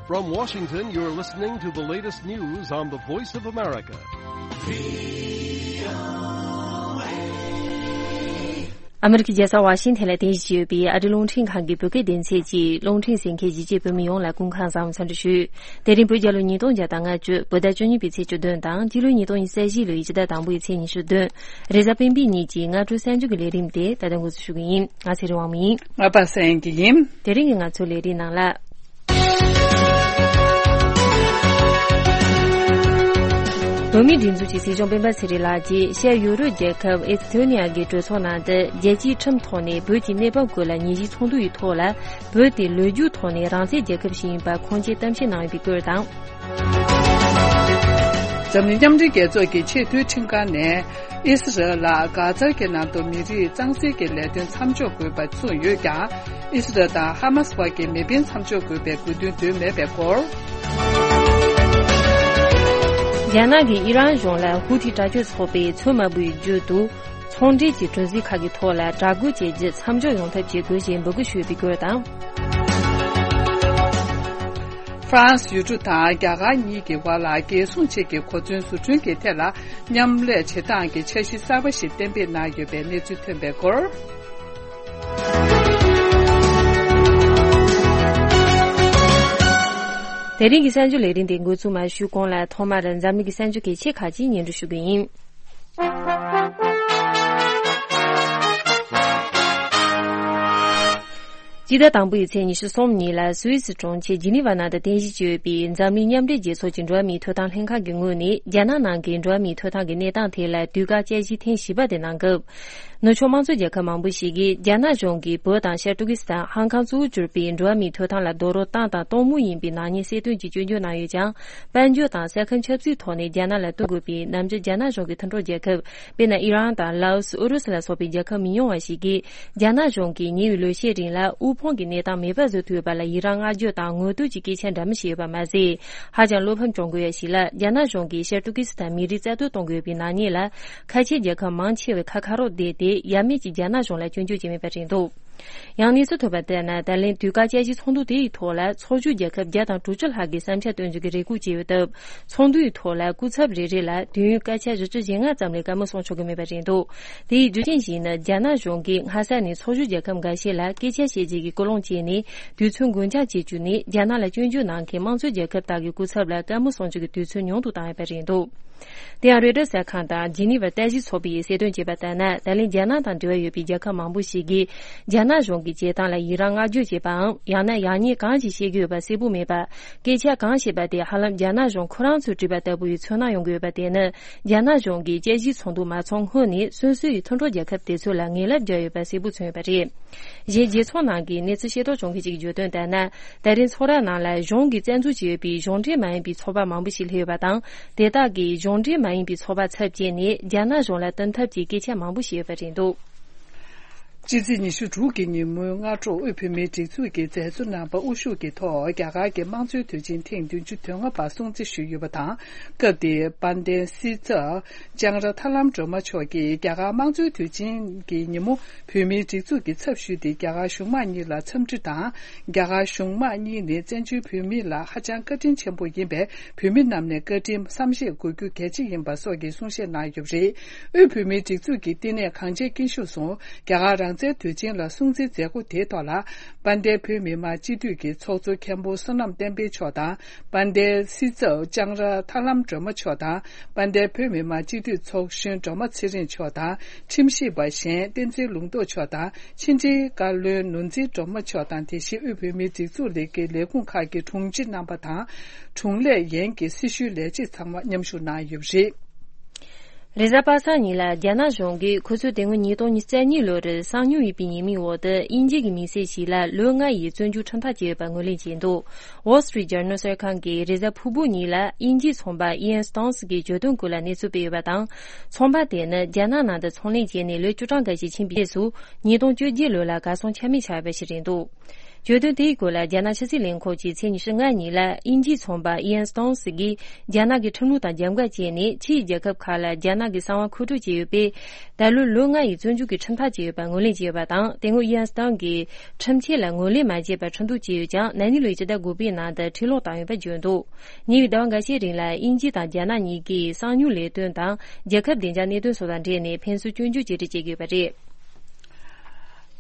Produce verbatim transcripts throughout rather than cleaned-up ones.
From Washington, you're listening to the latest news on the Voice of America. ཨ་མི་རི་ཀའི་རྒྱལ་ས་ཝ་ཤིང་ཐན་ལ་རྟེན་གཞི་བྱས་ཡོད་པའི་ཨ་རི་རླུང་འཕྲིན་ཁང་གི་བོད་སྐད་སྡེ་ཚན་གྱི་རླུང་འཕྲིན་གསན་མཁན་གཞིས་བྱེས་བོད་མི་ཡོངས་ལ་སྐུ་ཁམས་བཟང་བའི་འཚམས་འདྲི་ཞུ། དེ་རིང་བོད་རྒྱལ་ལོ་ཉིས་སྟོང་བརྒྱ་དང་ལྔ་བཅུ། བོད་ཟླ་བཅུ་གཉིས་པའི་ཚེས་བཅུ་བདུན་དང་། སྤྱི་ལོའི་ཉིས་སྟོང་ཉི་ཤུ་རྩ་བཞི་ལོའི་སྤྱི་ཟླ་དང་པོའི་ཚེས་ཉི་ཤུ་བདུན། རེས་གཟའ་སྤེན་པའི་ཉིན་གྱི་སྔ་དྲོ་གསར་འགྱུར་གྱི་ལས་རིམ་དེ་ད་ལྟ་འགོ་འཛུགས་ཞུ་གི་ཡིན། ང་ཚེ་རིང་དབང་མོ་ཡིན། ང་པ་སངས་སྐྱིད་ཡིན། དེ་རིང་གི་ང་ཚོའི་ལས་རིམ་ནང་ལ། བོད་མིའི་སྒྲིག་འཛུགས་ཀྱི་སྲིད་སྐྱོང་སྤེན་པ་ཚེ་རིང་ལགས་ཀྱིས་ཤར་ཡུ་རོབ་རྒྱལ་ཁབ་ཨེ་སི་ཐོ་ནི་ཡ་གི་གྲོས་ཚོགས་ནང་དུ། རྒྱལ་སྤྱིའི་ཁྲིམས་ཐོག་ནས་བོད་ཀྱི་གནས་བབ་སྐོར་ལ་ཉིན་ཞིག་ཚོགས་འདུ་ཡི་ཐོག་ལ། བོད་དེ་ལོ་རྒྱུས་ཐོག་ནས་རང་བཙན་རྒྱལ་ཁབ་ཞིག་ཡིན་པར་ཁུངས་སྐྱེལ་གཏམ་བཤད་གནང་ཡོད་པའི་སྐོར་དང་། འཛམ་གླིང་མཉམ་འབྲེལ་རྒྱལ་ཚོགས་ཀྱི་ཆེས་མཐོའི་ཁྲིམས་ཁང་ནས། ཨི་སི་རལ་ལ་གྷ་ཛར་གྱི་ནང་དུ་མི་རིགས་གཙང་སེལ་གྱི་ལས་དོན་མཚམས་འཇོག་དགོས་པ་གསུངས་ཡོད་ཀྱང་། ཨི་སི་རལ་དང་ཧ་མ་སི་བར་གྱི་མེ་འཕེན་མཚམས་འཇོག་དགོས་པའི་དགོས་འདུན་འདོན་མེད་པའི་སྐོར། རྒྱ་ནག་གིས་ཨི་རན་གཞུང་ལ་ཧུ་ཐི་དྲག་སྤྱོད་ཚོགས་པས་མཚོན་མ་འབུལ་བའི་བརྒྱུད་དུ། ཚོང་འབྲེལ་གྱི་གྲུ་གཟིངས་ཁག་གི་ཐོག་ལ་དྲག་རྒོལ་བྱས་རྗེས་མཚམས་འཇོག་ཡོང་ཐབས་བྱེད་དགོས་ཞེས་འབོད་སྐུལ་ཞུས་པའི་སྐོར་དང་། ཧྥ་རན་སི་ཡུལ་གྲུ་དང་རྒྱ་གར་གཉིས་ཀྱི་བར་ལ་རྒྱལ་སྲུང་ཆེད་ཀྱི་གོ་མཚོན་བཟོ་སྐྲུན་གྱི་ཐད་ལ་མཉམ་ལས་བྱེད་སྟངས་ཀྱི་འཆར་གཞི་གསར་པ་ཞིག་གཏན་འབེབས་གནང་ཡོད་པའི་གནས་ཚུལ་ཐོན་པའི་སྐོར། དེ་རིང་གི་གསར་འགྱུར་ལས་རིམ་དེ་འགོ་འཛུགས་མ་ཞུས་གོང་ལ། ཐོག་མར་འཛམ་གླིང་གི་གསར་འགྱུར་གལ་ཆེ་ཁག་ཅིག་སྙན་སྒྲོན་ཞུ་གི་ཡིན། སྤྱི་ཟླ་དང་པོའི་ཚེས་ཉི་ཤུ་གསུམ་ཉིན་ལ་སུད་སི་གྲོང་ཁྱེར་ཇི་ནི་ཝ་ནང་དུ་རྟེན་གཞི་བྱས་ཡོད་པའི་འཛམ་གླིང་མཉམ་འབྲེལ་རྒྱལ་ཚོགས་ཀྱི་འགྲོ་བ་མིའི་ཐོབ་ཐང་ལྷན་ཁང་གི་ངོས་ནས། རྒྱ་ནག་ནང་གི་འགྲོ་བ་མིའི་ཐོབ་ཐང་གི་གནས་སྟངས་ཐད་ལ་དུས་བཀག་དཔྱད་གཞི་ཐེངས་བཞི་པ་དེ་གནང་སྐབས། ནུབ་ཕྱོགས་དམངས་གཙོ་རྒྱལ་ཁབ་མང་པོ་ཞིག་གིས་རྒྱ་ནག་གཞུང་གིས་བོད་དང་ཤར་ཏུར་ཀི་སི་ཐན། ཧང་ཀང་གཙོ་བོར་གྱུར་པའི་འགྲོ་བ་མིའི་ཐོབ་ཐང་ལ་རྡོག་རོལ་བཏང་དང་གཏོང་མུས་ཡིན་པའི་ནག་ཉེས་གསལ་སྟོན་གྱིས་སྐྱོན་བརྗོད་གནང་ཡོད་ཀྱང་། དཔལ་འབྱོར་དང་ས་ཁམས་ཆབ་སྲིད་ཐོག་ནས་རྒྱ་ནག་ལ་གཏོང་དགོས་པའི་ནམ་རྒྱུན་རྒྱ་ནག་གཞུང་གི་མཐུན་གྲོགས་རྒྱལ་ཁབ། དཔེར་ན། ཨི་རན་དང་ལའོ་སི། ཨུ་རུ་སུ་ལ་སོགས་པའི་རྒྱལ་ཁབ་མི་ཉུང་བ་ཞིག་གིས། རྒྱ་ནག་གཞུང་གིས་ཉེ་བའི་ལོ་ཤས་རིང་ལ་དབུལ་ཕོངས་ཀྱི་གནས་སྟངས་མེད་པ་བཟོ་ཐུབ་ཡོད་པ་ལ་ཡི་རངས་བསྔགས་བརྗོད་དང་ངོ་བསྟོད་ཀྱི་སྐད་ཆ་འདྲ་མིན་བཤད་ཡོད་པ་མ་ཟད། ཧ་ཅང་བློ་ཕམ་བྱུང་དགོས་ཡ་ཞིག་ལ། རྒྱ་ནག་གཞུང་གིས་ཤར་ཏུར་ཀི་སི་ཐན་མི་རིགས་རྩ་གཏོར་གཏོང་དགོས་པའི་ནག་ཉེས་ལ། ཁ་ཆེའི་རྒྱལ་ཁབ་མང་ཆེ་བས་ཁ་ཁ་རོག་བསྡད་དེ། ཡ་མེད་ཀྱིས་རྒྱ་ནག་གཞུང་ལ་སྐྱོན་བརྗོད་བྱས་མེད་པ་རེད་འདུག། ཡང་གནས་ཚུལ་ཐོན་པ་ལྟར་ན། ད་ལན་དུས་བཀག་དཔྱད་གཞིའི་ཚོགས་འདུ་དེ་ཡི་ཐོག་ལ། ཚོགས་ཞུགས་རྒྱལ་ཁབ་བརྒྱ་དང་དྲུག་ཅུ་ལྷག་གིས་བསམ་འཆར་བཏོན་རྒྱུ་གི་རེ་སྐུལ་བྱས་ཡོད་སྟབས། ཚོགས་འདུ་ཡི་ཐོག་ལ་སྐུ་ཚབ་རེ་རེ་ལ་དུས་ཡུན་སྐར་ཆ་བཞི་བཅུ་ཞེ་ལྔ་ཙམ་ལས་བཀའ་མོལ་གསུང་ཆོག་གི་མེད་པ་རེད་འདུག། དེ་ཡི་རྒྱུ་རྐྱེན་ཞིག་ནི། རྒྱ་ནག་གཞུང་གིས་སྔ་ས་ནས་ཚོགས་ཞུགས་རྒྱལ་ཁབ་འགའ་ཤས་ལ་སྐད་ཆ་བཤད་རྒྱུ་གི་ཀུན་སློང་བྱས་ནས། དུས་ཚོད་འགོར་འགྱངས་བྱེད་རྒྱུ་ནི། རྒྱ་ནག་ལ་སྐྱོན་བརྗོད་གནང་མཁན་དམངས་གཙོའི་རྒྱལ་ཁབ་དག་གི་སྐུ་ཚབ་ལ་བཀའ་མོལ་གསུང་རྒྱུ་གི་དུས་ཚོད་ཉུང་དུ་བཏང་ཡོད་པ་རེད་འདུག། དེ་ཡང་རོའི་ཊར་གསར་ཁང་དང་ཇི་ནི་ཝར་ལྟ་ཞིབ་ཚོགས་པས་གསལ་སྟོན་བྱས་པ་ལྟར་ན། ད་ལན་རྒྱ་ནག་དང་འབྲེལ་བ་ཡོད་པའི་རྒྱལ་ཁབ་མང་པོ་ཞིག་གིས། རྒྱ་ནག་གཞུང་གི་བྱེད་སྟངས་ལ་ཡི་རངས་བསྔགས་བརྗོད་བྱས་པའམ། ཡང་ན་ཡག་ཉེས་གང་ཞིག་བཤད་ཀྱི་ཡོད་པ་གསལ་པོ་མེད་པར། སྐད་ཆ་གང་བཤད་པ་དེ་ཧ་ལམ་རྒྱ་ནག་གཞུང་ཁོ་རང་ཚོས་བྲིས་པ་ལྟ་བུ་ཡི་ཚོར་སྣང་ཡོང་གི་ཡོད་པ་དེ་ནི། རྒྱ་ནག་གཞུང་གིས་དཔྱད་གཞིའི་ཚོགས་འདུ་མ་ཚོགས་སྔོན་ནས་སོ་སོའི་མཐུན་གྲོགས་རྒྱལ་ཁབ་དེ་ཚོ་ལ་ངན་ལབ་བརྒྱབ་ཡོད་པ་གསལ་པོ་མཚོན་ཡོད་པ་རེད། གཞན། རྒྱལ་ཚོགས་ནང་གི་གནས་ཚུལ་ཤེས་རྟོགས་བྱུང་མཁན་ཞིག་གིས་བརྗོད་དོན་ལྟར་ན། ད་རིང་ཚོགས་ར་ནང་ལ་གཞུང་གིས་རྩ་འཛུགས་བྱས་ཡོད་པའི་གཞུང་འབྲེལ་མ་ཡིན་པའི་ཚོགས་པ་མང་པོ་ཞིག་སླེབས་ཡོད་པ་དང་། དེ་དག་གིས་གཞུང་འབྲེལ་མ་ཡིན་པའི་ཚོགས་པ་ཚབ་བྱས་ནས་རྒྱ་ནག་གཞུང་ལ་བསྟུན་ཐབས་ཀྱི་སྐད་ཆ་མང་པོ་བཤད་ཡོད་པ་རེད་འདུག། ཕྱི་ཚེས་ཉི་ཤུ་དྲུག་གི་ཉིན་མོའི་སྔ་དྲོ། དབུས་བོད་མིའི་སྒྲིག་འཛུགས་ཀྱི་མཛད་གཙོ་རྣམ་པ་དབུ་བཞུགས་ཀྱི་ཐོག་རྒྱ་གར་གྱི་དམངས་གཙོའི་དུས་ཆེན་ཐེངས་བདུན་ཅུ་དོན་ལྔ་པ་སྲུང་བརྩི་ཞུས་ཡོད་པ་དང་། སྐབས་དེའི་དཔལ་ལྡན་སྲིད་ཚབ་ལྕང་ར་ཐར་ལམ་སྒྲོལ་མ་མཆོག་གིས། རྒྱ་གར་དམངས་གཙོའི་དུས་ཆེན་གྱི་ཉིན་མོ་བོད་མིའི་སྒྲིག་འཛུགས་ཀྱི་ཚབ་ཞུས་ཏེ། རྒྱ་གར་གཞུང་དམངས་གཉིས་ལ་འཚམས་འདྲི་དང་། རྒྱ་གར་གཞུང་དམངས་གཉིས་ནི་བཙན་བྱོལ་བོད་མི་ལ་ཧ་ཅང་བཀའ་དྲིན་ཆེན་པོ་ཡིན་པས། བོད་མི་རྣམས་ནས་བཀའ་དྲིན་བསམ་ཤེས་དགོས་རྒྱུ་གལ་ཆེ་ཡིན་པ་སོགས་ཀྱི་གསུང་བཤད་གནང་ཡོད་པ་རེད། དབུས་བོད་མིའི་སྒྲིག་འཛུགས་ཀྱི་བསྟི་གནས་གངས་ཅན་སྐྱིད་གཤོངས་སུ། རྒྱ་གར་རང་བཙན་དུས་ཆེན་ལ་སྲུང་བརྩིའི་མཛད་སྒོ་དེའི་ཐོག་ལ། དཔལ་ལྡན་བོད་མི་མང་སྤྱི་འཐུས་ཀྱི་ཚོགས་གཙོ་མཁན་པོ་བསོད་ནམས་བསྟན་འཕེལ་མཆོག་དང་། དཔལ་ལྡན་སྲིད་ཚབ་ལྕང་ར་ཐར་ལམ་སྒྲོལ་མ་མཆོག་དང་། དཔལ་ལྡན་བོད་མི་མང་སྤྱི་འཐུས་ཚོགས་གཞོན་སྒྲོལ་མ་ཚེ་རིང་མཆོག་དང་། ཁྲིམས་ཞིབ་པ་གཞན་བསྟན་འཛིན་ལུང་རྟོགས་མཆོག་དང་། ཕྱི་འབྲེལ་བཀའ་བློན་ནོར་འཛིན་སྒྲོལ་མ་མཆོག་དང་། དེ་བཞིན་དབུས་བོད་མིའི་སྒྲིག་འཛུགས་ལས་ཀྱི་ལས་ཁུངས་ཁག་གི་དྲུང་ཆེ་རྣམ་པ་དང་། དྲུང་ལས་ཡན་གྱི་སྲི་ཞུའི་ལས་བྱེད་ཚང་མ་མཉམ་ཞུགས་གནང་ཡོད་པ་རེད། རེས་གཟའ་པ་སངས་ཉིན་ལ་རྒྱ་ནག་གཞུང་གིས་ཁོ་ཚོས་དེ་སྔོན་ཉིས་སྟོང་ཉི་ཤུ་རྩ་གཉིས་ལོར་གསང་མྱུལ་ཡིན་པའི་ཉེས་མིང་འོག་ཏུ་དབྱིན་ཇི་གི་མི་སེར་ཞིག་ལ་ལོ་ལྔ་ཡི་བཙོན་འཇུག་ཁྲིམས་ཐག་བཅད་ཡོད་པ་ངོས་ལེན་བྱས་འདུག། Wall Street Journal གསར་ཁང་གིས་རེས་གཟའ་ཕུར་བུ་ཉིན་ལ་དབྱིན་ཇིའི་ཚོང་པ་Ian Stone གི་བརྗོད་དོན་སྐོར་ལ་གནས་ཚུལ་སྤེལ་ཡོད་པ་དང་། ཚོང་པ་དེ་ནི་རྒྱ་ནག་ནང་དུ་ཚོང་ལས་བྱས་ནས་ལོ་བཅུ་གྲངས་འགའ་ཞིག་ཕྱིན་པའི་རྗེས་སུ། ཉིས་སྟོང་བཅོ་བརྒྱད་ལོ་ལ་གར་སོང་ཆ་མེད་ཆགས་ཡོད་པ་ཞིག་རེད་འདུག། བརྗོད་དོན་དེའི་སྐོར་ལ་རྒྱ་ནག་ཕྱི་སྲིད་ལས་ཁུངས་ཀྱིས་ཚེས་ཉི་ཤུ་ལྔ་ཉིན་ལ་དབྱིན་ཇིའི་ཚོང་པ་ཨི་ཡན་སྟོན་སི་གིས་རྒྱ་ནག་གི་ཁྲིམས་ལུགས་དང་རྒྱབ་འགལ་བྱས་ནས་ཕྱིའི་རྒྱལ་ཁབ་ཁག་ལ་རྒྱ་ནག་གི་གསང་བ་མཁོ་སྤྲོད་བྱས་ཡོད་པས། ད་ལོ་ལོ་ལྔ་ཡི་བཙོན་འཇུག་གི་ཁྲིམས་ཐག་བཅད་ཡོད་པ་ངོས་ལེན་བྱས་ཡོད་པ་དང་། དེ་སྔོན་ཨི་ཡན་སྟོན་གྱིས་ཁྲིམས་ཆད་ལ་ངོས་ལེན་མ་བྱས་པར་ཁྲིམས་གཏུག་བྱས་ཡོད་ཀྱང་། ན་ནིང་ལོའི་སྤྱི་ཟླ་དགུ་པའི་ནང་དུ་ཁྲིམས་ལོག་བཏང་ཡོད་པ་བརྗོད་འདུག་ཉེ་བའི་ཟླ་བ་འགའ་ཤས་རིང་ལ་དབྱིན་ཇི་དང་རྒྱ་ནག་གཉིས་ཀས་གསང་མྱུལ་ལས་དོན་དང་རྒྱལ་ཁབ་བདེ་འཇགས་གནད་དོན་སོགས་དང་འབྲེལ་ནས་ཕན་ཚུན་སྐྱོན་བརྗོད་བྱེད་རེས་བྱེད་ཀྱི་ཡོད་པ་རེད།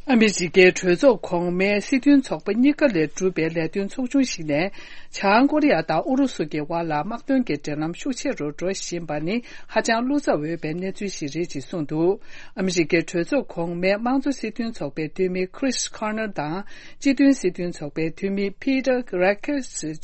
ཨ་མི་རི་ཀའི་གྲོས་ཚོགས་གོང་མའི་སྲིད་དོན་ཚོགས་པ་གཉིས་ཀ་ལས་གྲུབ་པའི་ལས་དོན་ཚོགས་ཆུང་ཞིག་ནས། བྱང་ཀོ་རི་ཡ་དང་ཨུ་རུ་སུ་གྱི་དབར་ལ་དམག་དོན་གྱི་འབྲེལ་ལམ་ཤུགས་ཆེ་རུ་འགྲོ་བཞིན་པ་ནི་ཧ་ཅང་བློ་འཚབ་འོས་པའི་གནས་ཚུལ་ཞིག་རེད་ཅེས་གསུངས་འདུག་ཨ་མི་རི་ཀའི་གྲོས་ཚོགས་གོང་མའི་དམངས་གཙོ་སྲིད་དོན་ཚོགས་པའི་འཐུས་མི་Chris Cornell དང་། སྤྱི་མཐུན་སྲིད་དོན་ཚོགས་པའི་འཐུས་མི་Peter Grech སོགས་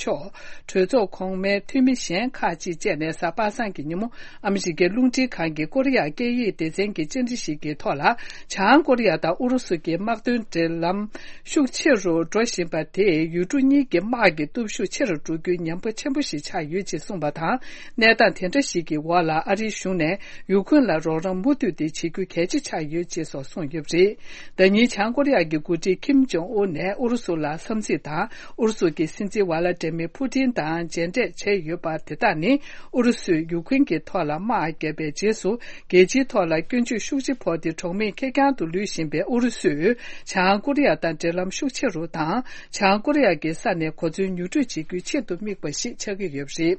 གྲོས་ཚོགས་གོང་མའི་འཐུས་མི་གཞན་ཁག་ཅིག་བཅས་ནས་གཟའ་པ་སངས་ཀྱི་ཉིན་མོ། ཨ་མི་རི་ཀའི་རླུང་འཕྲིན་ཁང་གི་ཀོ་རི་ཡ་སྐད་ཡིག་སྡེ་ཚན་གྱི་བཅར་འདྲི་ཞིག་གི་ཐོག་ལ། བྱང་ཀོ་རི་ཡ་དང་ཨུ་རུ་སུ་གྱི་དམག་དོན་འབྲེལ་ལམ་ཤུགས་ཆེ་རུ་འགྲོ་བཞིན་པ་དེས་ཡུལ་གྲུ་གཉིས་ཀྱི་དམག་གི་སྟོབས་ཤུགས་ཆེ་རུ་འགྲོ་རྒྱུའི་ཉེན་ཁ་ཆེན་པོ་ཞིག་ཆགས་ཡོད་ཅེས་གསུངས་པ་དང་། གནས་སྟངས་དེ་འདྲ་ཞིག་གི་འོག་ལ་ཨ་རིའི་གཞུང་ནས་ཡུ་ཁུན་ལ་རོགས་རམ་མུ་མཐུད་དེ་བྱེད་རྒྱུ་གལ་ཆེ་ཆགས་ཡོད་ཅེས་སོགས་གསུངས་ཡོད་པ་རེད། ཟླ་ཉིན་བྱང་ཀོ་རི་ཡ་གི་འགོ་ཁྲིད་ཁིམ་ཇོང་ཨུན་ནས་ཨུ་རུ་སུ་ལ་འཚམས་གཟིགས་དང་། ཨུ་རུ་སུ་གྱི་སྲིད་འཛིན་ཝ་ལ་ཏྲེ་མི་ཕུ་ཏིན་དང་མཇལ་འཕྲད་བྱས་ཡོད་པ་དེ་དག་ནི། ཨུ་རུ་སུས་ཡུ་ཁུན་གྱི་ཐོག་ལ་དམག་བརྒྱབ་པའི་རྗེས་སུ། རྒྱལ་སྤྱིའི་ཐོག་ལ་སྐྱོན་བརྗོད་ཤུགས་ཆེ་ཕོག་སྟེ། གྲོགས་མེད་ཁེར་རྐྱང་དུ་ལུས་བཞིན་པའི་ཨུ་རུ་སུས་བྱང་ཀོ་རི་ཡ་དང་འབྲེལ་ལམ་ཤུགས་ཆེ་རུ་དང་། བྱང་ཀོ་རི་ཡ་གི་ས་ནས་གོ་མཚོན་ཉོ་སྤྲོད་བྱེད་རྒྱུའི་ཆེད་དུ་དམིགས་པ་ཞིག་ཆགས་ཀྱི་ཡོད་པ་རེད།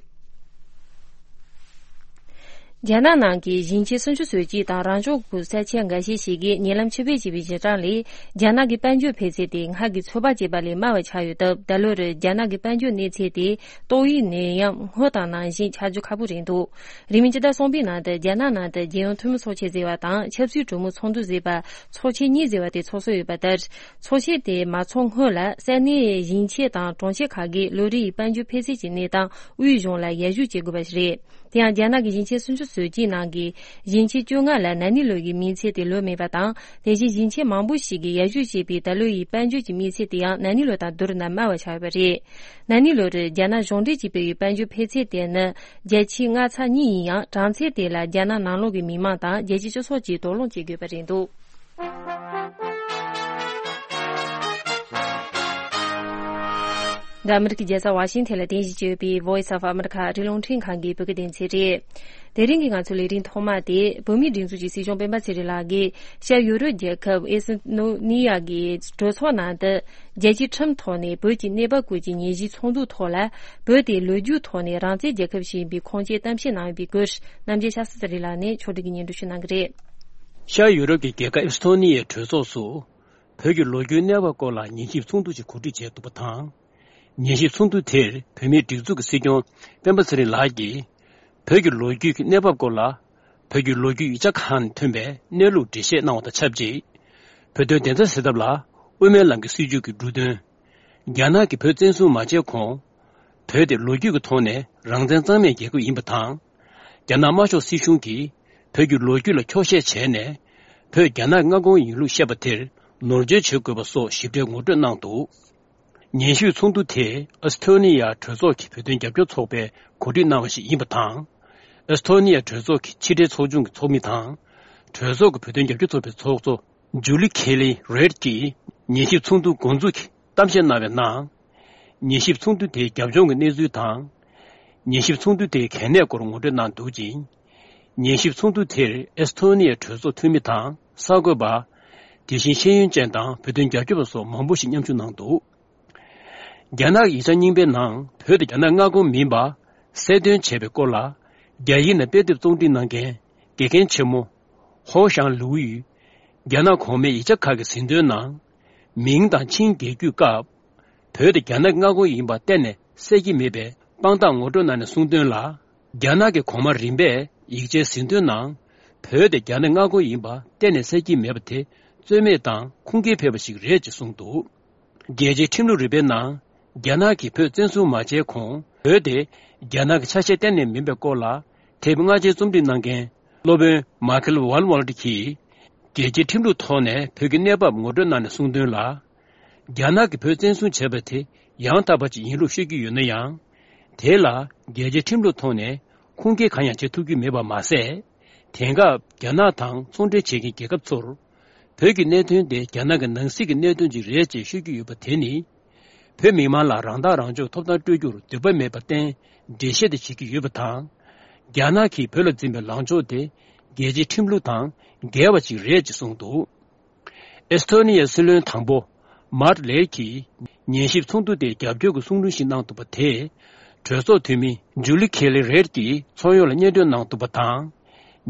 རྒྱ་ནག་ནང་གི་ཞིང་ཆེན་སུམ་ཅུ་སོ་གཅིག་དང་རང་སྐྱོང་ཁུལ་ས་ཆ་འགའ་ཤས་ཤིག་གིས་ཉེ་ལམ་ཕྱིར་འབུད་བྱས་པའི་གཞི་གྲངས་ལས། རྒྱ་ནག་གི་དཔལ་འབྱོར་འཕེལ་ཚད་དེ་སྔར་གྱི་ཚོད་དཔག་བྱས་པ་ལས་དམའ་བ་ཆགས་ཡོད་སྟབས། ད་ལོར་རྒྱ་ནག་གི་དཔལ་འབྱོར་གནས་ཚད་དེ་ཏོག་དབྱིབས་ནད་ཡམས་སྔོན་དང་ནང་བཞིན་ཆགས་རྒྱུ་ཁག་པོ་རེད་འདུག་རིང་མིན་སྤྱི་ཟླ་གསུམ་པའི་ནང་དུ་རྒྱ་ནག་ནང་དུ་རྒྱལ་ཡོངས་འཐུས་མི་ཚོགས་ཆེན་ཟེར་བ་དང་། ཆབ་སྲིད་གྲོས་མོལ་ཚོགས་འདུ་ཟེར་བ། ཚོགས་ཆེན་གཉིས་ཟེར་བ་དེ་ཚོགས་སྲོལ་ཡོད་པ་ལྟར། ཚོགས་ཆེན་དེ་མ་ཚོགས་སྔོན་ལ་ས་གནས་ཞིང་ཆེན་དང་གྲོང་ཁྱེར་ཁག་གིས་ལོ་རེའི་དཔལ་འབྱོར་འཕེལ་ཚད་ཀྱི་གནས་སྟངས་དབུས་གཞུང་ལ་ཡར་ཞུ་བྱེད་དགོས་པ་ཞིག་རེད། དེ་ཡང་རྒྱ་ནག་གི་ཞིང་ཆེན་སུམ་ཅུ་སོ་གཅིག་ནང་གི་ཞིང་ཆེན་བཅོ་ལྔ་ལ་ན་ནིང་ལོ་ཡི་དམིགས་ཚད་དེ་ལོན་མེད་པ་དང་། དེ་བཞིན་ཞིང་ཆེན་མང་པོ་ཞིག་གིས་ཡར་ཞུ་བྱས་པའི་ད་ལོ་ཡི་དཔལ་འབྱོར་གྱི་དམིགས་ཚད་དེ་ཡང་ན་ནིང་ལོ་དང་བསྡུར་ན་དམའ་བ་ཆགས་ཡོད་པ་རེད། ན་ནིང་ལོར་རྒྱ་ནག་གཞུང་འབྲེལ་གྱིས་སྤེལ་བའི་དཔལ་འབྱོར་འཕེལ་ཚད་དེ་ནི་བརྒྱ་ཆ་ལྔ་ཚེག་གཉིས་ཡིན་ཡང་། གྲངས་ཚད་དེ་ལ་རྒྱ་ནག་ནང་ལོགས་ཀྱི་མི་མང་དང་རྒྱལ་སྤྱིའི་སྤྱི་ཚོགས་ཀྱིས་དོགས་སློང་བྱེད་དགོས་པ་རེད་འདུག་འདི་ཨ་མི་རི་ཀའི་རྒྱལ་ས་ཝ་ཤིང་ཐན་ལ་རྟེན་གཞི་བྱས་ཡོད་པའི་Voice of America ཨ་རིའི་རླུང་འཕྲིན་ཁང་གི་བོད་སྐད་སྡེ་ཚན་རེད། དེ་རིང་གི་ང་ཚོའི་ལས་རིམ་ཐོག་མ་དེ། བོད་མིའི་སྒྲིག་འཛུགས་ཀྱི་སྲིད་སྐྱོང་སྤེན་པ་ཚེ་རིང་ལགས་ཀྱིས་ཤར་ཡུ་རོབ་རྒྱལ་ཁབ་ཨེ་སི་ཐོ་ནི་ཡ་གི་གྲོས་ཚོགས་ནང་དུ། རྒྱལ་སྤྱིའི་ཁྲིམས་ཐོག་ནས་བོད་ཀྱི་གནས་བབ་སྐོར་གྱི་ཉན་ཞིབ་ཚོགས་འདུའི་ཐོག་ལ། བོད་དེ་ལོ་རྒྱུས་ཐོག་ནས་རང་བཙན་རྒྱལ་ཁབ་ཞིག་ཡིན་པའི་ཁུངས་སྐྱེལ་གཏམ་བཤད་གནང་ཡོད་པའི་སྐོར། རྣམ་རྒྱལ་ཤཱ་སྟྲི་ལགས་ནས་ཕྱོགས་སྒྲིག་གིས་སྙན་སྒྲོན་ཞུ་གནང་གི་རེད། ཤར་ཡུ་རོབ་ཀྱི་རྒྱལ་ཁབ་ཨེ་སི་ཐོ་ནི་ཡའི་གྲོས་ཚོགས་སུ། བོད་ཀྱི་ལོ་རྒྱུས་གནས་བབ་སྐོར་ལ་ཉན་ཞིབ་ཚོགས་འདུ་ཞིག་གོ་སྒྲིག་བྱས་འདུག་པ་དང་། ཉན་ཞིབ་ཚོགས་འདུ་དེར་བོད་མིའི་སྒྲིག་འཛུགས་ཀྱི་སྲིད་སྐྱོང་སྤེན་པ་ཚེ་རིང་ལགས་ཀྱིས། བོད་ཀྱི་ལོ་རྒྱུས་ཀྱི་གནས་བབ་སྐོར་ལ། བོད་ཀྱི་ལོ་རྒྱུས་ཡིག་ཆ་ཁག་ནས་ཐོན་པའི་གནས་ལུགས་འགྲེལ་བཤད་གནང་བ་དང་ཆབས་ཅིག་བོད་དོན་བདེན་མཐའ་གསལ་ཐབས་ལ་དབུ་མའི་ལམ་གྱི་སྲིད་བྱུས་ཀྱི་འབྲུ་དོན། རྒྱ་ནག་གིས་བོད་བཙན་བཟུང་མ་བྱས་གོང་། བོད་དེ་ལོ་རྒྱུས་ཀྱི་ཐོག་ནས་རང་བཙན་གཙང་མའི་རྒྱལ་ཁབ་ཡིན་པ་དང་། རྒྱ་ནག་དམར་ཤོག་སྲིད་གཞུང་གིས་བོད་ཀྱི་ལོ་རྒྱུས་ལ་འཁྱོག་བཤད་བྱས་ནས། བོད་རྒྱ་ནག་མངའ་ཁོངས་ཡིན་ལུགས་བཤད་པ་དེར་ནོར་འཁྲུལ་བྱེད་དགོས་པ་སོགས་ཞིབ་ཕྲའི་ངོ་སྤྲོད་གནང་འདུག་ཉན་ཞིབ་ཚོགས་འདུ་དེ་ཨེ་སི་ཐོ་ནི་ཡ་གྲོས་ཚོགས་ཀྱི་བོད་དོན་རྒྱབ་སྐྱོར་ཚོགས་པས་གོ་སྒྲིག་གནང་བ་ཞིག་ཡིན་པ་དང་། ཨེ་སི་ཐོ་ནི་ཡ་གྲོས་ཚོགས་ཀྱི་ཕྱི་དྲིལ་ཚོགས་ཆུང་གི་ཚོགས་མི་དང་། གྲོས་ཚོགས་ཀྱི་བོད་དོན་རྒྱབ་སྐྱོར་ཚོགས་པའི་ཚོགས་གཙོ་ཇུ་ལི་ཁེ་ལི་རེད་ཀྱིས་ཉན་ཞིབ་ཚོགས་འདུ་འགོ་འཛུགས་ཀྱི་གཏམ་བཤད་གནང་བའི་ནང་། ཉན་ཞིབ་ཚོགས་འདུ་དེའི་རྒྱབ་ལྗོངས་ཀྱི་གནས་ཚུལ་དང་། ཉན་ཞིབ་ཚོགས་འདུ་དེའི་གལ་གནད་སྐོར་ངོ་སྤྲོད་གནང་འདུག་ཅིང་། ཉན་ཞིབ་ཚོགས་འདུ་དེར་ཨེ་སི་ཐོ་ནི་ཡའི་གྲོས་ཚོགས་འཐུས་མི་དང་གསར་འགོད་པ། དེ་བཞིན་ཤེས་ཡོན་ཅན་དང་བོད་དོན་རྒྱབ་སྐྱོར་པ་སོགས་མང་པོ་ཞིག་མཉམ་ཞུགས་གནང་འདུག་རྒྱ་ནག་གི་ཡིག་ཆ་རྙིང་པའི་ནང་བོད་དེ་རྒྱ་ནག་མངའ་ཁོངས་མིན་པ་གསལ་སྟོན་བྱས་པའི་སྐོར་ལ། རྒྱ་ཡིག་ནང་དཔེ་དེབ་རྩོམ་སྒྲིག་གནང་མཁན་དགེ་རྒན་ཆེན་མོ་ཧོ་ཞང་ལུའུ་ཡིས། རྒྱ་ནག་གོང་མའི་ཡིག་ཆ་ཁག་གི་ཟིན་ཐོའི་ནང་། མིང་དང་ཆིང་རྒྱལ་རྒྱུད་སྐབས། བོད་དེ་རྒྱ་ནག་མངའ་ཁོངས་ཡིན་པ་གཏན་ནས་གསལ་གྱི་མེད་པའི་དཔང་རྟགས་ངོ་སྤྲོད་གནང་ནས་གསུངས་དོན་ལ། རྒྱ་ནག་གི་གོང་མ་རིམ་པས་ཡིག་ཆའི་ཟིན་ཐོའི་ནང་། བོད་དེ་རྒྱ་ནག་མངའ་ཁོངས་ཡིན་པ་གཏན་ནས་གསལ་གྱི་མེད་པ་དེ་རྩོད་མེད་དང་ཁུངས་སྐྱེལ་ཕེབས་པ་ཞིག་རེད་ཅེས་གསུངས་འདུག་རྒྱལ་སྤྱིའི་ཁྲིམས་ལུགས་རིག་པའི་ནང་། རྒྱ་ནག་གིས་བོད་བཙན་བཟུང་མ་བྱས་གོང་། བོད་དེ་རྒྱ་ནག་གི་ཆ་ཤས་གཏན་ནས་མིན་པའི་སྐོར་ལ། དེབ་སྔ་ཕྱི་རྩོམ་སྒྲིག་གནང་མཁན་སློབ་དཔོན་མཱ་ཁེལ་ཝལ་ཝལ་ཏི་གིས། རྒྱལ་སྤྱིའི་ཁྲིམས་ལུགས་ཐོག་ནས་བོད་ཀྱི་གནས་བབ་ངོ་སྤྲོད་གནང་ནས་གསུངས་དོན་ལ། རྒྱ་ནག་གིས་བོད་བཙན་བཟུང་བྱས་པ་དེ་ཡང་དག་པ་ཅིག་ཡིན་ལུགས་ཤོད་ཀྱི་ཡོད་ན་ཡང་། དེ་ལ་རྒྱལ་སྤྱིའི་ཁྲིམས་ལུགས་ཐོག་ནས་ཁུངས་སྐྱེལ་གང་ཡང་བྱེད་ཐུབ་ཀྱི་མེད་པ་མ་ཟད། དེང་སྐབས་རྒྱ་ནག་དང་ཚོང་འབྲེལ་བྱེད་མཁན་རྒྱལ་ཁབ་ཚོར། བོད་ཀྱི་གནད་དོན་དེ་རྒྱ་ནག་གི་ནང་སྲིད་ཀྱི་གནད་དོན་ཅིག་རེད་ཅེས་ཤོད་ཀྱི་ཡོད་པ་དེ་ནི། བོད་མི་མང་ལ་རང་ཐག་རང་གཅོད་ཐོབ་ཐང་སྤྲོད་རྒྱུར་འདོད་པ་མེད་པར་བརྟེན་འགྲེལ་བཤད་དེ་བྱེད་ཀྱི་ཡོད་པ་དང་། རྒྱ་ནག་གིས་བོད་ལ་འཛིན་པའི་ལངས་ཕྱོགས་དེ་རྒྱལ་སྤྱིའི་ཁྲིམས་ལུགས་དང་འགལ་བ་ཞིག་རེད་ཅེས་གསུངས་འདུག་ཨེ་སི་ཐོ་ནི་ཡའི་སྲིད་བློན་དང་པོ་མཱར་ལེ་ཡིས་ཉན་ཞིབ་ཚོགས་འདུ་དེ་རྒྱབ་སྐྱོར་གྱི་གསུང་དྲུང་ཞིག་གནང་འདུག་པ་དེས། གྲོས་ཚོགས་འཐུས་མི་ཇུ་ལི་ཁེ་ལི་རེད་ཀྱིས་ཚོགས་ཡོངས་ལ་སྙན་སྒྲོན་གནང་འདུག་པ་དང་།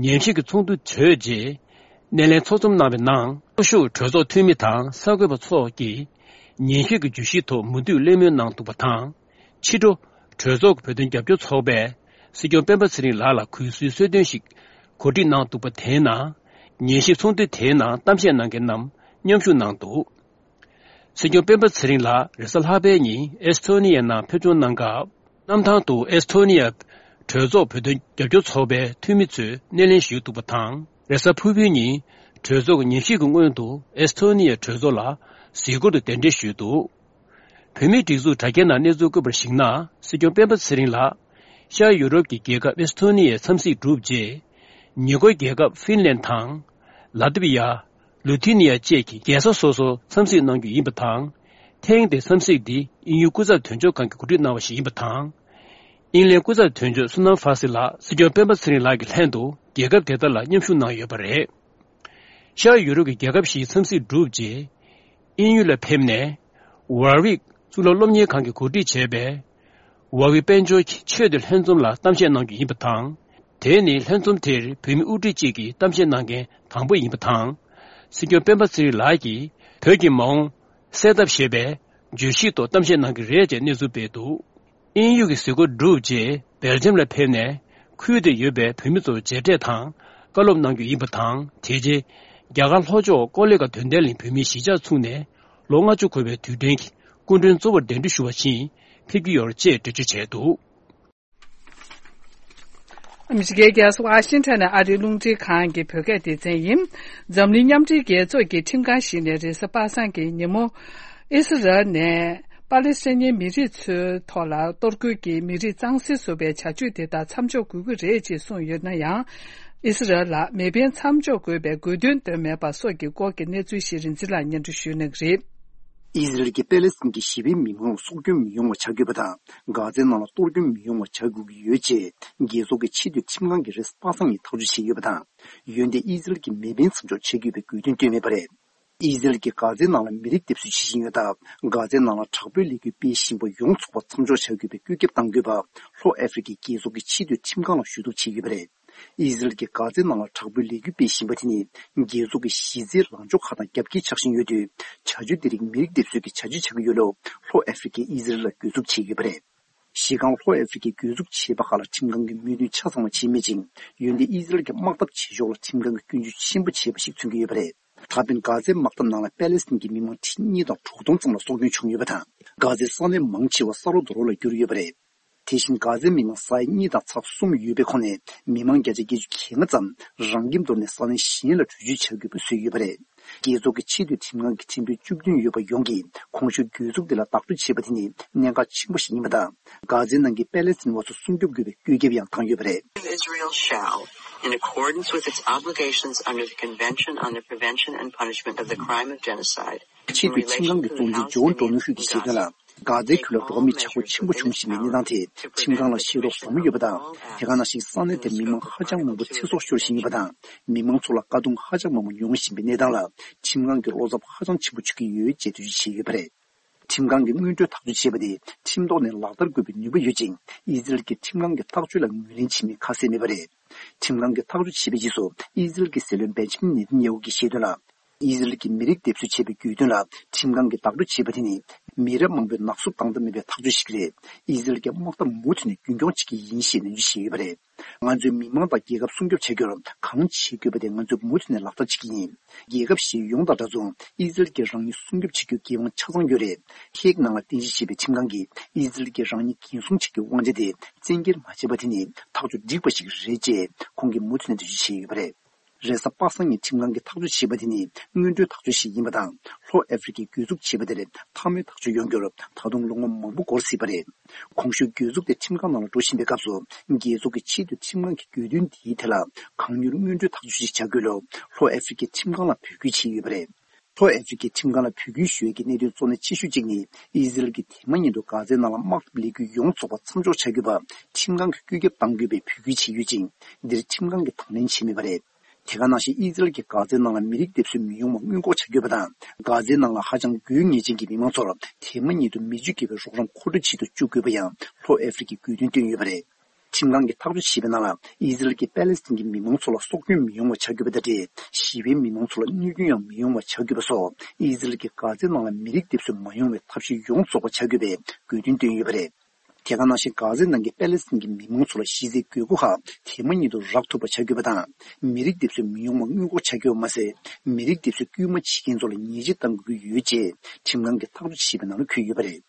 ཉན་ཞིབ་ཀྱི་ཚོགས་འདུ་གྲོལ་རྗེས། སྣེ་ལེན་ཚོགས་འཛོམས་གནང་བའི་ནང་། ཚོགས་ཞུགས་གྲོས་ཚོགས་འཐུས་མི་དང་གསར་འགོད་པ་ཚོགས་ཀྱིས། ཉན་ཞིབ་ཀྱི་བརྗོད་གཞིའི་ཐོག་མུ་མཐུད་གླེང་མོལ་གནང་འདུག་པ་དང་། ཕྱི་དྲོ། གྲོས་ཚོགས་ཀྱི་བོད་དོན་རྒྱབ་སྐྱོར་ཚོགས་པས། སྲིད་སྐྱོང་སྤེན་པ་ཚེ་རིང་ལགས་ལ་གུས་བསུའི་གསོལ་སྟོན་ཞིག་གོ་སྒྲིག་གནང་འདུག་པ་དེའི་ནང་། ཉན་ཞིབ་ཚོགས་འདུ་དེའི་ནང་གཏམ་བཤད་གནང་མཁན་རྣམས་མཉམ་ཞུགས་གནང་འདུག་སྲིད་སྐྱོང་སྤེན་པ་ཚེ་རིང་ལགས་རེས་གཟའ་ལྷག་པའི་ཉིན་ཨེ་སི་ཐོ་ནི་ཡའི་ནང་ཕེབས་འབྱོར་གནང་སྐབས། གནམ་ཐང་དུ་ཨེ་སི་ཐོ་ནི་ཡ་གྲོས་ཚོགས་བོད་དོན་རྒྱབ་སྐྱོར་ཚོགས་པའི་འཐུས་མི་ཚོས་སྣེ་ལེན་ཞུས་འདུག་པ་དང་། རེས་གཟའ་ཕུར་བུའི་ཉིན་གྲོས་ཚོགས་ཀྱི་ཉན་ཞིབ་ཀྱི་སྔོན་དུ་ཨེ་སི་ཐོ་ནི་ཡའི་གྲོས་ཚོགས་ལ་གཟིགས་སྐོར་དུ་གདན་འདྲེན་ཞུས་འདུག་བོད་མིའི་སྒྲིག་འཛུགས་དྲ་རྒྱའི་ནང་གནས་ཚུལ་བཀོད་པར་གཞིགས་ན། སྲིད་སྐྱོང་སྤེན་པ་ཚེ་རིང་ལགས་ཤར་ཡུ་རོབ་ཀྱི་རྒྱལ་ཁབ་ཨེ་སི་ཐོ་ནི་ཡའི་འཚམས་གཟིགས་གྲུབ་རྗེས། ཉེ་འཁོར་རྒྱལ་ཁབ་ཧྥིན་ལན་དང་། ལ་ཏི་བི་ཡ། ལུ་ཐི་ནི་ཡ་བཅས་ཀྱི་རྒྱལ་ས་སོ་སོར་འཚམས་གཟིགས་གནང་རྒྱུ་ཡིན་པ་དང་། ཐེངས་འདིའི་འཚམས་གཟིགས་འདི་དབྱིན་ཡུལ་སྐུ་ཚབ་དོན་གཅོད་ཁང་གིས་གོ་སྒྲིག་གནང་བ་ཞིག་ཡིན་པ་དང་། དབྱིན་ལན་སྐུ་ཚབ་དོན་གཅོད་སུ་ནམ་ཧྥ་སི་ལགས་སྲིད་སྐྱོང་སྤེན་པ་ཚེ་རིང་ལགས་ཀྱི་ལྷན་དུ་རྒྱལ་ཁབ་དེ་དག་ལ་མཉམ་ཞུགས་གནང་ཡོད་པ་རེད། ཤར་ཡུ་རོབ་ཀྱི་རྒྱལ་ཁབ་བཞིའི་འཚམས་གཟིགས་གྲུབ་རྗེས། དབྱིན་ཡུལ་ལ་ཕེབས་ནས། ཝར་ཝིག་གཙུག་ལག་སློབ་གཉེར་ཁང་གིས་གོ་སྒྲིག་བྱས་པའི། ཝར་ཝིག་དཔལ་འབྱོར་གྱི་ཆེས་མཐོའི་ལྷན་འཛོམས་ལ་གཏམ་བཤད་གནང་རྒྱུ་ཡིན་པ་དང་། དེ་ནི་ལྷན་འཛོམས་དེར་བོད་མི་དབུ་ཁྲིད་ཅིག་གིས་གཏམ་བཤད་གནང་མཁན་དང་པོ་ཡིན་པ་དང་། སྲིད་སྐྱོང་སྤེན་པ་ཚེ་རིང་ལགས་ཀྱིས་བོད་ཀྱི་མ་འོངས་གསལ་ཐབས་ཞེས་པའི་བརྗོད་གཞིའི་ཐོག་གཏམ་བཤད་གནང་གི་རེད་ཅེས་གནས་ཚུལ་སྤེལ་འདུག་དབྱིན་ཡུལ་གྱི་གཟིགས་སྐོར་གྲུབ་རྗེས་སྦེལ་ཇམ་ལ་ཕེབས་ནས། ཁུལ་དེར་ཡོད་པའི་བོད་མི་ཚོར་མཇལ་འཕྲད་དང་བཀའ་སློབ་གནང་རྒྱུ་ཡིན་པ་དང་། དེ་རྗེས་རྒྱ་གར་ལྷོ་ཕྱོགས་ཀོ་ལི་གྷལ་དོན་ལྡན་གླིང་བོད་མིའི་གཞིས་ཆགས་ཚུགས་ནས་ལོ་ལྔ་བཅུ་འཁོར་བའི་དུས་དྲན་གྱི་སྐུ་མགྲོན་གཙོ་བོར་གདན་འདྲེན་ཞུ་བ་ཕྱིན་ཕེབས་ཀྱི་ཡོད་རེད་ཅེས་འགྲེལ་བརྗོད་བྱས་འདུག་ཨ་མི་རི་ཀའི་རྒྱལ་ས་ཝ་ཤིང་ཊོན་ནས་ཨ་རིའི་རླུང་འཕྲིན་ཁང་གི་བོད་སྐད་སྡེ་ཚན་ཡིན། འཛམ་གླིང་མཉམ་འབྲེལ་རྒྱལ་ཚོགས་ཀྱི་ཁྲིམས་ཁང་ཞིག་ནས་རེས་གཟའ་པ་སངས་ཀྱི་ཉིན་མོ། ཨི་སི་རལ་ནས་པ་ལི་སི་ཐན་མི་རིགས་ཚོའི་ཐོག་ལ་གཏོར་རྒོལ་གྱིས་མི་རིགས་གཙང་སེལ་བཟོ་བའི་བྱ་སྤྱོད་དེ་དག་མཚམས་འཇོག་དགོས་ཀྱི་རེད་ཅེས་གསུངས་ཡོད་ན་ཡང་། ཨི་སི་རལ་ལ་མེ་འཕེན་མཚམས་འཇོག་དགོས་པའི་དགོས་འདུན་བཏོན་མེད་པ་སོགས་ཀྱི་སྐོར་གྱི་གནས་ཚུལ་ཞིག་རིན་འཛིན་ལགས་སྙན་སྒྲོན་ཞུ་གནང་གི་རེད། ཨི་ཟི་རལ་གྱིས་པེ་ལེ་སི་ཐན་གྱི་ཞི་བའི་མི་མང་ལ་སྲོག་སྐྱོན་མི་ཡོང་བ་བྱ་དགོས་པ་དང་། གྷ་ཛའི་ནང་ལ་གཏོར་སྐྱོན་མི་ཡོང་བ་བྱ་དགོས་ཀྱི་ཡོད་ཅེས། རྒྱལ་ཚོགས་ཀྱི་ཆེས་མཐོའི་ཁྲིམས་ཁང་གིས་རེས་གཟའ་པ་སངས་ཉིན་ཐག་གཅོད་བྱས་ཡོད་པ་དང་། འོན་ཏེ་ཨི་ཟི་རལ་གྱིས་མེ་འཕེན་མཚམས་འཇོག་བྱེད་དགོས་པའི་དགོས་འདུན་བཏོན་མེད་པ་རེད། ཨི་ཟི་རལ་གྱིས་གྷ་ཛའི་ནང་ལ་མི་རིགས་འདེབས་གསོ་བྱེད་བཞིན་ཡོད་སྟབས། གྷ་ཛའི་ནང་ལ་དྲག་པོའི་ལས་འགུལ་སྤེལ་བཞིན་པ་ཡོངས་རྫོགས་པ་མཚམས་འཇོག་བྱ་དགོས་པའི་བཀོད་ཁྱབ་གཏང་དགོས་པ། ལྷོ་ཨ་ཧྥེ་རི་ཁའི་རྒྱལ་ཚོགས་ཀྱི་ཆེས་མཐོའི་ཁྲིམས་ཁང་ལ་ཞུ་གཏུག་བྱས་ཡོད་པ་རེད། ཨི་ཟི་རལ་གྱིས་གྷ་ཛའི་ནང་ལ་དྲག་པོའི་ལས་འགུལ་སྤེལ་བཞིན་པ་དེ་ནི། རྒྱལ་ཚོགས་ཀྱི་གཞི་རྩའི་ལངས་ཕྱོགས་ཁག་དང་རྒྱབ་འགལ་ཆགས་བཞིན་ཡོད་དུས། བྱ་སྤྱོད་འདི་རིགས་མི་རིགས་འདེབས་གསོའི་བྱ་སྤྱོད་ཆགས་ཀྱི་ཡོད་ལུགས། ལྷོ་ཨ་ཧྥེ་རི་ཁས་ཨི་ཟི་རལ་ལ་གྱོད་འཛུགས་བྱས་ཡོད་པ་རེད། གཞི་རྐང་ལྷོ་ཨ་ཧྥེ་རི་ཁས་གྱོད་འཛུགས་བྱས་པ་ཁག་ལ་ཁྲིམས་ཁང་གིས་མོས་མཐུན་ཆ་ཚང་བ་བྱས་མེད་ཅིང་། འོན་ཏེ་ཨི་ཟི་རལ་གྱི་དམག་འཐབ་བྱེད་ཕྱོགས་ལ་ཁྲིམས་ཁང་གིས་སྐྱོན་བརྗོད་ཆེན་པོ་བྱས་པ་ཞིག་མཚོན་གྱི་ཡོད་པ་རེད། ད་ཕན་གྷ་ཛའི་དམག་འཐབ་ནང་ལ་པེ་ལེ་སི་ཐན་གྱི་མི་མང་ཁྲི་གཉིས་དང་དྲུག་སྟོང་ཙམ་ལ་སྲོག་སྐྱོན་བྱུང་ཡོད་པ་དང་། གྷ་ཛའི་ས་གནས་མང་ཆེ་བ་ས་རོ་རྡོ་རོ་ལ་གྱུར་ཡོད་པ་རེད། དེ་བཞིན་གྷ་ཛའི་མི་མང་ས་ཡ་གཉིས་དང་ཚེག་གསུམ་ཡོད་པའི་ཁོངས་ནས་མི་མང་བརྒྱ་ཆ་བརྒྱད་ཅུ་གྱ་ལྔ་ཙམ་རང་ཁྱིམ་དོར་ནས་ས་གནས་གཞན་ལ་བྲོས་བྱོལ་བྱ་དགོས་པ་བཟོས་ཡོད་པ་རེད། རྒྱལ་ཚོགས་ཀྱི་ཆེས་མཐོའི་ཁྲིམས་ཁང་གི་ཁྲིམས་དཔོན་བཅུ་བདུན་ཡོད་པ་ཡོངས་ཀྱིས་གོང་ཞུས་གྱོད་འཛུགས་དེ་ལ་བདག་སྤྲོད་བྱས་པ་དེ་ནི་གནད་འགག་ཆེན་པོ་ཞིག་ཡིན་པ་དང་། གྷ་ཛའི་ནང་གི་པེ་ལེ་སི་ཐན་བ་སོ་སྲུང་སྐྱོབ་དགོས་པའི་བཀོད་ཁྱབ་ཡང་བཏང་ཡོད་པ་རེད། Israel shall, in accordance with its obligations under the Convention on the Prevention and Punishment of the Crime of Genocide, ཆེས་མཐོའི་ཁྲིམས་ཁང་གི་གཙོ་འཛིན་ཇོན་ཏོ་ནུ་ཧུད་ཀྱིས་བཤད་དོན་ལ། གྷ་ཛའི་ཁུལ་ལ་འགྲོ་བ་མིའི་ཆག་སྒོ་ཆེན་པོ་བྱུང་བཞིན་པའི་གནས་སྟངས་དེ་ཁྲིམས་ཁང་ལ་ཤེས་རྟོགས་བཟང་པོ་ཡོད་པ་དང་། དེ་ག་ནང་བཞིན་ས་གནས་དེར་མི་མང་ཧ་ཅང་མང་པོ་ཚེ་སྲོག་ཤོར་བཞིན་ཡོད་པ་དང་། མི་མང་ཚོ་ལ་དཀའ་སྡུག་ཧ་ཅང་མང་པོ་མྱོང་བཞིན་པའི་གནས་སྟངས་ལ་ཁྲིམས་ཁང་གི་བློ་འཚབ་ཧ་ཅང་ཆེན་པོ་བྱེད་ཀྱི་ཡོད་ཅེས་འགྲེལ་བརྗོད་བྱས་ཡོད་པ་རེད། ཁྲིམས་ཁང་གིས་སྔོན་འགྲོའི་ཐག་གཅོད་བྱས་པ་དེ་ཁྲིམས་ཐོག་ནས་ལག་བསྟར་དགོས་པའི་ནུས་པ་ཡོད་ཅིང་། ཨི་ཟི་རལ་གྱིས་ཁྲིམས་ཁང་གི་ཐག་གཅོད་ལ་ངོས་ལེན་བྱེད་མིན་ཁ་གསལ་མེད་པ་རེད། ཁྲིམས་ཁང་གིས་ཐག་གཅོད་བྱས་པའི་རྗེས་སུ་ཨི་ཟི་རལ་གྱི་སྲིད་བློན་བེན་ཇ་མིན་ནེ་ཐན་ཡ་ཧུ་གྱིས་བཤད་དོན་ལ། ཨི་ཟི་རལ་གྱིས་མི་རིགས་འདེབས་གསོ་བྱས་པའི་གྱོད་དོན་ལ་ཁྲིམས་ཁང་གིས་བདག་སྤྲོད་བྱས་པ་དེ་ནི་མི་རབས་མང་པོས་ནག་བསུབ་བཏང་ཐབས་མེད་པའི་ཐག་གཅོད་ཞིག་རེད། ཨི་ཟི་རལ་གྱི་དམག་འཐབ་མུ་མཐུད་ནས་རྒྱུན་འཁྱོངས་བྱེད་ཀྱི་ཡིན་ཞེས་ནན་བརྗོད་བྱས་ཡོད་པ་རེད། ང་ཚོས་མི་མང་དང་རྒྱལ་ཁབ་སྲུང་སྐྱོབ་བྱ་རྒྱུར་གང་བྱེད་དགོས་པ་དེ་ང་ཚོས་མུ་མཐུད་ནས་ལག་བསྟར་བྱེད་ཀྱི་ཡིན། རྒྱལ་ཁབ་གཞན་ཡོངས་དང་འདྲ་མཚུངས་ཨི་ཟི་རལ་གྱིས་རང་ཉིད་སྲུང་སྐྱོབ་བྱེད་རྒྱུའི་འགན་དབང་ཆ་ཚང་ཡོད་རེད། ཧེག་ནང་ལ་རྟེན་གཞི་བྱས་པའི་ཁྲིམས་ཁང་གིས་ཨི་ཟི་རལ་གྱིས་རང་ཉིད་འགན་སྲུང་བྱེད་རྒྱུའི་དབང་ཆ་དེ་བཙན་འགེལ་མ་བྱས་པ་དེ་ནི་ཐག་གཅོད་འགྲིག་པ་ཞིག་རེད་ཅེས་ཁོང་གིས་མུ་མཐུད་ནས་འགྲེལ་བརྗོད་བྱས་ཡོད་པ་རེད། རེས་གཟའ་པ་སངས་ཉིན་ཁྲིམས་ཁང་གིས་ཐག་གཅོད་བྱས་པ་དེ་ནི་སྔོན་འགྲོའི་ཐག་གཅོད་ཞིག་ཡིན་པ་དང་། ལྷོ་ཨ་ཧྥེ་རི་ཁས་གྱོད་འཛུགས་བྱས་པ་དེར་མཐའ་མའི་ཐག་གཅོད་ཡོང་རྒྱུར་ད་དུང་ལོ་ངོ་མང་པོ་འགོར་སྲིད་པ་རེད། གོང་ཞུས་གྱོད་འཛུགས་དེ་ཁྲིམས་ཁང་ནང་ལ་འགྲོ་བཞིན་པའི་སྐབས་སུ། རྒྱལ་ཚོགས་ཀྱི་ཆེས་མཐོའི་ཁྲིམས་ཁང་གིས་གྱོད་དོན་འདིའི་ཐད་ལ་གང་མྱུར་སྔོན་འགྲོའི་ཐག་གཅོད་ཅིག་བྱ་དགོས་ལུགས་ལྷོ་ཨ་ཧྥེ་རི་ཁའི་ཁྲིམས་ཁང་ལ་འབོད་སྐུལ་བྱས་ཡོད་པ་རེད། ལྷོ་ཨེ་ཧྥེ་རི་ཁའི་ཁྲིམས་ཁང་ལ་བོད་སྐྱོད་ཞུ་ཡས་ཀྱི་གནད་དོན་གཙོ་གནད་ཆེ་ཤོས་གཅིག་ནི། ཨི་ཟི་རལ་གྱིས་དེ་མ་ཉིད་དུ་གྷ་ཛའི་ནང་ལ་དམག་འཐབ་ལས་འགུལ་ཡོངས་རྫོགས་པ་མཚམས་འཇོག་བྱ་དགོས་པ་ཁྲིམས་ཁང་གིས་བཀོད་ཁྱབ་གཏང་དགོས་པའི་འབོད་སྐུལ་བྱས་ཡོད་ཅིང་། འདིར་ཁྲིམས་ཁང་གིས་དང་ལེན་བྱས་མེད་པ་རེད། དེ་ག་ནང་བཞིན་ཨི་ཟི་རལ་གྱིས་གྷ་ཛའི་ནང་ལ་མི་རིགས་སྡེབ་གསོད་མི་ཡོང་བ་སྔོན་འགོག་བྱ་དགོས་པ་དང་། གྷ་ཛའི་ནང་ལ་ཧ་ཅང་དགོས་ངེས་ཅན་གྱི་མི་མང་ཚོར་དེ་མ་ཉིད་དུ་མི་རྒྱུ་སྐྱེ་བའི་རོགས་རམ་མཁོ་སྤྲོད་བྱེད་དུ་བཅུག་དགོས་པ་ཡང་ལྷོ་ཨེ་ཧྥེ་རི་ཁའི་དགོས་འདུན་བཏོན་ཡོད་པ་རེད། ཁྲིམས་ཁང་གིས་ཐག་གཅོད་བྱས་པའི་ནང་ལ། ཨི་ཟི་རལ་གྱིས་པེ་ལེ་སི་ཐན་གྱི་མི་མང་ཚོ་ལ་སྲོག་སྐྱོན་མི་ཡོང་བ་བྱ་དགོས་པ་དང་འབྲེལ། ཞི་བའི་མི་མང་ཚོ་ལ་གནོད་སྐྱོན་ཡང་མི་ཡོང་བ་བྱ་དགོས་པ་སོགས། ཨི་ཟི་རལ་གྱིས་གྷ་ཛའི་ནང་ལ་མི་རིགས་སྡེབ་གསོད་མ་ཡོང་བའི་ཐབས་ཤེས་ཡོངས་རྫོགས་པ་བྱ་དགོས་པའི་དགོས་འདུན་བཏོན་ཡོད་པ་རེད། དེ་ག་ནང་བཞིན་གྷ་ཛའི་ནང་གི་པེ་ལེ་སི་ཐན་གྱི་མི་མང་ཚོ་ལ་གཞི་རྩའི་དགོས་མཁོ་ཁག་དེ་མ་ཉིད་དུ་རག་ཐུབ་པ་བྱ་དགོས་པ་དང་། མི་རིགས་སྡེབ་གསོད་མི་ཡོང་བ་སྔོན་འགོག་བྱ་དགོས་པ་མ་ཟད། མི་རིགས་སྡེབ་གསོད་སྐུལ་མ་བྱེད་མཁན་ཚོ་ལ་ཉེས་ཆད་གཏང་དགོས་ཀྱི་ཡོད་ཅེས་ཁྲིམས་ཁང་གིས་ཐག་གཅོད་བྱས་པའི་ནང་ལ་འཁོད་ཡོད་པ་རེད།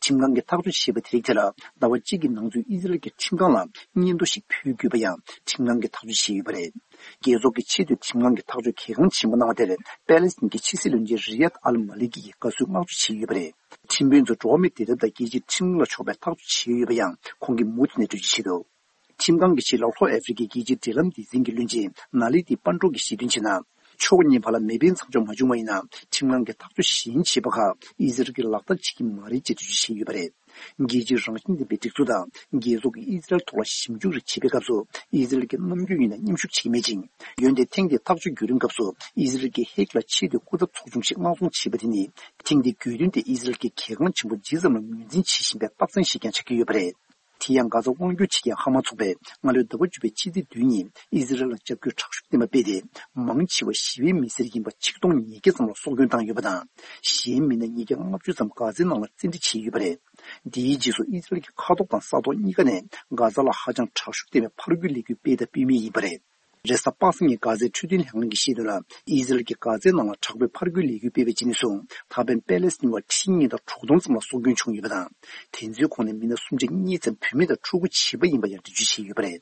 ཁྲིམས་ཁང་གིས་ཐག་གཅོད་བྱས་པ་དེ་རིགས་དེ་ལ་ཟླ་བ་གཅིག་གི་ནང་ཚུད་ཨི་ཟི་རལ་གྱི་ཁྲིམས་ཁང་ལ་སྙན་ཐོ་ཞིག་ཕུལ་དགོས་པ་ཡང་ཁྲིམས་ཁང་གིས་ཐག་གཅོད་བྱས་ཡོད་པ་རེད། རྒྱལ་ཚོགས་ཀྱི་ཆེས་མཐོའི་ཁྲིམས་ཁང་གིས་ཐག་གཅོད་གལ་འགངས་ཆེན་པོ་གནང་བ་དེར་པེ་ལེ་སི་ཐན་གྱི་ཕྱི་སྲིད་བློན་ཆེན་རི་ཡད་ཨལ་མ་ལི་ཀི་ཡིས་དགའ་བསུའི་བསྔགས་བརྗོད་བྱས་ཡོད་པ་རེད། ཁྲིམས་དཔོན་ཚོས་འགྲོ་བ་མིའི་བདེ་ཐབས་དང་རྒྱལ་སྤྱིའི་ཁྲིམས་ལུགས་ལ་ཕྱོགས་པའི་ཐག་གཅོད་བྱས་ཡོད་པ་ཡང་ཁོང་གིས་མུ་མཐུད་ནས་འགྲེལ་བརྗོད་བྱས་འདུག་ཁྲིམས་ཁང་གི་ཆེད་ལ་ལྷོ་ཨེ་ཧྥེ་རི་ཁའི་རྒྱལ་སྤྱིའི་འབྲེལ་ལམ་སྡེ་ཚན་གྱི་བློན་ཆེན་ན་ལི་ཏི་པན་ཀྲོ་གིས་བཤད་དོན་བྱས་ན། ཕྱོགས་གཉིས་བར་ལ་མེ་འཕེན་མཚམས་འཇོག་མ་བྱུང་བ་ཡིན་ན། ཁྲིམས་ཁང་གིས་ཐག་གཅོད་གཞན་བྱས་པ་ཁག་ཨི་ཟི་རལ་གྱིས་ལག་བསྟར་བྱེད་ཀྱི་མ་རེད་ཅེས་འགྲེལ་བརྗོད་བྱས་ཡོད་པ་རེད། རྒྱལ་སྤྱིའི་རང་བཞིན་ལྡན་པའི་སྒྲིག་འཛུགས་དང་རྒྱལ་ཚོགས་ཀྱིས་ཨི་ཟི་རལ་ཐོག་ལ་ཞིབ་འཇུག་རེ་བྱེད་པའི་སྐབས་སུ། ཨི་ཟི་རལ་གྱིས་ནམ་རྒྱུན་ཡིན་ན་མཉམ་ཞུགས་བྱེད་ཀྱི་མེད་ཅིང་། འོན་ཏེ་ཐེངས་འདིའི་ཐག་གཅོད་བརྒྱུད་རིམ་སྐབས་སུ་ཨི་ཟི་རལ་གྱིས་ཧེག་ལ་ཆེས་མཐོའི་སྐུ་ཚབ་ཚོགས་ཆུང་ཞིག་མངགས་གཏོང་བྱས་པ་དེ་ནི། ཐེངས་འདིའི་རྒྱུད་འདོན་དེ་ཨི་ཟི་རལ་གྱིས་གལ་འགངས་ཆེན་པོ་ཇི་ཙམ་ལ་ངོས་འཛིན་བྱེད་བཞིན་པའི་རྟགས་མཚན་ཞིག་ཀྱང་ཆགས་ཀྱི་ཡོད་པ་རེད། དེ་ཡང་གྷ་ཛ་དབང་སྒྱུར་བྱེད་མཁན་ཧ་མ་ཚོགས་པས་སྔ་ལོའི་ཟླ་བ་བཅུ་པའི་ཕྱི་ཚེས་བདུན་ཉིན་ཨི་ཟི་རལ་ལ་རྒྱབ་སྐྱོར་དྲག་ཤུགས་ལྡན་པ་སྤེལ་ཏེ། མང་ཆེ་བ་ཞི་བའི་མི་སེར་ཡིན་པ་ཆིག་སྟོང་ཉིས་བརྒྱ་ཙམ་ལ་སྲོག་སྐྱོན་བཏང་ཡོད་པ་དང་། གཞན་མི་སྣ་ཉིས་བརྒྱ་ལྔ་བཅུ་ཙམ་གྷ་ཛའི་ནང་ལ་བཙན་ཁྲིད་བྱས་ཡོད་པ་རེད། འདིའི་རྗེས་སུ་ཨི་ཟི་རལ་གྱི་མཁའ་ཐོག་དང་ས་ཐོག་གཉིས་ཀ་ནས་གྷ་ཛ་ལ་ཧ་ཅང་དྲག་ཤུགས་ལྡན་པའི་ཕར་རྒོལ་ལས་འགུལ་སྤེལ་དང་སྤེལ་མུས་ཡིན་པ་རེད། རེས་གཟའ་པ་སངས་ཉིན་གྷ་ཛའི་འཕྲོད་བསྟེན་ལྷན་ཁང་གིས་བཤད་དོན་ལ། ཨི་ཟི་རལ་གྱིས་གྷ་ཛའི་ནང་ལ་དྲག་པོའི་ཕར་རྒོལ་ལས་འགུལ་སྤེལ་བའི་རྗེས་ནས་བཟུང་ད་ཕན་པེ་ལེ་སི་ཐན་བ་ཁྲི་གཉིས་དང་དྲུག་སྟོང་ཙམ་ལ་སྲོག་སྐྱོན་བྱུང་ཡོད་པ་དང་། དེ་ཚོའི་ཁོངས་ནས་མི་སྣ་སུམ་ཆ་གཉིས་ཙམ་བུད་མེད་དང་ཕྲུ་གུ་བྱིས་པ་ཡིན་པ་ཡང་འགྲེལ་བརྗོད་བྱས་ཡོད་པ་རེད།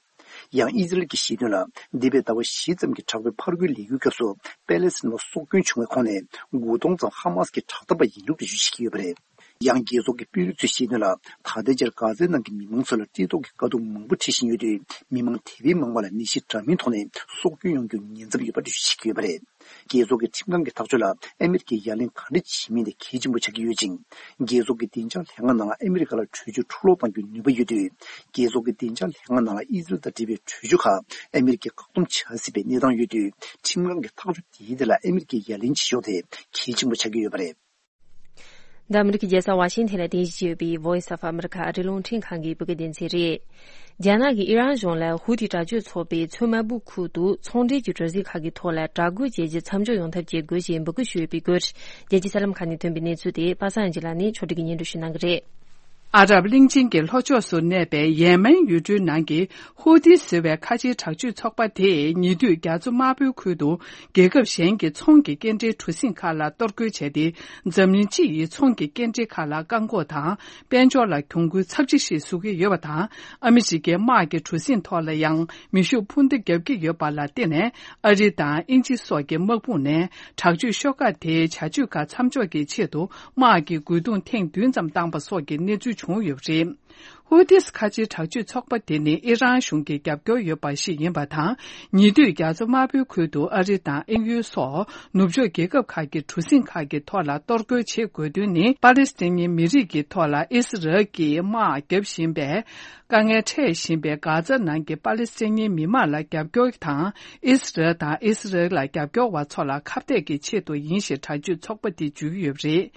ཡང་ཨི་ཟི་རལ་གྱིས་བཤད་དོན་ལ། འདས་པའི་ཟླ་བ་བཞི་ཙམ་གྱི་དྲག་པོའི་ཕར་རྒོལ་ལས་འགུལ་སྐབས་སུ་པེ་ལེ་སི་ཐན་བ་སྲོག་སྐྱོན་བྱུང་བའི་ཁོངས་ནས་དགུ་སྟོང་ཙམ་ཧ་མ་སི་ཀྱི་དྲག་འཐབ་པ་ཡིན་ལུགས་འགྲེལ་བརྗོད་བྱེད་ཀྱི་ཡོད་པ་རེད། ཡང་རྒྱལ་ཚོགས་ཀྱི་དཔོན་རིགས་ཚོས་བཤད་དོན་ལ། ད་ལྟའི་ཆར་གྷ་ཛའི་ནང་གི་མི་མང་ཚོ་ལ་བཀྲེས་ལྟོགས་ཀྱི་དཀའ་སྡུག་མང་པོ་འཕྲད་བཞིན་ཡོད་དུས། མི་མང་དེ་བས་མང་བ་ལ་ནད་གཞི་འདྲ་མིན་ཐོག་ནས་སྲོག་སྐྱོན་ཡོང་རྒྱུའི་ཉེན་ཚབས་ཡོད་པ་འགྲེལ་བརྗོད་བྱེད་ཀྱི་ཡོད་པ་རེད། རྒྱལ་ཚོགས་ཀྱི་ཁྲིམས་ཁང་གི་ཐག་གཅོད་ལ། ཨ་མེ་རི་ཁས་ཡ་ལན་ག་འདྲ་བྱེད་མིན་དེ་གལ་ཆེན་པོ་ཆགས་ཀྱི་ཡོད་ཅིང་། རྒྱལ་ཚོགས་ཀྱི་བདེ་འཇགས་ལྷན་ཁང་ནང་ལ་ཨ་མེ་རི་ཁ་ལ་གྲོས་ཆོད་འཕྲུ་སློག་གཏང་རྒྱུའི་ནུས་པ་ཡོད་དུས། རྒྱལ་ཚོགས་ཀྱི་བདེ་འཇགས་ལྷན་ཁང་ནང་ལ་ཨི་ཟི་རལ་དང་འབྲེལ་བའི་གྲོས་ཆོད་ཁག་ཨ་མེ་རི་ཁས་བཀག་སྡོམ་བྱ་སྲིད་པའི་གནས་སྟངས་ཡོད་དུས། ཁྲིམས་ཁང་གི་ཐག་གཅོད་དེའི་ཐད་ལ་ཨ་མེ་རི་ཁས་ཡ་ལན་བྱེད་ཕྱོགས་དེ་གལ་ཆེན་པོ་ཆགས་ཀྱི་ཡོད་པ་རེད། འདི་ཨ་མེ་རི་ཁའི་རྒྱལ་ས་ཝ་ཤིང་ཐན་ལ་རྟེན་གཞི་བྱས་ཡོད་པའི་Voice of America ཨ་རིའི་རླུང་འཕྲིན་ཁང་གི་བོད་སྐད་སྡེ་ཚན་རེད། རྒྱ་ནག་གིས་ཨི་རན་གཞུང་ལ་ཧུ་ཐི་དྲག་སྤྱོད་ཚོགས་པའི་མཚོ་དམར་པོའི་ཁུལ་དུ་ཚོང་འབྲེལ་གྱི་གྲུ་གཟིངས་ཁག་གི་ཐོག་ལ་དྲག་རྒོལ་བྱས་རྗེས་མཚམས་འཇོག་ཡོང་ཐབས་བྱེད་དགོས་ཞེས་འབོད་སྐུལ་ཞུས་ཡོད་པའི་སྐོར། རྒྱལ་སྤྱིའི་གསར་ལམ་ཁག་ནས་ཐོན་པའི་གནས་ཚུལ་དེ་པ་སངས་ཨན་ཇི་ལགས་ནས་ཕྱོགས་སྒྲིག་གིས་སྙན་སྒྲོན་ཞུ་གནང་གི་རེད། ཨ་རབ་གླིང་ཆེན་གྱི་ལྷོ་ཕྱོགས་སུ་གནས་པའི་ཡེ་མེན་ཡུལ་གྲུའི་ནང་གི་ཧུ་ཐི་ཟེར་བའི་ཁ་ཆེའི་དྲག་སྤྱོད་ཚོགས་པ་དེས་ཉེ་དུས་རྒྱ་མཚོ་དམར་པོའི་ཁུལ་དུ་རྒྱལ་ཁབ་གཞན་གྱི་ཚོང་གི་སྐྱེལ་འདྲེན་གྲུ་གཟིངས་ཁག་ལ་གཏོར་རྒོལ་བྱས་ཏེ། འཛམ་གླིང་སྤྱི་ཡི་ཚོང་གི་སྐྱེལ་འདྲེན་ཁག་ལ་བཀག་འགོག་དང་། དཔལ་འབྱོར་ལ་གྱོང་གུན་ཚབས་ཆེ་ཞིག་བཟོ་གི་ཡོད་པ་དང་། ཨ་མི་རི་ཀའི་དམག་གི་གྲུ་གཟིངས་ཐོག་ལ་ཡང་མེ་ཤུགས་འཕུར་མདའ་བརྒྱབ་ཀྱི་ཡོད་པ་ལ་བརྟེན་ནས། ཨ་རི་དང་དབྱིན་ཇི་སོགས་ཀྱི་དམག་དཔུང་ནས་དྲག་སྤྱོད་ཤོག་ཁག་དེའི་བྱ་སྤྱོད་ཁག་མཚམས་འཇོག་གི་ཆེད་དུ་དམག་གི་རྒོལ་རྡུང་ཐེངས་བདུན་ཙམ་བཏང་པ་སོགས་ཀྱི་གནས་ཚུལ་བྱུང་ཡོད་པ་རེད། ཧུ་ཐིས་ཁ་ཆེའི་དྲག་སྤྱོད་ཚོགས་པ་དེ་ནི་ཨི་རན་གཞུང་གི་རྒྱབ་སྐྱོར་ཡོད་པ་ཞིག་ཡིན་པ་དང་། ཉེ་དུས་རྒྱ་མཚོ་དམར་པོའི་ཁུལ་དུ་ཨ་རི་དང་དབྱིན་ཡུལ་སོགས་ནུབ་ཕྱོགས་རྒྱལ་ཁབ་ཁག་གི་གྲུ་གཟིངས་ཁག་གི་ཐོག་ལ་གཏོར་རྒོལ་བྱེད་དགོས་དོན་ནི། པ་ལི་སི་ཐན་མི་རིགས་ཀྱི་ཐོག་ལ་ཨི་སི་རལ་གྱིས་དམག་བརྒྱབ་བཞིན་པའི་དཀའ་ངལ་འཕྲད་བཞིན་པའི་གྷ་ཛ་ནང་གི་པ་ལི་སི་ཐན་མི་མང་ལ་རྒྱབ་སྐྱོར་དང་། ཨི་སི་རལ་དང་ཨི་སི་རལ་ལ་རྒྱབ་སྐྱོར་བ་ཚོ་ལ་ཁ་གཏད་ཀྱི་ཆེད་དུ་ཡིན་ཞེས་དྲག་སྤྱོད་ཚོགས་པ་དེས་བརྗོད་ཀྱི་ཡོད་པ་རེད།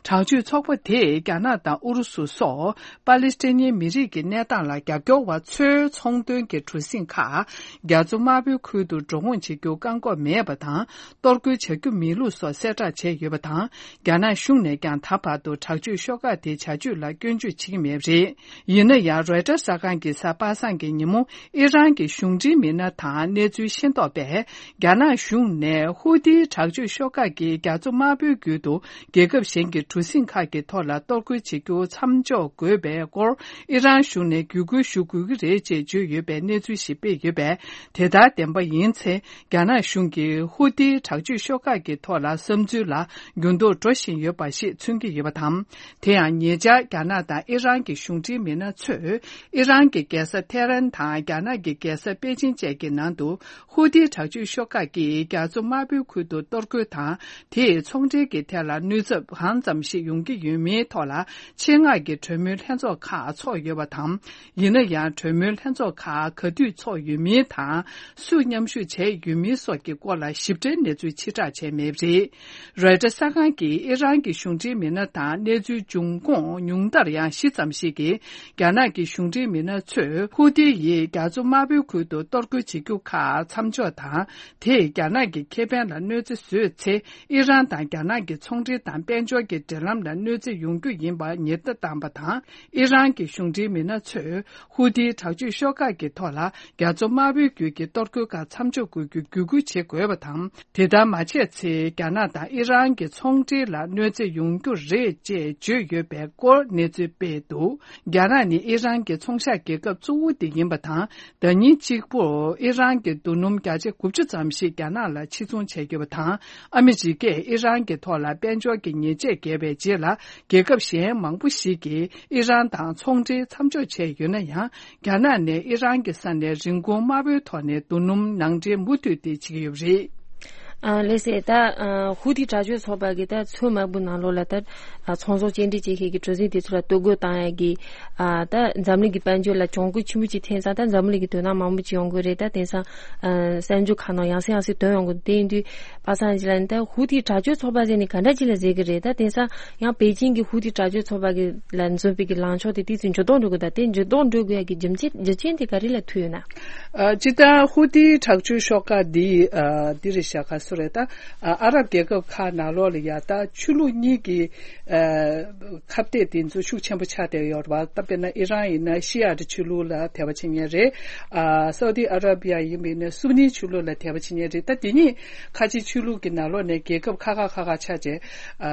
དྲག་སྤྱོད་ཚོགས་པ་དེས་རྒྱ་ནག་དང་ཨུ་རུ་སུ་སོགས། པ་ལི་སི་ཐན་མི་རིགས་ཀྱི་གནས་སྟངས་ལ་རྒྱབ་སྐྱོར་བ་ཚོའི་ཚོང་དོན་གྱི་གྲུ་གཟིངས་ཁག་རྒྱ་མཚོ་དམར་པོའི་ཁུལ་དུ་འགྲོ་འོང་བྱེད་རྒྱུ་བཀག་འགོག་མེད་པ་དང་། གཏོར་རྒོལ་བྱ་རྒྱུ་མེད་ལུགས་སོགས་གསལ་བསྒྲགས་བྱས་ཡོད་པ་དང་། རྒྱ་ནག་གཞུང་ནས་ཀྱང་ད་བར་དུ་དྲག་སྤྱོད་ཤོག་ཁག་དེའི་བྱ་སྤྱོད་ལ་སྐྱོན་བརྗོད་བྱེད་ཀྱི་མེད་པ་རེད། ཡིན་ན་ཡང་། རོའི་ཊར་གསར་ཁང་གིས་གཟའ་པ་སངས་ཀྱི་ཉིན་མོ་ཨི་རན་གྱི་གཞུང་འབྲེལ་མི་སྣ་དང་གནས་ཚུལ་ཤེས་རྟོགས་པས། རྒྱ་ནག་གཞུང་ནས་ཧུ་ཐིའི་དྲག་སྤྱོད་ཤོག་ཁག་གིས་རྒྱ་མཚོ་དམར་པོའི་རྒྱུད་དུ་རྒྱལ་ཁབ་གཞན་གྱི་གྲུ་གཟིངས་ཁག་གི་ཐོག་ལ་གཏོར་རྒོལ་བྱེད་རྒྱུ་མཚམས་འཇོག་དགོས་པའི་སྐོར། ཨི་རན་གཞུང་ནས་བརྒྱུད་སྐུལ་ཞུ་དགོས་ཀྱི་རེད་ཅེས་བརྗོད་ཡོད་པའི་གནས་ཚུལ་ཞིག་སྤེལ་ཡོད་པས། དེ་ལྟར་བདེན་པ་ཡིན་ཚེ། རྒྱ་ནག་གཞུང་གིས་ཧུ་ཏིའི་དྲག་སྤྱོད་ཤོག་ཁག་གི་ཐོག་ལ་བསམ་ཚུལ་ལ་འགྱུར་ལྡོག་འགྲོ་བཞིན་ཡོད་པ་ཞིག་མཚོན་གྱི་ཡོད་པ་དང་། དེ་ཡང་ཉེ་ཆར་རྒྱ་ནག་དང་ཨི་རན་གྱི་གཞུང་འབྲེལ་མི་སྣ་ཚོས་ཨི་རན་གྱི་རྒྱལ་ས་ཐེ་རན་དང་རྒྱ་ནག་གི་རྒྱལ་ས་པེ་ཅིན་བཅས་ཀྱི་ནང་དུ། ཧུ་ཏི་དྲག་སྤྱོད་ཤོག་ཁག་གིས་རྒྱ་མཚོ་དམར་པོའི་ཁུལ་དུ་གཏོར་རྒོལ་དང་། དེས་ཚོང་འབྲེལ་གྱི་ཐད་ལ་གནོད་ཚབས་གང་ཙམ་ཞིག་ཡོང་གི་ཡོད་མེད་ཐོག་ལ། ཆེད་མངགས་ཀྱི་གྲོས་མོལ་ལྷན་ཚོགས་ཁག་འཚོགས་ཡོད་པ་དང་། ཡིན་ན་ཡང་། གྲོས་མོལ་ལྷན་ཚོགས་ཁག་ག་དུས་འཚོགས་ཡོད་མིན་དང་། སུས་མཉམ་ཞུགས་བྱས་ཡོད་མིན་སོགས་ཀྱི་སྐོར་ལ་ཞིབ་ཕྲའི་གནས་ཚུལ་ཕྱིར་བསྒྲགས་བྱས་མེད་པ་རེད། རོའི་ཊར་གསར་ཁང་གིས་ཨི་རན་གྱི་གཞུང་འབྲེལ་མི་སྣ་དང་གནས་ཚུལ་འབྱུང་ཁུངས་ཉུང་མཐར་ཡང་བཞི་ཙམ་ཞིག་གིས། རྒྱ་ནག་གི་གཞུང་འབྲེལ་མི་སྣ་ཚོས་ཧུ་ཏི་ཡིས་རྒྱ་མཚོ་དམར་པོའི་ཁུལ་དུ་གཏོར་རྒོལ་བྱེད་རྒྱུ་ཁག་མཚམས་འཇོག་དང་། དེས་རྒྱ་ནག་གི་ཁེ་ཕན་ལ་གནོད་འཚེ་བཟོས་ཚེ། ཨི་རན་དང་རྒྱ་ནག་གི་ཚོང་འབྲེལ་དང་དཔལ་འབྱོར་གྱི་འབྲེལ་ལམ་ལ་གནོད་འཚེ་ཡོང་རྒྱུ་ཡིན་པ་ཉེན་བརྡ་བཏང་བ་དང་། ཨི་རན་གྱི་གཞུང་འབྲེལ་མི་སྣ་ཚོས་ཧུ་ཏིའི་དྲག་སྤྱོད་ཤོག་ཁག་གི་ཐོག་ལ་རྒྱ་མཚོ་དམར་པོའི་རྒྱུད་ཀྱི་གཏོར་རྒོལ་ཁག་མཚམས་འཇོག་དགོས་རྒྱུ་བརྒྱུད་སྐུལ་བྱེད་དགོས་པ་དང་། དེ་ལྟར་མ་བྱས་ཚེ། རྒྱ་ནག་དང་ཨི་རན་གྱི་ཚོང་འབྲེལ་ལ་གནོད་འཚེ་ཡོང་རྒྱུ་རེད་ཅེས་བརྗོད་ཡོད་པའི་སྐོར་གནས་ཚུལ་སྤེལ་འདུག་རྒྱ་ནག་ནི་ཨི་རན་གྱི་ཚོང་ཤག་རྒྱལ་ཁབ་གཙོ་བོ་དེ་ཡིན་པ་དང་། ཟླ་ཉིན་གཅིག་པུར་ཨི་རན་གྱི་རྡོ་སྣུམ་བརྒྱ་ཆ་དགུ་བཅུ་ཙམ་ཞིག་རྒྱ་ནག་ལ་ཕྱིར་ཚོང་བྱས་ཡོད་པ་དང་། ཨ་མི་རི་ཀས་ཨི་རན་གྱི་ཐོག་ལ་དཔལ་འབྱོར་གྱི་ཉེས་ཆད་བཀལ་བའི་རྗེས་ལ། རྒྱལ་ཁབ་གཞན་མང་པོ་ཞིག་གིས་ཨི་རན་དང་ཚོང་འབྲེལ་མཚམས་འཇོག་བྱས་ཡོད་ན་ཡང་། རྒྱ་ནག་ནས་ཨི་རན་གྱི་ས་ནས་རིན་གོང་དམའ་པོའི་ཐོག་ནས་རྡོ་སྣུམ་ནང་འདྲེན་མུ་མཐུད་དེ་བྱེད་ཀྱི་ཡོད་པ་རེད། ཨ། ལགས་སེ། ད་ཨ་ཧུ་ཐི་དྲག་སྤྱོད་ཚོགས་པ་གིས་ད་ཚོད་མ་འབུ་ནང་ལོགས་ལ་ད་ཨ་ཚོང་ཟོག་སྐྱེལ་འདྲེན་བྱེད་མཁན་གྱི་གྲུ་གཟིངས་དེ་ཚོ་ལ་གཏོར་རྒོལ་བཏང་ཡ་གི། ཨ། ད་འཛམ་གླིང་གི་དཔལ་འབྱོར་ལ་གྱོང་གུད་ཆེན་པོ་ཅིག་ཐེབས་ཙང་། ད་འཛམ་གླིང་གི་དོ་སྣང་མང་པོ་ཅིག་ཡོང་གི་རེད། ད་དེང་སང་ཨ་གསར་འགྱུར་ཁག་ནང་ཡང་སེ་ཡང་སེ་ཐོན་ཡོང་གི། དེ་ཡིན་དུས་པ་སངས་ཅིག་ལ་ནི་ད་ཧུ་ཐི་དྲག་སྤྱོད་ཚོགས་པ་ཟེར་ནས་ག་འདྲ་ཅིག་ལ་ཟེར་གི་རེད། ད་དེང་སང་ཡང་པེ་ཅིང་གི་ཧུ་ཐི་དྲག་སྤྱོད་ཚོགས་པ་གི་ལ་འཛོམས་པའི་གི་ལངས་ཕྱོགས་དེ་དེ་ཚོ་འགྱུར་ལྡོག་འགྲོ་གི། ད་དེ་འགྱུར་ལྡོག་འགྲོ་དགོས་ཡ་གི་རྒྱུ་མཚན་རྒྱུ་རྐྱེན་དེ་ག་རེ་ལ་ཐུག་ཡོད་ན། ཨ། སྤྱིར་བཏང་ཧུ་ཐི་དྲག་སྤྱོད་ཤོག་ཁག་འདི། ཨ། འདི་རེད་ཤག་ག་སུ་རེད། ད་ཨ་ཨ་རབ་རྒྱལ་ཁབ་ཁག་ནང་ལོགས་ལ་ཡ་ད་ཆོས་ལུགས་གཉིས་ཀྱི་ཨ་ཁ་གཏད་དེ་ཚོ་ཤུགས་ཆེན་པོ་ཆགས་བསྡད་ཡོད་རེད་པ། ད་དཔེར་ན་ཨི་རན་ཡིན་ན་ཤི་ཡ་ཏི་ཆོས་ལུགས་ལ་དད་པ་བྱེད་མཁན་རེད། ཨ་སའུ་ཏི་ཨ་ར་བི་ཡ་ཡིན་པ་ཡིན་ན་སུ་ནི་ཆོས་ལུགས་ལ་དད་པ་བྱེད་མཁན་རེད། ད་དེ་གཉིས་ཁ་ཆེ་ཆོས་ལུགས་ཀྱི་ནང་ལོགས་ནས་རྒྱལ་ཁབ་ཁག་ཁག་ཁག་ཁག་ཆགས་བྱས། ཨ་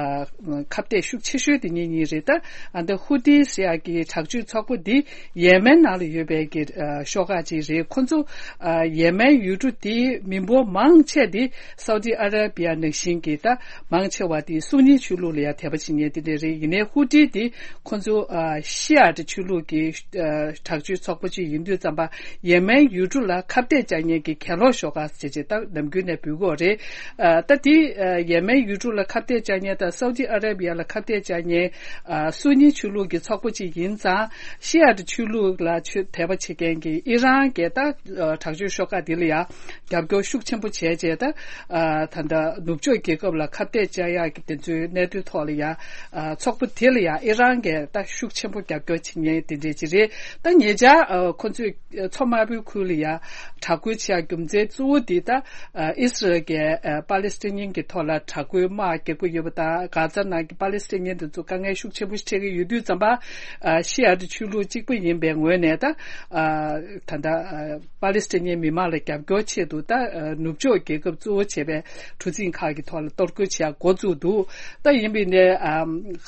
ཁ་གཏད་ཤུགས་ཆེ་ཤོས་དེ་གཉིས་གཉིས་རེད། ད་ཨ་འདི་ཧུ་ཏི་ཟེར་ཡ་གི་དྲག་སྤྱོད་ཚོགས་པ་འདི་ཡེ་མེན་ནང་ལ་ཡོད་པའི་གི་ཨ་ཤོག་ཁག་ཅིག་རེད། ཁོ་ཚོ་ཨ་ཡེ་མེན་ཡུལ་གྲུ་དེའི་མི་འབོར་མང་ཆེ་དེ་སའུ་ཏི་ཨ་ར་བི་ཡ་ནང་བཞིན་གྱི་ད་མང་ཆེ་བ་དེ་སུ་ནི་ཆོས་ལུགས་ལ་ཡ་དད་པ་བྱེད་མཁན་དེ་འདྲ་རེད། ཡིན་ནའི་ཧུ་ཏི་དེ་ཁོ་ཚོ་ཨ་ཤི་ཡ་ཏི་ཆོས་ལུགས་ཀྱི་ཨ་དྲག་སྤྱོད་ཚོགས་པ་ཅིག་ཡིན་དུས་ཙམ་པ་ཡེ་མེན་ཡུལ་གྲུ་ལ་ཁ་གཏད་བཅག་མཁན་གྱི་གྱེན་ལོག་ཤོག་ཁག་ཅེས་ཅེས་ད་ནམ་རྒྱུན་ནས་འབོད་ཀྱི་ཡོད་རེད། ཨ་ད་དེ་ཨ་ཡེ་མེན་ཡུལ་གྲུ་ལ་ཁ་གཏད་བཅག་མཁན་དང་སའུ་ཏི་ཨ་ར་བི་ཡ་ལ་ཁ་གཏད་བཅག་མཁན་ཨ་སུ་ནི་ཆོས་ལུགས་ཀྱི་ཚོགས་པ་ཅིག་ཡིན་ཙང་། ཤི་ཡ་ཏི་ཆོས་ལུགས་ལ་ཆོས་དད་པ་བྱེད་མཁན་གྱི་ཨི་རན་གྱི་ད་ཨ་དྲག་སྤྱོད་ཤོག་ཁག་དེ་ལ་ཡང་རྒྱབ་སྐྱོར་ཤུགས་ཆེན་པོ་བྱས་རྗེས། ད་ཨ་ད་ལྟ་ནུབ་ཕྱོགས་རྒྱལ་ཁབ་ལ་ཁ་གཏད་བཅག་ཡག་གི་དེ་ཚོའི་གནད་དོན་ཐོག་ལ་ཡང་ཨ་ཚོགས་པ་དེ་ལ་ཡང་ཨི་རན་གྱིས་ད་ཤུགས་ཆེན་པོ་རྒྱབ་སྐྱོར་བྱེད་མཁན་དེ་འདྲས་ཅིག་རེད། ད་ཉེ་ཆར་ཨ་ཁོ་ཚོས་མཚོ་དམར་པོའི་ཁུལ་ལ་ཡང་དྲག་རྒོལ་བྱེད་ཡག་རྒྱུ་མཚན་གཙོ་བོ་དེ་ད་ཨ་ཨི་སི་རལ་གྱིས་ཨ་པ་ལི་སི་ཐན་ཉིན་གྱི་ཐོག་ལ་དྲག་རྒོལ་དམག་རྒྱག་གི་ཡོད་པ་དང་། གྷ་ཛ་ནང་གི་པ་ལི་སི་ཐན་ཉིན་དེ་ཚོ་དཀའ་ངལ་ཤུགས་ཆེན་པོ་འཕྲད་ཀྱི་ཡོད་དུས་ཙམ་པ། ཨ་ཤི་ཡ་ཏི་ཆོས་ལུགས་གཅིག་པ་ཡིན་པའི་ངོས་ནས་ད་ཨ་ད་ལྟ་ཨ་པ་ལི་སི་ཐན་ཉིན་མི་མང་ལ་རྒྱབ་སྐྱོར་ཆེད་དུ་ད་ཨ་ནུབ་ཕྱོགས་རྒྱལ་ཁབ་གཙོ་བོ་བྱས་པའི་གྲུ་གཟིངས་ཁག་གི་ཐོག་ལ་གཏོར་རྒོལ་བྱེད་ཡག་འགོ་བཙུགས་འདུག་ད་ཡིན་པའི་ནས་ཨ་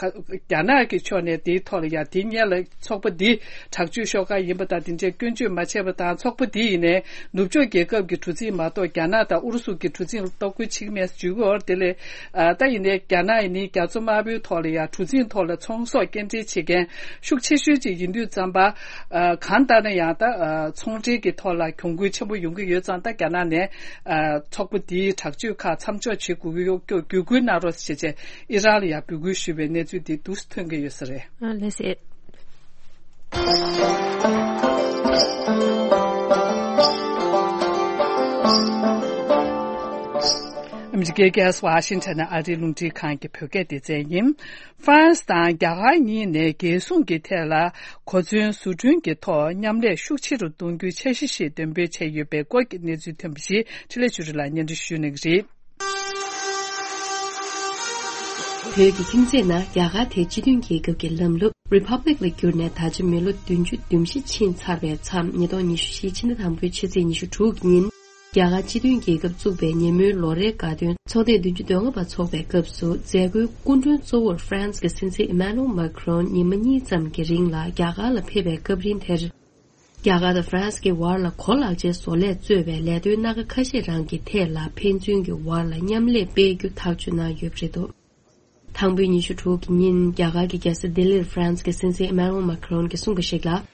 རྒྱ་ནག་གི་ཕྱོགས་ནས་དེའི་ཐོག་ལ་ཡ་དེ་སྔོན་ལ་ཚོགས་པ་འདི་དྲག་སྤྱོད་ཤོག་ཁག་ཡིན་པ་དང་། དེ་འདྲའི་སྐྱོན་བརྗོད་མ་བྱས་པ་དང་། ཚོགས་པ་འདི་ཡིན་ནས་ནུབ་ཕྱོགས་རྒྱལ་ཁབ་ཀྱི་གྲུ་གཟིངས་མ་གཏོགས་རྒྱ་ནག་དང་ཨུ་རུ་སུ་གི་གྲུ་གཟིངས་ལ་གཏོར་རྒོལ་བྱེད་ཀྱི་མེད་ཟེར་བརྗོད་ཀྱི་ཡོད་རེད། དེ་ལས་ཨ་ད་ཡིན་ནའི་རྒྱ་ནག་ཡིན་ནའི་རྒྱ་མཚོ་དམར་པོའི་ཐོག་ལ་ཡ་གྲུ་གཟིངས་ཐོག་ལ་ཚོང་ཟོག་སྐྱེལ་འདྲེན་བྱེད་མཁན་ཤུགས་ཆེ་ཤོས་ཅིག་ཡིན་དུས་ཙམ་པ། ཨ་གང་ལྟར་ན་ཡང་ད་ཨ་ཚོང་འབྲེལ་གྱི་ཐོག་ལ་གྱོང་གུད་ཆེན་པོ་ཡོང་གི་ཡོད་ཙང་། ད་རྒྱ་ནག་ནས་ཨ་ཚོགས་པ་འདིའི་དྲག་སྤྱོད་ཁག་མཚམས་འཇོག་བྱེད་དགོས་ཀྱི་ཡོད་སྐྱོ་བརྒྱུད་སྐུལ་གནང་རོགས་ཞེས་བྱས་ཨི་རན་ལ་ཡང་འབོད་སྐུལ་ཞུས་པའི་གནས་ཚུལ་འདི་འདུག་སེ་ཐོན་གྱི་ཡོད་ས་རེད། ཨ་ལགས་སེ། ཨ་མི་རི་ཀའི་རྒྱལ་ས་ཝ་ཤིང་ཊོན་ནས་ཨ་རིའི་རླུང་འཕྲིན་ཁང་གི་བོད་སྐད་སྡེ་ཚན་ཡིན། ཧྥ་རན་སི་དང་རྒྱ་གར་གཉིས་ནས་རྒྱལ་སྲུང་གི་ཐད་ལ་གོ་མཚོན་བཟོ་སྐྲུན་གྱི་ཐོག་མཉམ་ལས་ཤུགས་ཆེ་རུ་གཏོང་རྒྱུའི་འཆར་གཞི་ཞིག་འདོན་སྤེལ་བྱས་ཡོད་པའི་སྐོར་གྱི་གནས་ཚུལ་ཐོན་པ་ཞིག་འཕྲིན་ལས་ཆོས་སྒྲོན་ལགས་སྙན་སྒྲོན་ཞུ་གནང་གི་རེད། བོད་ཀྱི་ཁྱིམ་མཚེས་ན་རྒྱ་གར་དེ་སྤྱི་མཐུན་རྒྱལ་ཁབ་ཀྱི་ལམ་ལུགས་Republic ལ་བསྒྱུར་ནས་ད་ཆ་མི་ལོ་བདུན་ཅུ་དོན་བཞི་ཕྱིན་ཚར་བའི་མཚམས། ཉིས་སྟོང་ཉི་ཤུ་རྩ་བཞིའི་ཕྱི་ཟླ་དང་པོའི་ཕྱི་ཚེས་ཉི་ཤུ་དྲུག་ཉིན། རྒྱ་གར་སྤྱི་མཐུན་རྒྱལ་ཁབ་བཙུགས་པའི་ཉིན་མོའི་ལོ་རེའི་དགའ་སྟོན་ཚོགས་ཐེངས་བདུན་ཅུ་དོན་ལྔ་པ་འཚོགས་པའི་སྐབས་སུ། མཛད་སྒོའི་སྐུ་མགྲོན་གཙོ་བོར་ཧྥ་རན་སི་གི་སྲིད་འཛིན་ཨི་མ་ནུ་ཨེལ་མཱ་ཁི་རོན་ཉི་མ་གཉིས་ཙམ་གྱི་རིང་ལ་རྒྱ་གར་ལ་ཕེབས་པའི་སྐབས་རིང་དེར། རྒྱ་གར་དང་ཧྥ་རན་སི་གི་བར་ལ་གོ་ལག་ཅན་བཟོ་ལས་གཙོས་པའི་ལས་དོན་སྣ་ཁ་ཁ་ཤས་རང་གི་ཐད་ལ་ཕན་ཚུན་གྱི་བར་ལ་མཉམ་ལས་སྤེལ་རྒྱུ་ཐག་གཅོད་གནང་ཡོད་པ་རེད་འདུག། དང་པོའི་ཉི་ཤུ་དྲུག་གི་ཉིན། རྒྱ་གར་གྱི་རྒྱལ་ས་ལྡི་ལིར་ཧྥ་རན་སི་གི་སྲིད་འཛིན་ཨི་མ་ནུ་ཨེལ་མཱ་ཁི་རོན་གྱིས་གསུངས་པ་ཞིག་ལ།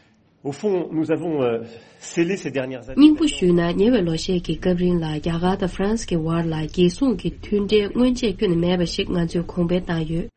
Au fond, nous avons, euh, scellé ces dernières années. སྙིང་པོ་ཞུས་ན། ཉེ་བའི་ལོ་ཤས་ཀྱི་སྐབས་རིང་ལ་རྒྱ་གར་དང་ཧྥ་རན་སི་གི་བར་ལ་རྒྱལ་སྲུང་གི་མཐུན་འབྲེལ་སྔོན་ཆད་ཁྱོན་ནས་མེད་པ་ཞིག་ང་ཚོས་གོང་འཕེལ་བཏང་ཡོད།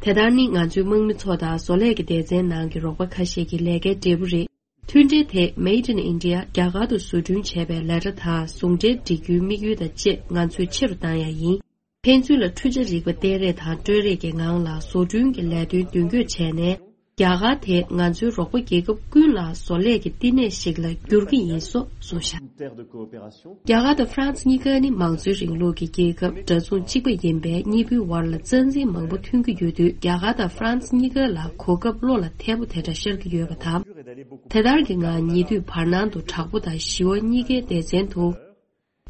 དེ་ལྟར་ནི། ང་ཚོའི་དམག་མི་ཚོ་དང་བཟོ་ལས་ཀྱི་སྡེ་ཚན་ནང་གི་རོགས་པ་ཁ་ཤས་ཀྱི་ལས་ཀའི་འབྲས་བུ་རེད། མཐུན་འབྲེལ་དེ་Made in India རྒྱ་གར་དུ་བཟོ་སྐྲུན་བྱས་པའི་ལས་གྲྭ་དང་ཟུང་འབྲེལ་སྒྲིག་རྒྱུའི་དམིགས་ཡུལ་དང་བཅས་ང་ཚོས་ཆེ་རུ་བཏང་ཡ་ཡིན། ཕན་ཚུན་ལ་འཕྲུལ་ཆ་རིག་པ་སྟེང་རེས་དང་སྤྲོས་རེས་ཀྱི་ངང་ལ་བཟོ་སྐྲུན་གྱི་ལས་དོན་མདུན་སྐྱོད་བྱས་ནས། རྒྱ་གར་དེ་ང་ཚོའི་རོགས་པ་རྒྱལ་ཁབ་ཀུན་ལ་བཟོ་ལས་ཀྱི་བསྟི་གནས་ཤིག་ལ་འགྱུར་གྱི་ཡིན་སོགས་གསུངས་བཞག། རྒྱ་གར་དང་ཧྥ་རན་སི་གཉིས་ཀ་ནི་མང་གཙོའི་རིང་ལུགས་ཀྱི་རྒྱལ་ཁབ་འདྲ་མཚུངས་གཅིག་པ་ཡིན་པས། གཉིས་པོའི་བར་ལ་རྩ་འཛིན་མང་པོ་ཐོན་གྱི་ཡོད་དུས། རྒྱ་གར་དང་ཧྥ་རན་སི་གཉིས་ཀ་ལ་གོ་སྐབས་བློ་ལ་འཐད་པོ་དེ་འདྲ་ཤར་གྱི་ཡོད་པ་དང་། དེ་ལྟར་གྱི་ངང་ཉེ་དུས་བར་སྣང་དུ་དྲག་པོ་དང་ཞི་བ་གཉིས་ཀའི་སྡེ་ཚན་དུ།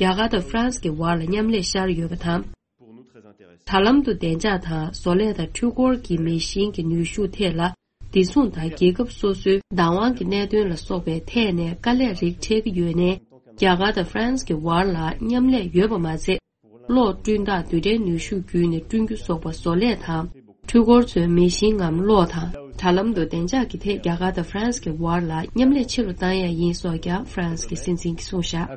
རྒྱ་གར་དང་ཧྥ་རན་སི་གི་བར་ལ་མཉམ་ལས་ཤར་ཡོད་པ་དང་། དྲ་ལམ་དུ་བདེ་འཇགས་དང་བཟོ་ལས་དང་འཕྲུལ་འཁོར་གྱི་མེ་ཤིང་གི་ནུས་ཤུགས་ཐད་ལ། བདེ་སྲུང་དང་རྒྱལ་ཁབ་སོ་སོའི་བདག་དབང་གི་གནད་དོན་ལ་སོགས་པའི་ཐད་ནས་དཀའ་ལས་རིགས་འཕྲད་ཀྱི་ཡོད་ནའི། རྒྱ་གར་དང་ཧྥ་རན་སི་གི་བར་ལ་མཉམ་ལས་ཡོད་པ་མ་ཚད། གློག་བསྐྲུན་སྟངས་རྡུལ་ཕྲན་ནུས་ཤུགས་བརྒྱུད་ནས་བསྐྲུན་རྒྱུ་སོགས་པ་བཟོ་ལས་དང་། འཕྲུལ་འཁོར་ཚོའི་མེ་ཤིང་ངམ་གློག་དང་། དྲ་ལམ་དུ་བདེ་འཇགས་ཀྱི་ཐད་རྒྱ་གར་དང་ཧྥ་རན་སི་གི་བར་ལ་མཉམ་ལས་ཆེ་རུ་བཏང་ཡ་ཡིན་སོགས་ཀྱང་ཧྥ་རན་སི་གི་སྲིད་འཛིན་གྱིས་གསུངས་བཞག།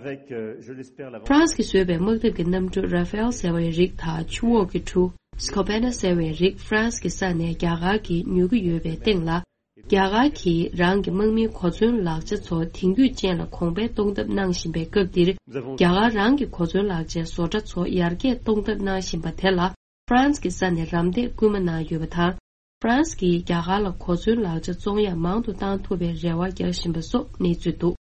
ཧྥ་རན་སི་གིས་བཟོས་པའི་དམག་འཐབ་ཀྱི་གནམ་གྲུ་Rafale ཟེར་བའི་རིགས་དང་ཆུ་འོག་གི་གྲུ་Skopena ཟེར་བའི་རིགས་ཧྥ་རན་སི་གི་ས་ནས་རྒྱ་གར་གྱིས་ཉོ་གི་ཡོད་པའི་སྟེང་ལ། རྒྱ་གར་གྱིས་རང་གི་དམག་མིའི་གོ་མཚོན་ལག་ཆ་ཚོ་དེང་དུས་ཅན་ལ་གོང་འཕེལ་གཏོང་ཐབས་གནང་བཞིན་པའི་སྐབས་འདིར། རྒྱ་གར་རང་གི་གོ་མཚོན་ལག་ཆའི་བཟོ་གྲྭ་ཚོ་ཡར་རྒྱས་གཏོང་ཐབས་གནང་བཞིན་པ་དེ་ལ། ཧྥ་རན་སི་གི་ས་ནས་རམ་འདེགས་སྐུལ་མ་གནང་ཡོད་པ་དང་། ཧྥ་རན་སི་གིས་རྒྱ་གར་ལ་གོ་མཚོན་ལག་ཆ་བཙོང་ཡ་མང་དུ་བཏང་ཐུབ་པའི་རེ་བ་རྒྱག་བཞིན་པ་སོགས་གནས་ཚུལ་འདུག།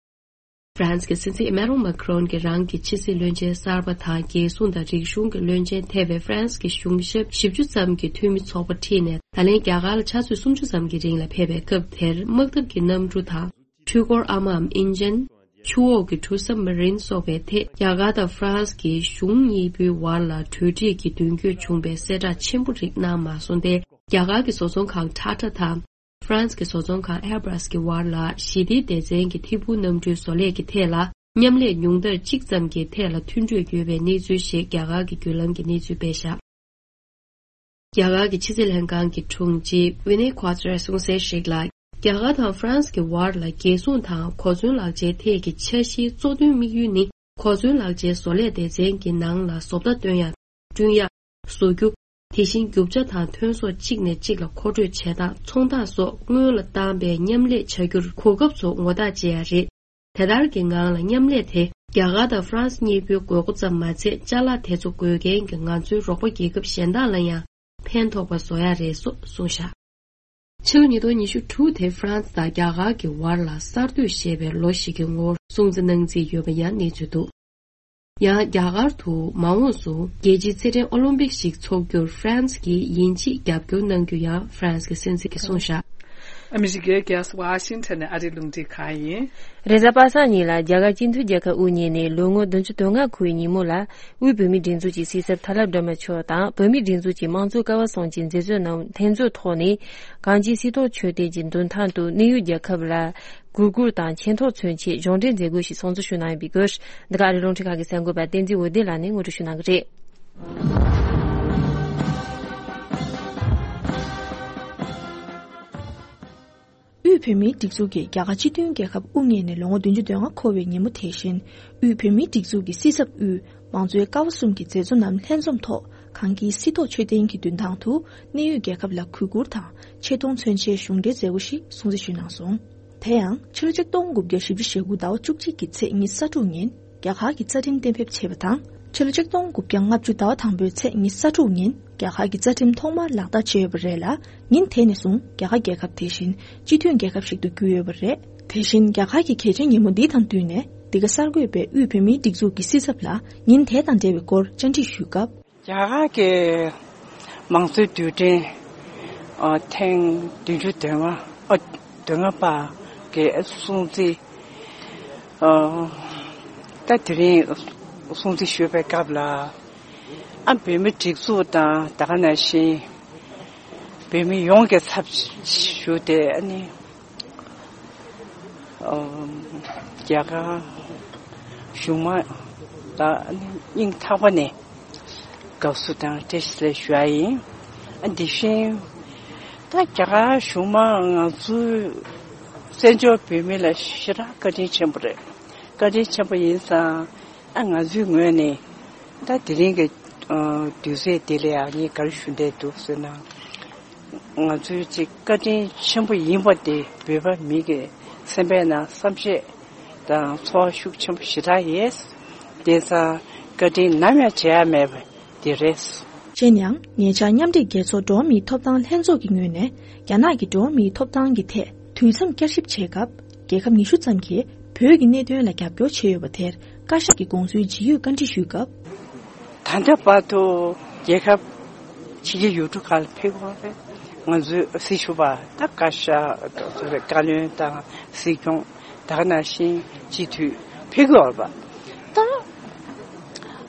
ཧྥ་རན་སི་གི་སྲིད་འཛིན་ཨི་མེ་རོན་མཱ་ཁི་རོན་གྱིས་རང་གི་ཕྱི་སྲིད་བློན་ཆེན་གསར་པ་དང་། རྒྱལ་སྲུང་དང་རིག་གཞུང་གི་བློན་ཆེན་ཐེ་བའི་ཧྥ་རན་སི་གི་གཞུང་ཞབས་བཞི་བཅུ་ཙམ་གྱི་འཐུས་མི་ཚོགས་པ་ཁྲིད་ནས། ད་ལན་རྒྱ་གར་ལ་ཆུ་ཚོད་སུམ་ཅུ་ཙམ་གྱི་རིང་ལ་ཕེབས་པའི་སྐབས་དེར། དམག་འཐབ་ཀྱི་གནམ་གྲུ་དང་། འཕྲུལ་འཁོར་ཨ་མའམ་ཨིན་ཇིན། ཆུ་འོག་གི་གྲུ་སབ་མ་རིན་སོགས་པའི་ཐད། རྒྱ་གར་དང་ཧྥ་རན་སི་གི་གཞུང་གཉིས་པོའི་བར་ལ་གྲོས་འགྲིག་གི་མདུན་སྐྱོད་བྱུང་བའི་གསལ་བསྒྲགས་ཆེན་པོ་རིགས་གནང་མ་སོང་སྟེ། རྒྱ་གར་གྱི་བཟོ་ཚོང་ཁང་ཊ་ཊ་དང་། ཧྥ་རན་སི་གི་བཟོ་ཚོང་ཁང་ཨེར་བྷ་སི་གི་བར་ལ་ཞི་བདེའི་སྡེ་ཚན་གྱི་ཐད་འཕུར་གནམ་གྲུའི་བཟོ་ལས་ཀྱི་ཐད་ལ་མཉམ་ལས་ཉུང་མཐར་གཅིག་ཙམ་གྱི་ཐད་ལ་མཐུན་གྲོས་ཡོད་པའི་གནས་ཚུལ་ཞིག་རྒྱ་གར་གྱི་བརྒྱུད་ལམ་གྱིས་གནས་ཚུལ་སྤེལ་བཞག། རྒྱ་གར་གྱི་ཕྱི་སྲིད་ལྷན་ཁང་གི་དྲུང་ཆེ་ཝི་ནེ་ཁོ་ཏྲས་གསུངས་གསལ་ཞིག་ལ། རྒྱ་གར་དང་ཧྥ་རན་སི་གི་བར་ལ་རྒྱལ་སྲུང་དང་གོ་མཚོན་ལག་ཆའི་ཐད་ཀྱི་འཆར་གཞིའི་གཙོ་དོན་དམིགས་ཡུལ་ནི། གོ་མཚོན་ལག་ཆའི་བཟོ་ལས་སྡེ་ཚན་གྱི་ནང་ལ་བཟོ་ལྟ་སྟོན་ཡ། བསྐྲུན་ཡ། བཟོ་རྒྱུ། དེ་བཞིན་རྒྱུ་ཆ་དང་ཐོན་ཟོག་གཅིག་ནས་གཅིག་ལ་མཁོ་སྤྲོད་བྱེད་སྟངས། ཚོང་རྟགས་སོགས་སྔོན་ལ་བཏང་པའི་མཉམ་ལས་བྱ་རྒྱུར་གོ་སྐབས་ཚོ་ངོ་རྟགས་བྱེད་ཡ་རེད། དེ་ལྟར་གྱི་ངང་ལ་མཉམ་ལས་དེ་རྒྱ་གར་དང་ཧྥ་རན་སི་གཉིས་པོའི་དགོས་མཁོ་ཙམ་མ་ཚད། ཅ་ལག་དེ་ཚོ་དགོས་མཁན་གྱི་ང་ཚོའི་རོགས་པ་རྒྱལ་ཁབ་གཞན་དག་ལ་ཡང་ཕན་ཐོགས་པ་བཟོ་ཡ་རེད་སོགས་གསུངས་བཞག། ཕྱི་ལོ་ཉིས་སྟོང་ཉི་ཤུ་དྲུག་དེ་ཧྥ་རན་སི་དང་རྒྱ་གར་གྱི་བར་ལ་གསར་གཏོད་ཞེས་པའི་ལོ་ཞིག་གི་ངོར་སྲུང་བརྩི་གནང་རྩིས་ཡོད་པ་ཡང་གནས་ཚུལ་འདུག། ཡང་རྒྱ་གར་དུ་མ་འོངས་སུ་རྒྱལ་སྤྱིའི་རྩེད་འགྲན་ཨོ་ལིམ་པིག་ཞིག་འཚོགས་རྒྱུར་ཧྥ་རན་སི་གིས་ཡིན་གཅིག་རྒྱབ་སྐྱོར་གནང་རྒྱུ་ཡང་ཧྥ་རན་སི་གི་སྲིད་འཛིན་གྱིས་གསུངས་བཞག། ཨ་མི་རི་ཀའི་རྒྱལ་ས་ཝ་ཤིང་ཊོན་ནས་ཨ་རིའི་རླུང་འཕྲིན་ཁང་ཡིན། རེས་གཟའ་པ་སངས་ཉིན་ལ་རྒྱ་གར་སྤྱི་མཐུན་རྒྱལ་ཁབ་དབུ་བརྙེས་ནས་ལོ་ངོ་བདུན་ཅུ་དོན་ལྔ་འཁོར་བའི་ཉིན་མོ་ལ། དབུས་བོད་མིའི་སྒྲིག་འཛུགས་ཀྱི་སྲིད་ཚབ་ཐར་ལམ་སྒྲོལ་མ་མཆོག་དང་། བོད་མིའི་སྒྲིག་འཛུགས་ཀྱི་དམངས་གཙོའི་ཀ་བ་གསུམ་གྱི་མཛད་གཙོ་རྣམས་ལྷན་ཚོགས་ཐོག་ནས། གངས་ཅན་སྲིད་ཐོག་མཆོད་རྟེན་གྱི་མདུན་ཐང་དུ་གནས་ཡུལ་རྒྱལ་ཁབ་ལ་གུས་བཀུར་དང་མཁྱེན་རྟོགས་མཚོན་ཆེད་གཞུང་འབྲེལ་མཛད་སྒོ་ཞིག་སྲུང་བརྩི་ཞུས་གནང་ཡོད་པའི་སྐོར། འདི་ག་ཨ་རིའི་རླུང་འཕྲིན་ཁང་གི་གསར་འགོད་པ་བསྟན་འཛིན་འོད་ལྡན་ལགས་ནས་ངོ་སྤྲོད་ཞུས་གནང་གི་རེད། དབུས་བོད་མིའི་སྒྲིག་འཛུགས་ཀྱིས་རྒྱ་གར་སྤྱི་མཐུན་རྒྱལ་ཁབ་དབུ་བརྙེས་ནས་ལོ་ངོ་བདུན་ཅུ་དོན་ལྔ་འཁོར་བའི་ཉིན་མོ་དེ་བཞིན། དབུས་བོད་མིའི་སྒྲིག་འཛུགས་ཀྱི་སྲིད་ཚབ་དབུས་མང་གཙོའི་ཀ་བ་གསུམ་གྱི་མཛད་གཙོ་རྣམས་ལྷན་འཛོམས་ཐོག་གངས་སྐྱིད་སྲིད་ཐོག་མཆོད་རྟེན་གྱི་མདུན་ཐང་དུ་གནས་ཡུལ་རྒྱལ་ཁབ་ལ་གུས་བཀུར་དང་ཆེ་མཐོང་མཚོན་ཆེད་གཞུང་འབྲེལ་མཛད་སྒོ་ཞིག་སྲུང་བརྩི་ཞུས་གནང་སོང་། དེ་ཡང་ཕྱི་ལོ་ཆིག་སྟོང་དགུ་བརྒྱ་བཞི་བཅུ་ཞེ་དགུ་ཟླ་བ་བཅུ་གཅིག་གི་ཚེས་ཉི་ཤུ་རྩ་དྲུག་ཉིན་རྒྱ་གར་གྱི་རྩ་ཁྲིམས་གཏན་འབེབས་བྱས་པ་དང་། ཕྱི་ལོ་ཆིག་སྟོང་དགུ་བརྒྱ་ལྔ་བཅུ་ཟླ་བ་དང་པོའི་ཚེས་ཉི་ཤུ་རྩ་དྲུག་ཉིན་རྒྱ་གར་གྱི་རྩ་ཁྲིམས་ཐོག་མར་ལག་བསྟར་བྱས་ཡོད་པ་རེད་ལ། ཉིན་དེ་ནས་བཟུང་རྒྱ་གར་རྒྱལ་ཁབ་དེ་བཞིན་སྤྱི་མཐུན་རྒྱལ་ཁབ་ཞིག་ཏུ་གྱུར་ཡོད་པ་རེད། དེ་བཞིན་རྒྱ་གར་གྱི་གལ་ཆེའི་ཉིན་མོ་འདི་དང་བསྟུན་ནས་འདི་ག་གསར་འགོད་པས་དབུས་བོད་མིའི་སྒྲིག་འཛུགས་ཀྱི་སྲིད་ཚབ་ལ་ཉིན་དེ་དང་འབྲེལ་བའི་སྐོར་བཅར་འདྲི་ཞུས་སྐབས། རྒྱ་གར་གྱི་མང་གཙོའི་དུས་དྲན་ཨ་ཐེངས་བདུན་ཅུ་དོན་ལྔ་ཨ་དོན་ལྔ་པ་གི་སྲུང་བརྩི་ཨ་ ད་དེ་རིང་སྲུང་བརྩི་ཞུས་པའི་སྐབས་ལ། ཨ་བོད་མི་སྒྲིག་འཛུགས་དང་ད་ག་ནང་བཞིན་བོད་མི་ཡོངས་ཀྱི་ཚབ་ཞུས་ཏེ། ཨ་ནི་ཨ་རྒྱ་གར་གཞུང་མང་ལ་ཨ་ནི་སྙིང་ཐག་པ་ནས་དགའ་བསུ་དང་བཀྲ་ཤིས་བདེ་ལེགས་ཞུ་ཡ་ཡིན། ཨ་དེ་བཞིན་ད་རྒྱ་གར་གཞུང་མང་ང་ཚོའི་བཙན་བྱོལ་བོད་མི་ལ་ཞེ་དྲག་བཀའ་དྲིན་ཆེན་པོ་རེད། བཀའ་དྲིན་ཆེན་པོ་ཡིན་ཙང་། ཨ་ང་ཚོའི་ངོས་ནས་ད་དེ་རིང་གི་ཨ་དུས་ཚོད་འདི་ལ་ཡང་ངས་ག་རེ་ཞུ་འདོད་འདུག་ཟེར་ན། ང་ཚོའི་ཅིག་བཀའ་དྲིན་ཆེན་པོ་ཡིན་པ་དེ་བོད་པ་མི་གི་སེམས་པའི་ནང་བསམ་ཤེས་དང་ཚོར་བ་ཤུགས་ཆེན་པོ་ཞེ་དྲག་ཡོད། དེ་ཙང་བཀའ་དྲིན་ནམ་ཡང་བརྗེད་ཡ་མེད་པ་དེ་རེད། གཞན་ཡང་ཉེ་ཆར་མཉམ་འབྲེལ་རྒྱལ་ཚོགས་འགྲོ་བ་མིའི་ཐོབ་ཐང་ལྷན་ཚོགས་ཀྱི་ངོས་ནས་རྒྱ་ནག་གི་འགྲོ་བ་མིའི་ཐོབ་ཐང་གི་ཐད་དུས་མཚམས་བསྐྱར་ཞིབ་བྱེད་སྐབས། རྒྱལ་ཁབ་ཉི་ཤུ་ཙམ་གྱིས་བོད་ཀྱི་གནད་དོན་ལ་རྒྱབ་སྐྱོར་བྱས་ཡོད་པ་དེར་བཀའ་ཤག་གི་དགོངས་ཚུལ་ཇི་ཡོད་བཀའ་འདྲི་ཞུས་སྐབས། ད་ལྟ་བར་དུ་རྒྱལ་ཁབ་ཕྱི་རྒྱལ་ཡུལ་གྲུ་ཁག་ལ་ཕེབས་ཡོད་པའི་ང་ཚོའི་སྲི་ཞུ་བ་དང་བཀའ་ཤག་བཀའ་བློན་དང་སྲིད་སྐྱོང་ད་ག་ནང་བཞིན་སྤྱི་འཐུས་ཕེབས་ཡོད་པ་ད།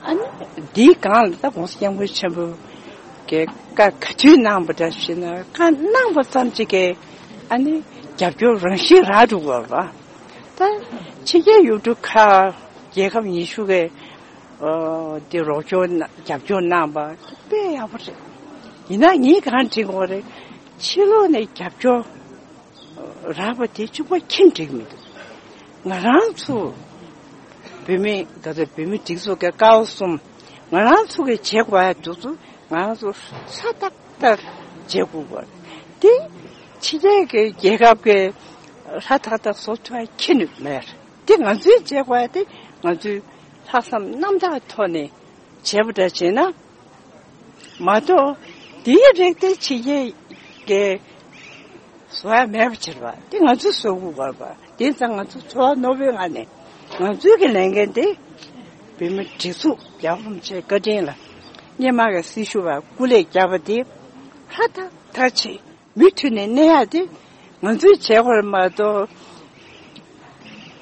ཨ་ནི་འདིའི་སྒང་ལ་ད་༸གོང་ས་༸སྐྱབས་མགོན་ཆེན་པོ་གིས་བཀའ་ག་དུས་གནང་པ་འདྲ་ཞིག་ན། བཀའ་གནང་པ་ཙམ་གཅིག་གིས་ཨ་ནི་རྒྱབ་སྐྱོར་རང་བཞིན་རག་འགྲོ་དགོས་པ། ད་ཕྱི་རྒྱལ་ཡུལ་གྲུ་ཁག་རྒྱལ་ཁབ་ཉི་ཤུ་གིས་ཨ་དེ་རོགས་སྐྱོར་གནང་རྒྱབ་སྐྱོར་གནང་པ་དཔེ་ཡག་པོ་རེད། ཡིན་ན་ངས་གང་དྲན་དགོས་རེད། ཕྱི་ལོགས་ནས་རྒྱབ་སྐྱོར་རག་པ་དེ་གཅིག་པོ་ཁྱོན་འགྲིག་མི་འདུག་ང་རང་ཚོ་བོད་མི་ག་ཚོད་བོད་མི་སྒྲིག་འཛུགས་ཀྱི་ཀ་བ་གསུམ་ང་རང་ཚོ་གི་བྱེད་དགོས་ཡ་དེ་ཚོ་ང་རང་ཚོ་ཧྲ་ཏག་ཏག་བྱེད་དགོས་པ་དེ་ཕྱི་རྒྱལ་གྱི་རྒྱལ་ཁབ་ཀྱི་ཧྲ་ཏག་ཏག་བཟོ་ཐུབ་ཡ་ཁྱོན་ནས་མེད། དེ་ང་ཚོའི་བྱེད་དགོས་ཡ་དེ་ང་ཚོའི་ལྷག་བསམ་རྣམ་དག་ཐོག་ནས་བྱས་པ་འདྲ་བྱས་ན། མ་གཏོགས་དེའི་རིགས་དེ་ཕྱི་རྒྱལ་གྱི་བཟོ་ཡ་མེད་པ་བྱེད་པ་དེ་ང་ཚོས་བཟོ་དགོས་པ། དེ་ཙང་ང་ཚོ་ཚོར་བ་རྣོ་པོའི་ངང་ནས་ང་ཚོའི་གི་ལས་འགན་དེ་བོད་མི་སྒྲིག་འཛུགས་རྒྱལ་བ་རིན་པོ་ཆེའི་བཀའ་དྲིན་ལ་སྔོན་མ་གི་སྲི་ཞུ་བ་སྐུ་ལས་བསྐྱལ་བ་དེ་ཧྲ་ཏག་ཏག་བྱས་མུ་མཐུད་ནས་གནས་ཡ་དེ་ང་ཚོའི་བྱེད་དགོས་རེད་མ་གཏོགས།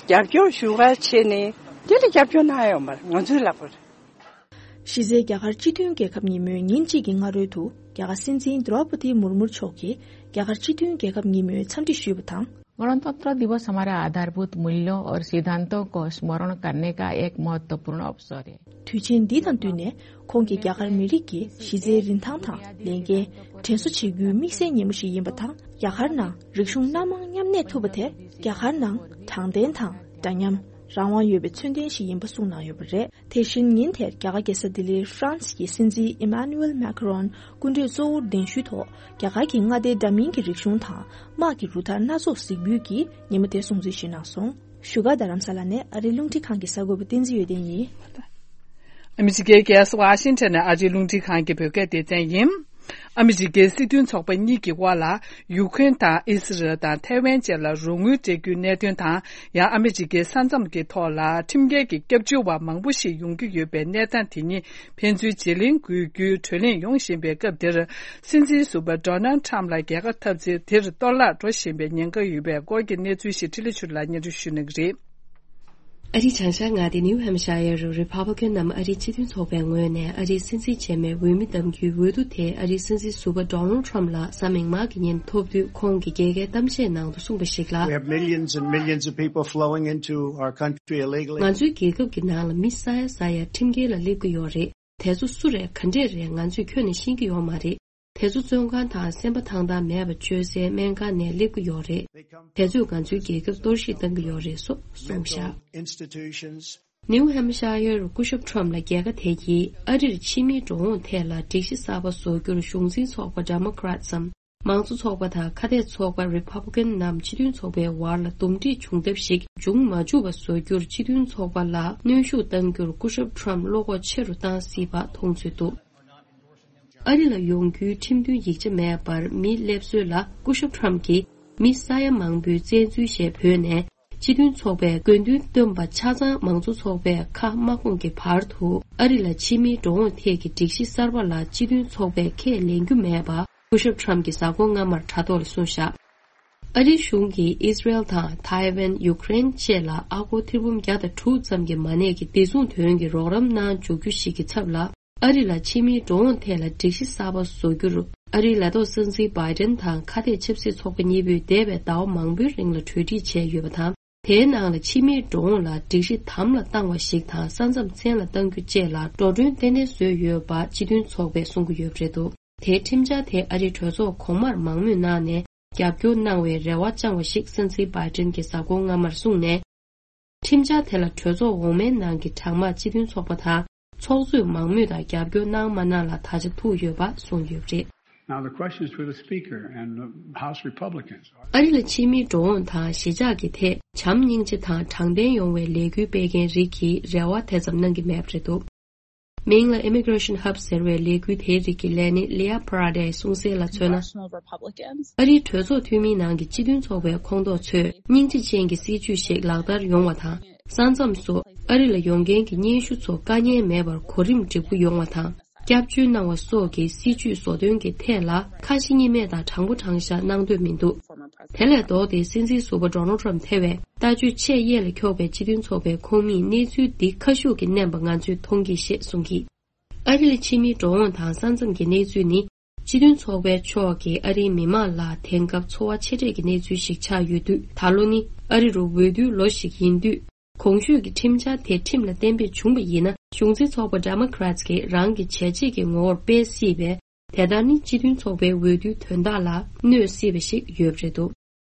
རྒྱབ་སྐྱོར་ཞུ་ག་བྱས་ནས་དེ་ལ་རྒྱབ་སྐྱོར་གནང་ཡོད་མ་རེད། ང་ཚོའི་ལག་པར། གཞི་རྩའི་རྒྱ་གར་སྤྱི་མཐུན་རྒྱལ་ཁབ་ཉིན་མོའི་ཉིན་གཅིག་གི་སྔ་རོལ་དུ་རྒྱ་གར་སྲིད་འཛིན་ཌྲོ་པ་ཏི་མུར་མུར་མཆོག་གིས་རྒྱ་གར་སྤྱི་མཐུན་རྒྱལ་ཁབ་ཉིན་མོའི་འཚམས་འདྲི་ཞུས་པ་དང་། गणतंत्र दिवस हमारे आधारभूत मूल्यों और सिद्धांतों को स्मरण करने का एक महत्वपूर्ण अवसर है। དུས་ཆེན་འདི་དང་བསྟུན་ནས་ཁོང་གིས་རྒྱ་གར་མི་རིགས་ཀྱི་གཞི་རྩའི་རིན་ཐང་དང་ལས་འགན་དྲན་གསོ་བྱེད་རྒྱུའི་དམིགས་བསལ་ཉིན་མོ་ཞིག་ཡིན་པ་དང་། རྒྱ་གར་ནང་རིག་གཞུང་སྣ་མང་མཉམ་གནས་ཐུབ་པ་དེ་རྒྱ་གར་ནང་དྲང་བདེན་དང་འདྲ་མཉམ། རང་དབང་ཡོད་པའི་མཚོན་རྟགས་ཤིག་ཡིན་པ་གསུངས་གནང་ཡོད་པ་རེད། དེ་བཞིན་ཉིན་དེར་རྒྱ་གར་རྒྱལ་ས་ལྡི་ལིར་ཧྥ་རན་སི་ཡི་སྲིད་འཛིན་ཨི་མ་ནུ་ཨེལ་མེ་ཁ་རོན་སྐུ་མགྲོན་གཙོ་བོར་གདན་ཞུའི་ཐོག་རྒྱ་གར་གྱི་མངའ་སྡེ་འདྲ་མིན་གྱི་རིག་གཞུང་དང་དམག་གི་རུ་སྟར་སྣ་ཚོགས་གཟིགས་འབུལ་གྱིས་ཉིན་མོ་དེར་སྲུང་བརྩི་ཞུས་གནང་སོང་། བཞུགས་སྒར་རྡ་རམ་ས་ལ་ནས་ཨ་རིའི་རླུང་འཕྲིན་ཁང་གི་གསར་འགོད་པ་བསྟན་འཛིན་ཡོན་ཏན་ཡིན། ཨ་མི་རི་ཀའི་རྒྱལ་ས་ཝ་ཤིང་ཊོན་ནས་ཨ་རིའི་རླུང་འཕྲིན་ཁང་གི་བོད་སྐད་སྡེ་ཚན་ཡིན། ཨ་མི་རི་ཀའི་སྲིད་དོན་ཚོགས་པ་གཉིས་ཀྱི་དབར་ལ་ཡུ་ཁུན་དང་ཨི་སི་རལ་དང་ཐའེ་ཝན་བཅས་ལ་རོགས་དངུལ་སྤྲད་རྒྱུའི་གནད་དོན་དང་། ཡང་ཨ་མི་རི་ཀའི་ས་མཚམས་ཀྱི་ཐོག་ལ་ཁྲིམས་འགལ་གྱི་སྐྱབས་བཅོལ་བ་མང་པོ་ཞིག་ཡོང་གི་ཡོད་པའི་གནས་སྟངས་དེ་གཉིས་ཕན་ཚུན་བརྗེ་ལེན་དགོས་རྒྱུའི་གྲོས་གླེང་ཡོང་བཞིན་པའི་སྐབས་འདིར། སྲིད་འཛིན་ཟུར་པ་ཌོ་ནལ་ཊམ་ལ་རྒྱལ་ཁ་འཐབ་ཚེ་དེར་གཏོར་བརླག་འགྲོ་བཞིན་པའི་ཉེན་ཁ་ཡོད་པའི་སྐོར་གྱི་གནས་ཚུལ་ཞིག་འཕྲིན་ལས་ཆོས་ལ་སྙན་སྒྲོན་ཞུ་གནང་གི་རེད། ཨ་རིའི་བྱང་ཤར་མངའ་སྡེ་ནིའུ་ཧེམ་ཤ་ཡར་རུ་རི་ཕབ་ལི་ཀན་ནམ་ཨ་རིའི་སྤྱི་མཐུན་ཚོགས་པའི་ངོས་ནས་ཨ་རིའི་སྲིད་འཛིན་རྗེས་མའི་འོས་མི་གདམ་རྒྱུའི་འོས་བསྡུ་དེ་ཨ་རིའི་སྲིད་འཛིན་ཟུར་པ་ཌོ་ནལ་ཊམ་ལགས་གཟའ་མིག་དམར་གྱི་ཉིན་ཐོབ་དུས་ཁོང་གིས་རྒྱལ་ཁའི་གཏམ་བཤད་ནང་དུ་གསུངས་པ་ཞིག་ལ། We have millions and millions of people flowing into our country illegally. ང་ཚོའི་རྒྱལ་ཁབ་ཀྱི་ནང་ལ་མི་ཟ་ཡ་ཟ་ཡ་ཁྲིམས་འགལ་ལ་སླེབས་ཀྱི་ཡོད་རེད། དེ་ཚོ་སུ་རེད་ག་འདྲས་རེད་ང་ཚོས་ཁྱོན་ནས་ཤེས་ཀྱི་ཡོད་མ་རེད། དེ་ཚོ་བཙོན་ཁང་དང་སེམས་པ་ཐང་ཐང་མེད་པ་བཅོལ་སའི་སྨན་ཁང་ནས་སླེབས་ཀྱི་ཡོད་རེད། དེ་ཚོས་ང་ཚོའི་རྒྱལ་ཁབ་གཏོར་བཤིག་བཏང་གི་ཡོད་རེད་སོགས་གསུངས་བཞག། Institutions. ནིའུ་ཧེམ་ཤ་ཡར་སྐུ་ཞབས་ཊམ་ལ་རྒྱལ་ཁ་དེ་གྱིས་ཨ་རིར་ཕྱི་མིའི་འགྲོ་འོང་ཐད་ལ་སྒྲིག་གཞི་གསར་པ་བཟོ་རྒྱུར་གཞུང་འཛིན་ཚོགས་པ་ཌེ་མོ་ཀ་རེ་ཊི་སམ། མང་གཙོ་ཚོགས་པ་དང་ཁ་གཏད་ཚོགས་པ་རི་ཕབ་ལི་ཀན་ནམ་སྤྱི་མཐུན་ཚོགས་པའི་བར་ལ་འདུམ་འགྲིག་བྱུང་ཐབས་ཤིག་འབྱུང་མ་བཅུག་པ་བཟོ་རྒྱུར་སྤྱི་མཐུན་ཚོགས་པ་ལ་གནོན་ཤུགས་གཏང་རྒྱུར་སྐུ་ཞབས་ཊམ་བློ་ཁོག་ཆེ་རུ་བཏང་སྲིད་པ་མཐོང་ཚུལ་འདུག་ཨ་རི་ལ་ཡོང་རྒྱུའི་ཁྲིམས་མཐུན་ཡིག་ཆ་མེད་པར་མི་སླེབས་སྲོལ་ལ་སྐུ་ཞབས་ཊམ་གྱིས་མི་ས་ཡ་མང་པོའི་བཙན་འཛུལ་ཞེས་འབོད་ནས་སྤྱི་མཐུན་ཚོགས་པའི་དགོས་འདུན་བཏོན་པ་ཆ་ཚང་མང་གཙོ་ཚོགས་པས་ཁ་མ་སྐོང་གི་བར་དུ་ཨ་རི་ལ་ཕྱི་མིའི་འགྲོ་འོང་ཐད་ཀྱི་སྒྲིག་གཞི་གསར་པ་ལ་སྤྱི་མཐུན་ཚོགས་པས་ཁས་ལེན་རྒྱུ་མེད་པ་སྐུ་ཞབས་ཊམ་གྱིས་གཟའ་འཁོར་སྔ་མར་དྲ་ཐོག་ལ་གསུངས་བཞག། ཨ་རིའི་གཞུང་གིས་ཨིས་རལ་དང་ཐའེ་ཝན། ཡུཀ་རེན་བཅས་ལ་ཨ་སྒོར་ཐེར་འབུམ་བརྒྱ་དང་དྲུག་ཙམ་གྱི་མ་གནས་ཀྱི་བདེ་སྲུང་དོན་གྱི་རོགས་རམ་གནང་འཇུག་རྒྱུ་ཞིག་གི་ཚབ་ལ། ཨ་རི་ལ་ཕྱི་མིའི་འགྲོ་འོང་ཐད་ལ་སྒྲིག་གཞི་གསར་པ་བཟོ་རྒྱུར། ཨ་རིའི་ལས་ཐོག་སྲིད་འཛིན་བྷའི་ཌེན་དང་ཁ་གཏད་ཆབ་སྲིད་ཚོགས་པ་གཉིས་པོས་འདས་པའི་ཟླ་བ་མང་པོའི་རིང་ལ་གྲོས་འགྲིག་བྱས་ཡོད་པ་དང་། དེའི་ནང་ལ་ཕྱི་མིའི་འགྲོ་འོང་ལ་སྒྲིག་གཞི་དམ་ལ་བཏང་བ་ཞིག་དང་། ས་མཚམས་མཚན་ལ་གཏང་རྒྱུ་བཅས་ལ་འགྲོ་གྲོན་ཏན་ཏན་བཟོས་ཡོད་པ་སྤྱི་མཐུན་ཚོགས་པས་གསུང་གི་ཡོད་པ་རེད་འདུག་དེའི་ཁྲིམས་འཆར་དེ་ཨ་རིའི་གྲོས་ཚོགས་གོང་མར་མང་མོས་གནང་ནས་རྒྱབ་སྐྱོར་གནང་བའི་རེ་བ་བཅངས་པ་ཞིག་སྲིད་འཛིན་བྷའི་ཌེན་གྱིས་གཟའ་འཁོར་སྔ་མར་གསུངས་ནས། ཁྲིམས་འཆར་དེ་ལ་གྲོས་ཚོགས་འོག་མའི་ནང་གི་གྲངས་མང་སྤྱི་མཐུན་ཚོགས་པ་དང་ཚོགས་གཙོས་མང་མོས་དང་རྒྱབ་སྐྱོར་གནང་མ་གནང་ལ་ད་ཆ་ཐུག་ཡོད་པ་གསུངས་ཡོད་པ་རེད། Now the question is for the Speaker and the House Republicans. ཨ་རི་ལ་ཕྱི་མིའི་འགྲོ་འོང་དང་གཞིས་ཆགས་ཀྱི་ཐད་བྱམས་སྙིང་རྗེ་དང་དྲང་བདེན་ཡོང་བའི་ལས་འགུལ་སྤེལ་མཁན་རིགས་ཀྱིས་རེ་བ་དེ་ཙམ་གནང་གི་མེད་པ་རེད་འདུག་མིང་ལ་Immigration Hub ཟེར་བའི་ལས་འགུལ་དེའི་རིགས་ཀྱི་ལས་སྣེ་Leah Parady གསུངས་གསལ་ལ་མཚོན་ན། Congressional Republicans. ཨ་རིའི་གྲོས་ཚོགས་འཐུས་མིའི་ནང་གི་སྤྱི་མཐུན་ཚོགས་པའི་ཁོངས་གཏོགས་ཚོས་སྙིང་རྗེ་ཅན་གྱི་སྲིད་ཇུས་ཤིག་ལག་བསྟར་ཡོང་བ་དང་། ས་མཚམས་སུ་ཨ་རི་ལ་ཡོང་མཁན་གྱི་སྙན་ཞུ་ཚོ་དཀའ་ངལ་མེད་པར་གོ་རིམ་འགྲིག་པོ་ཡོང་བ་དང་། སྐྱབས་བཅོལ་གནང་བ་སོགས་ཀྱི་སྲིད་ཇུས་བཟོ་སྟོན་གྱི་ཐད་ལ་ཁ་ཞེ་གཉིས་མེད་དང་དྲང་པོ་དྲང་བཞག་གནང་འདོད་མི་འདུག་དེ་ལས་ལྡོག་སྟེ་སྲིད་འཛིན་ཟུར་པ་Donald Trump ཐེ་བའི་ལྟ་སྤྱོད་ཆེས་གཡས་ལ་འཁྱོག་པའི་སྤྱི་མཐུན་ཚོགས་པའི་ཁོངས་མིས་གནས་ཚུལ་འདི་ཁ་ཤུགས་ཀྱིས་བསྣན་པ་ང་ཚོས་མཐོང་གི་ཞེས་གསུངས་ཀྱིས། ཨ་རི་ལ་ཕྱི་མིའི་འགྲོ་འོང་དང་ས་མཚམས་ཀྱི་གནས་ཚུལ་ནི། སྤྱི་མཐུན་ཚོགས་པའི་ཕྱོགས་ཀྱིས་ཨ་རིའི་མི་མང་ལ་དེང་སྐབས་འཚོ་བ་ཆེ་གྲས་ཀྱི་གནས་ཚུལ་ཞིག་ཆགས་ཡོད་དུས། ད་ལོ་ནི་ཨ་རི་རུ་འོས་བསྡུའི་ལོ་ཞིག་ཡིན་དུས། གོང་ཞུས་ཀྱི་ཁྲིམས་འཆར་དེ་ཁྲིམས་ལ་གཏན་འབེབས་བྱུང་བ་ཡིན་ན། གཞུང་འཛིན་ཚོགས་པ་Democrats གིས་རང་གི་བྱས་རྗེས་ཀྱི་ངོ་བོར་སྤེལ་སྲིད་པས། དེ་ལྟར་ནི་སྤྱི་མཐུན་ཚོགས་པའི་འོས་བསྡུའི་དོན་དག་ལ་གནོད་སྲིད་པ་ཞིག་ཡོད་པ་རེད་འདུག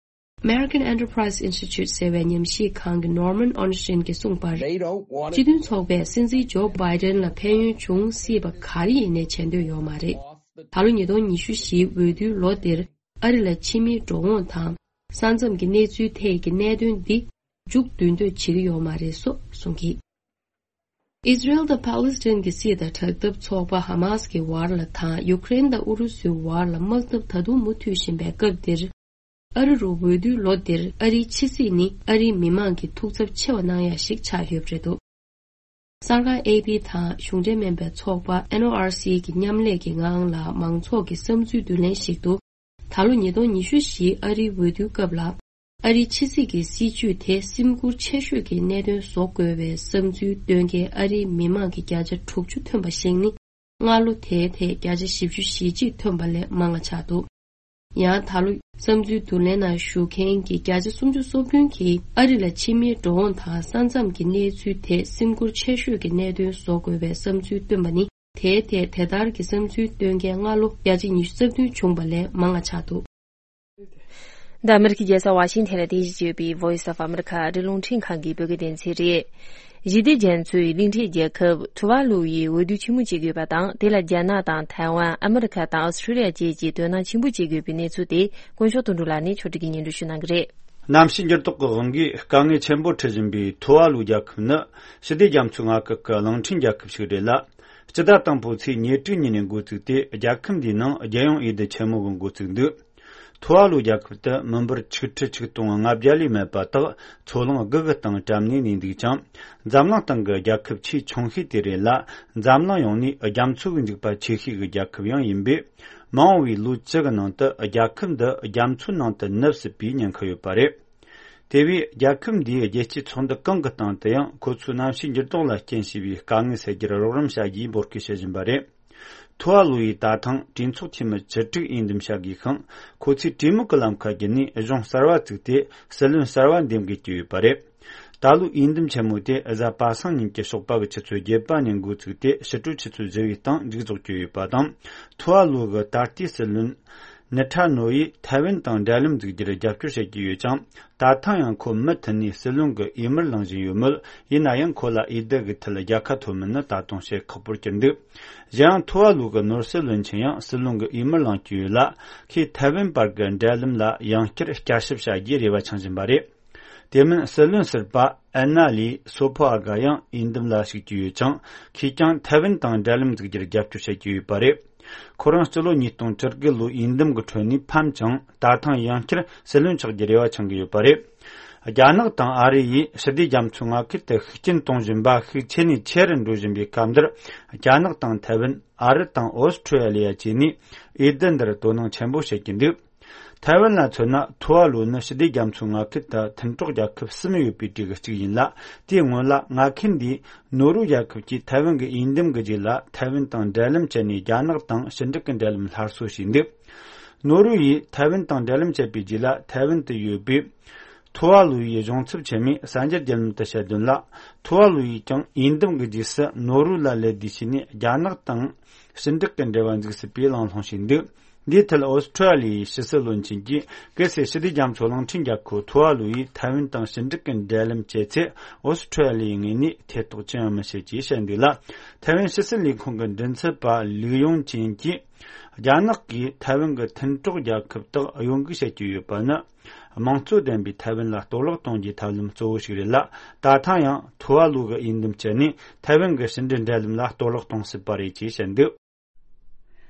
American Enterprise Institute ཟེར་བའི་ཉམས་ཞིབ་ཁང་གི་Norman Ornstein གྱིས་གསུངས་པར། སྤྱི་མཐུན་ཚོགས་པས་སྲིད་འཛིན་ཇོ་བྷའི་ཌེན་ལ་ཕན་ཡོན་འབྱུང་སྲིད་པ་ག་རེ་ཡིན་ནའི་བྱེད་འདོད་ཡོད་མ་རེད། ད་ལོ་ཉིས་སྟོང་ཉི་ཤུ་བཞིའི་འོས་བསྡུའི་ལོ་འདིར་ཨ་རི་ལ་ཕྱི་མིའི་འགྲོ་འོང་དང་ས་མཚམས་ཀྱི་གནས་ཚུལ་ཐད་ཀྱི་གནད་དོན་འདི་མཇུག་བསྡུ་འདོད་བྱེད་ཀྱི་ཡོད་མ་རེད་སོགས་གསུངས་ཀྱིས། ཨིས་རལ་དང་ཕཱ་ལི་སི་ཐན་གྱི་སྲིད་དང་དྲག་འཐབ་ཚོགས་པ་ཧ་མཱ་སི་ཀྱི་བར་ལ་དང་ཡུཀ་རེན་དང་ཨུ་རུ་སུའི་བར་ལ་དམག་འཐབ་ད་དུང་མུ་མཐུད་བཞིན་པའི་སྐབས་འདིར། ཨ་རི་རུ་འོས་བསྡུའི་ལོ་འདིར་ཨ་རིའི་ཕྱི་སྲིད་ནི་ཨ་རིའི་མི་མང་གི་ཐུགས་འཚབ་ཆེ་བ་གནང་ཡ་ཞིག་ཆགས་ཡོད་པ་རེད་འདུག་གསར་ཁང་ཨེ་པི་དང་གཞུང་འབྲེལ་མིན་པའི་ཚོགས་པ་ཨེན་ཨོ་ཨར་སི་གི་མཉམ་ལས་ཀྱི་ངང་ལ་མང་ཚོགས་ཀྱི་བསམ་ཚུལ་བསྡུ་ལེན་ཞིག་ཏུ། ད་ལོ་ཉིས་སྟོང་ཉི་ཤུ་བཞིའི་ཨ་རིའི་འོས་བསྡུའི་སྐབས་ལ། ཨ་རིའི་ཕྱི་སྲིད་ཀྱི་སྲིད་ཇུས་དེ་སེམས་ཁུར་ཆེ་ཤོས་ཀྱི་གནད་དོན་བཟོ་དགོས་པའི་བསམ་ཚུལ་འདོན་མཁན་ཨ་རིའི་མི་མང་གི་བརྒྱ་ཆ་དྲུག་ཅུ་ཐོན་པ་ཞིག་ནི། སྔ་ལོ་དེའི་ཐད་བརྒྱ་ཆ་བཞི་བཅུ་ཞེ་གཅིག་ཐོན་པ་ལས་མང་བ་ཆགས་འདུག་ཡང་ད་ལོ་བསམ་ཚུལ་བསྡུ་ལེན་ནང་ཞུགས་མཁན་གྱི་བརྒྱ་ཆ་སུམ་ཅུ་སོ་བདུན་གྱིས་ཨ་རི་ལ་ཕྱི་མིའི་འགྲོ་འོང་དང་ས་མཚམས་ཀྱི་གནས་ཚུལ་དེ་སེམས་ཁུར་ཆེ་ཤོས་ཀྱི་གནད་དོན་བཟོ་དགོས་པའི་བསམ་ཚུལ་བཏོན་པ་ནི། དེའི་ཐད་དེ་ལྟར་གྱི་བསམ་ཚུལ་བཏོན་མཁན་སྔ་ལོ་བརྒྱ་ཆ་ཉི་ཤུ་རྩ་བདུན་བྱུང་བ་ལས་མང་བ་ཆགས་འདུག་འདི་ཨ་མེ་རི་ཁའི་རྒྱལ་ས་ཝ་ཤིང་ཐན་ལ་རྟེན་གཞི་བྱས་པའི་Voice of America ཨ་རིའི་རླུང་འཕྲིན་ཁང་གི་བོད་སྐད་སྡེ་ཚན་རེད། ཞི་བདེ་རྒྱ་མཚོའི་གླིང་ཕྲན་རྒྱལ་ཁབ་ཐུ་ཝཱ་ལུ་ཡིས་འོས་བསྡུ་ཆེན་མོ་བྱེད་ཀྱི་ཡོད་པ་དང་། དེ་ལ་རྒྱ་ནག་དང་ཐའེ་ཝན། ཨ་མེ་རི་ཁ་དང་ཨོ་སི་ཁྲུ་ལི་ཡ་བཅས་ཀྱིས་དོ་སྣང་ཆེན་པོ་བྱེད་ཀྱི་ཡོད་པའི་གནས་ཚུལ་དེ་དཀོན་མཆོག་དོན་གྲུབ་ལགས་ནས་ཕྱོགས་སྒྲིག་གིས་སྙན་སྒྲོན་ཞུ་གནང་གི་རེད། གནམ་གཤིས་འགྱུར་ལྡོག་གི་དབང་གིས་དཀའ་ངལ་ཆེན་པོ་འཕྲད་བཞིན་པའི་ཐུ་ཝཱ་ལུ་རྒྱལ་ཁབ་ནི་ཞི་བདེ་རྒྱ་མཚོའི་མངའ་ཁུལ་གྱི་གླིང་ཕྲན་རྒྱལ་ཁབ་ཞིག་རེད་ལ། སྤྱི་ཟླ་དང་པོའི་ཚེས་ཉེར་དྲུག་ཉིན་ནས་འགོ་བཙུགས་ཏེ། རྒྱལ་ཁབ་འདིའི་ནང་རྒྱལ་ཡོངས་འོས་བསྡུ་ཆེན་མོ་གི་འགོ་བཙུགས་འདུག་ཐུ་ཝཱ་ལུ་རྒྱལ་ཁབ་དུ་མི་འབོར་ཆིག་ཁྲི་ཆིག་སྟོང་ལྔ་བརྒྱ་ལས་མེད་པ་དག་མཚོ་གླང་དགུ་གི་སྟེང་བཀྲམ་ནས་གནས་འདུག་ཅིང་། འཛམ་གླིང་སྟེང་གི་རྒྱལ་ཁབ་ཆེས་ཆུང་ཤོས་དེ་རེད་ལ། འཛམ་གླིང་ཡོངས་ནས་རྒྱ་མཚོ་གི་འཇིགས་པ་ཆེ་ཤོས་ཀྱི་རྒྱལ་ཁབ་ཡང་ཡིན་པས། མ་འོངས་པའི་ལོ་བཅུ་གི་ནང་དུ་རྒྱལ་ཁབ་འདི་རྒྱ་མཚོའི་ནང་དུ་ནུབ་སྲིད་པའི་ཉེན་ཁ་ཡོད་པ་རེད། དེ་བས་རྒྱལ་ཁབ་འདིའི་རྒྱལ་སྤྱིའི་ཚོགས་འདུ་གང་གི་སྟེང་དུ་ཡང་ཁོ་ཚོས་གནམ་གཤིས་འགྱུར་ལྡོག་ལ་རྐྱེན་བྱས་པའི་དཀའ་ངལ་སེལ་རྒྱུར་རོགས་རམ་བྱ་རྒྱུའི་འབོད་སྐུལ་བྱེད་བཞིན་པ་རེད། ཐུ་ཝཱ་ལུ་ཡིས་ད་ཐེངས་གྲོས་ཚོགས་འཐུས་མི་བཅུ་དྲུག་འོས་འདེམས་བྱ་དགོས་ཤིང་། ཁོ་ཚོས་གྲོས་མོལ་གྱི་ལམ་ཁ་བརྒྱུད་ནས་གཞུང་གསར་བ་བཙུགས་ཏེ་སྲིད་བློན་གསར་བ་འདེམས་དགོས་ཀྱི་ཡོད་པ་རེད། ད་ལོའི་འོས་འདེམས་ཆེན་མོ་དེ་གཟའ་པ་སངས་ཉིན་གྱི་ཞོགས་པ་གི་ཆུ་ཚོད་བརྒྱད་པ་ནས་འགོ་བཙུགས་ཏེ་ཕྱི་དྲོའི་ཆུ་ཚོད་བཞི་པའི་སྟེང་མཇུག་རྫོགས་ཀྱི་ཡོད་པ་དང་། ཐུ་ཝཱ་ལུ་གི་ད་ལྟའི་སྲིད་བློན་ནི་ཁྲ་ནོ་ཡིས་ཐའེ་ཝན་དང་འབྲེལ་ལམ་འཛུགས་རྒྱུར་རྒྱབ་སྐྱོར་བྱེད་ཀྱི་ཡོད་ཅིང་། ད་ཐེངས་ཡང་ཁོ་མུ་མཐུད་ནས་སྲིད་བློན་གྱི་འོས་མིར་ལངས་བཞིན་ཡོད་མོད། ཡིན་ན་ཡང་ཁོ་ལ་འོས་བསྡུ་གི་ཐད་རྒྱལ་ཁ་ཐོབ་མིན་ནི་ད་དུང་བཤད་ཁག་པོར་གྱུར་འདུག་གཞན་ཡང་ཐུ་ཝཱ་ལུ་གི་ནོར་སྲིད་བློན་ཆེན་ཡང་སྲིད་བློན་གྱི་འོས་མིར་ལངས་ཀྱི་ཡོད་ལ། ཁོས་ཐའེ་ཝན་བར་གྱི་འབྲེལ་ལམ་ལ་ཡང་བསྐྱར་བསྐྱར་ཞིབ་བྱ་རྒྱུའི་རེ་བ་འཆང་བཞིན་པ་རེད། དེ་མིན་སྲིད་བློན་ཟུར་པ་ཨན་ན་ལི་སོ་ཕོ་ཨ་ག་ཡང་འོས་འདེམས་ལ་ཞུགས་ཀྱི་ཡོད་ཅིང་། ཁོས་ཀྱང་ཐའེ་ཝན་དང་འབྲེལ་ལམ་འཛུགས་རྒྱུར་རྒྱབ་སྐྱོར་བྱེད་ཀྱི་ཡོད་པ་རེད། ཁོ་རང་སྤྱི་ལོ་ཉིས་སྟོང་བཅུ་དགུ་ལོའི་འོས་འདེམས་ཀྱི་ཁྲོད་ནས་ཕམ་ཅིང་། ད་ཐེངས་ཡང་བསྐྱར་སྲིད་བློན་ཆགས་རྒྱུའི་རེ་བ་འཆང་གི་ཡོད་པ་རེད། རྒྱ་ནག་དང་ཨ་རི་ཡིས་ཞི་བདེ་རྒྱ་མཚོའི་མངའ་ཁུལ་དུ་ཤུགས་རྐྱེན་གཏོང་བཞིན་པ་ཤུགས་ཆེ་ནས་ཆེ་རུ་འགྲོ་བཞིན་པའི་སྐབས་འདིར། རྒྱ་ནག་དང་ཐའེ་ཝན། ཨ་རི་དང་ཨོ་སི་ཁྲུ་ལི་ཡ་བཅས་ནས་འོས་བསྡུ་འདིར་དོ་སྣང་ཆེན་པོ་བྱེད་ཀྱི་འདུག་ཐའེ་ཝན་ལ་མཚོན་ན། ཐུ་ཝ་ལུ་ནི་ཞི་བདེ་རྒྱ་མཚོའི་མངའ་ཁུལ་དུ་མཐུན་གྲོགས་རྒྱལ་ཁབ་གསུམ་ཡོད་པའི་གྲས་ཀྱི་གཅིག་ཡིན་ལ། དེའི་སྔོན་ལ་མངའ་ཁུལ་འདིས་ནོར་ཝེ་རྒྱལ་ཁབ་ཀྱིས་ཐའེ་ཝན་གྱི་འོས་འདེམས་ཀྱི་རྗེས་ལ། ཐའེ་ཝན་དང་འབྲེལ་ལམ་བཅད་ནས། རྒྱ་ནག་དང་ཞི་འགྲིག་གི་འབྲེལ་ལམ་སླར་གསོ་བྱས་འདུག་ནོར་ཝེ་ཡིས་ཐའེ་ཝན་དང་འབྲེལ་ལམ་བཅད་པའི་རྗེས་ལ། ཐའེ་ཝན་དུ་ཡོད་པའི་ཐུ་ཝ་ལུ་ཡི་གཞུང་ཚབ་ཆེན་མོས་གསར་འགྱུར་བརྒྱུད་ལམ་དུ་བཤད་དོན་ལ། ཐུ་ཝ་ལུ་ཡིས་ཀྱང་འོས་འདེམས་ཀྱི་རྗེས་སུ་ནོར་ཝེ་ལ་ལད་ཟློས་བྱས་ནས། རྒྱ་ནག་དང་ཞི་འགྲིག་གི་འབྲེལ་བ་འཛུགས་སྲིད་པའི་གླེང་སློང་བྱས་འདུག་འདིའི་ཐད་ཨོ་སི་ཁྲུ་ལི་ཡའི་ཕྱི་སྲིད་བློན་ཆེན་གྱིས། གལ་སྲིད་ཞི་བདེ་རྒྱ་མཚོའི་གླིང་ཕྲན་རྒྱལ་ཁབ་ཐུ་ཝ་ལུ་ཡིས་ཐའེ་ཝན་དང་ཞི་འགྲིག་གི་འབྲེལ་ལམ་བཅད་ཚེ། ཨོ་སི་ཁྲུ་ལི་ཡའི་ངོས་ནས་ཐེ་གཏོགས་ཅི་ཡང་མི་བྱེད་ཅེས་བཤད་འདུག་ལ། ཐའེ་ཝན་ཕྱི་སྲིད་ལས་ཁུངས་ཀྱི་མགྲིན་ཚབ་པ་ལིའུ་ཡུང་ཅིན་གྱིས། རྒྱ་ནག་གིས་ཐའེ་ཝན་གྱི་མཐུན་གྲོགས་རྒྱལ་ཁབ་དག་གཡོ་འགུལ་བྱེད་ཀྱི་ཡོད་པ་ནི། དམངས་གཙོ་ལྡན་པའི་ཐའེ་ཝན་ལ་གཏོར་བརླག་གཏོང་རྒྱུའི་ཐབས་ལམ་གཙོ་བོ་ཞིག་རེད་ལ། ད་ཐེངས་ཡང་ཐུ་ཝ་ལུ་གིས་འོས་འདེམས་བྱས་ནས། ཐའེ་ཝན་གྱི་ཕྱི་འབྲེལ་འབྲེལ་ལམ་ལ་གཏོར་བརླག་གཏོང་སྲིད་པ་རེད་ཅེས་བཤད་འདུག་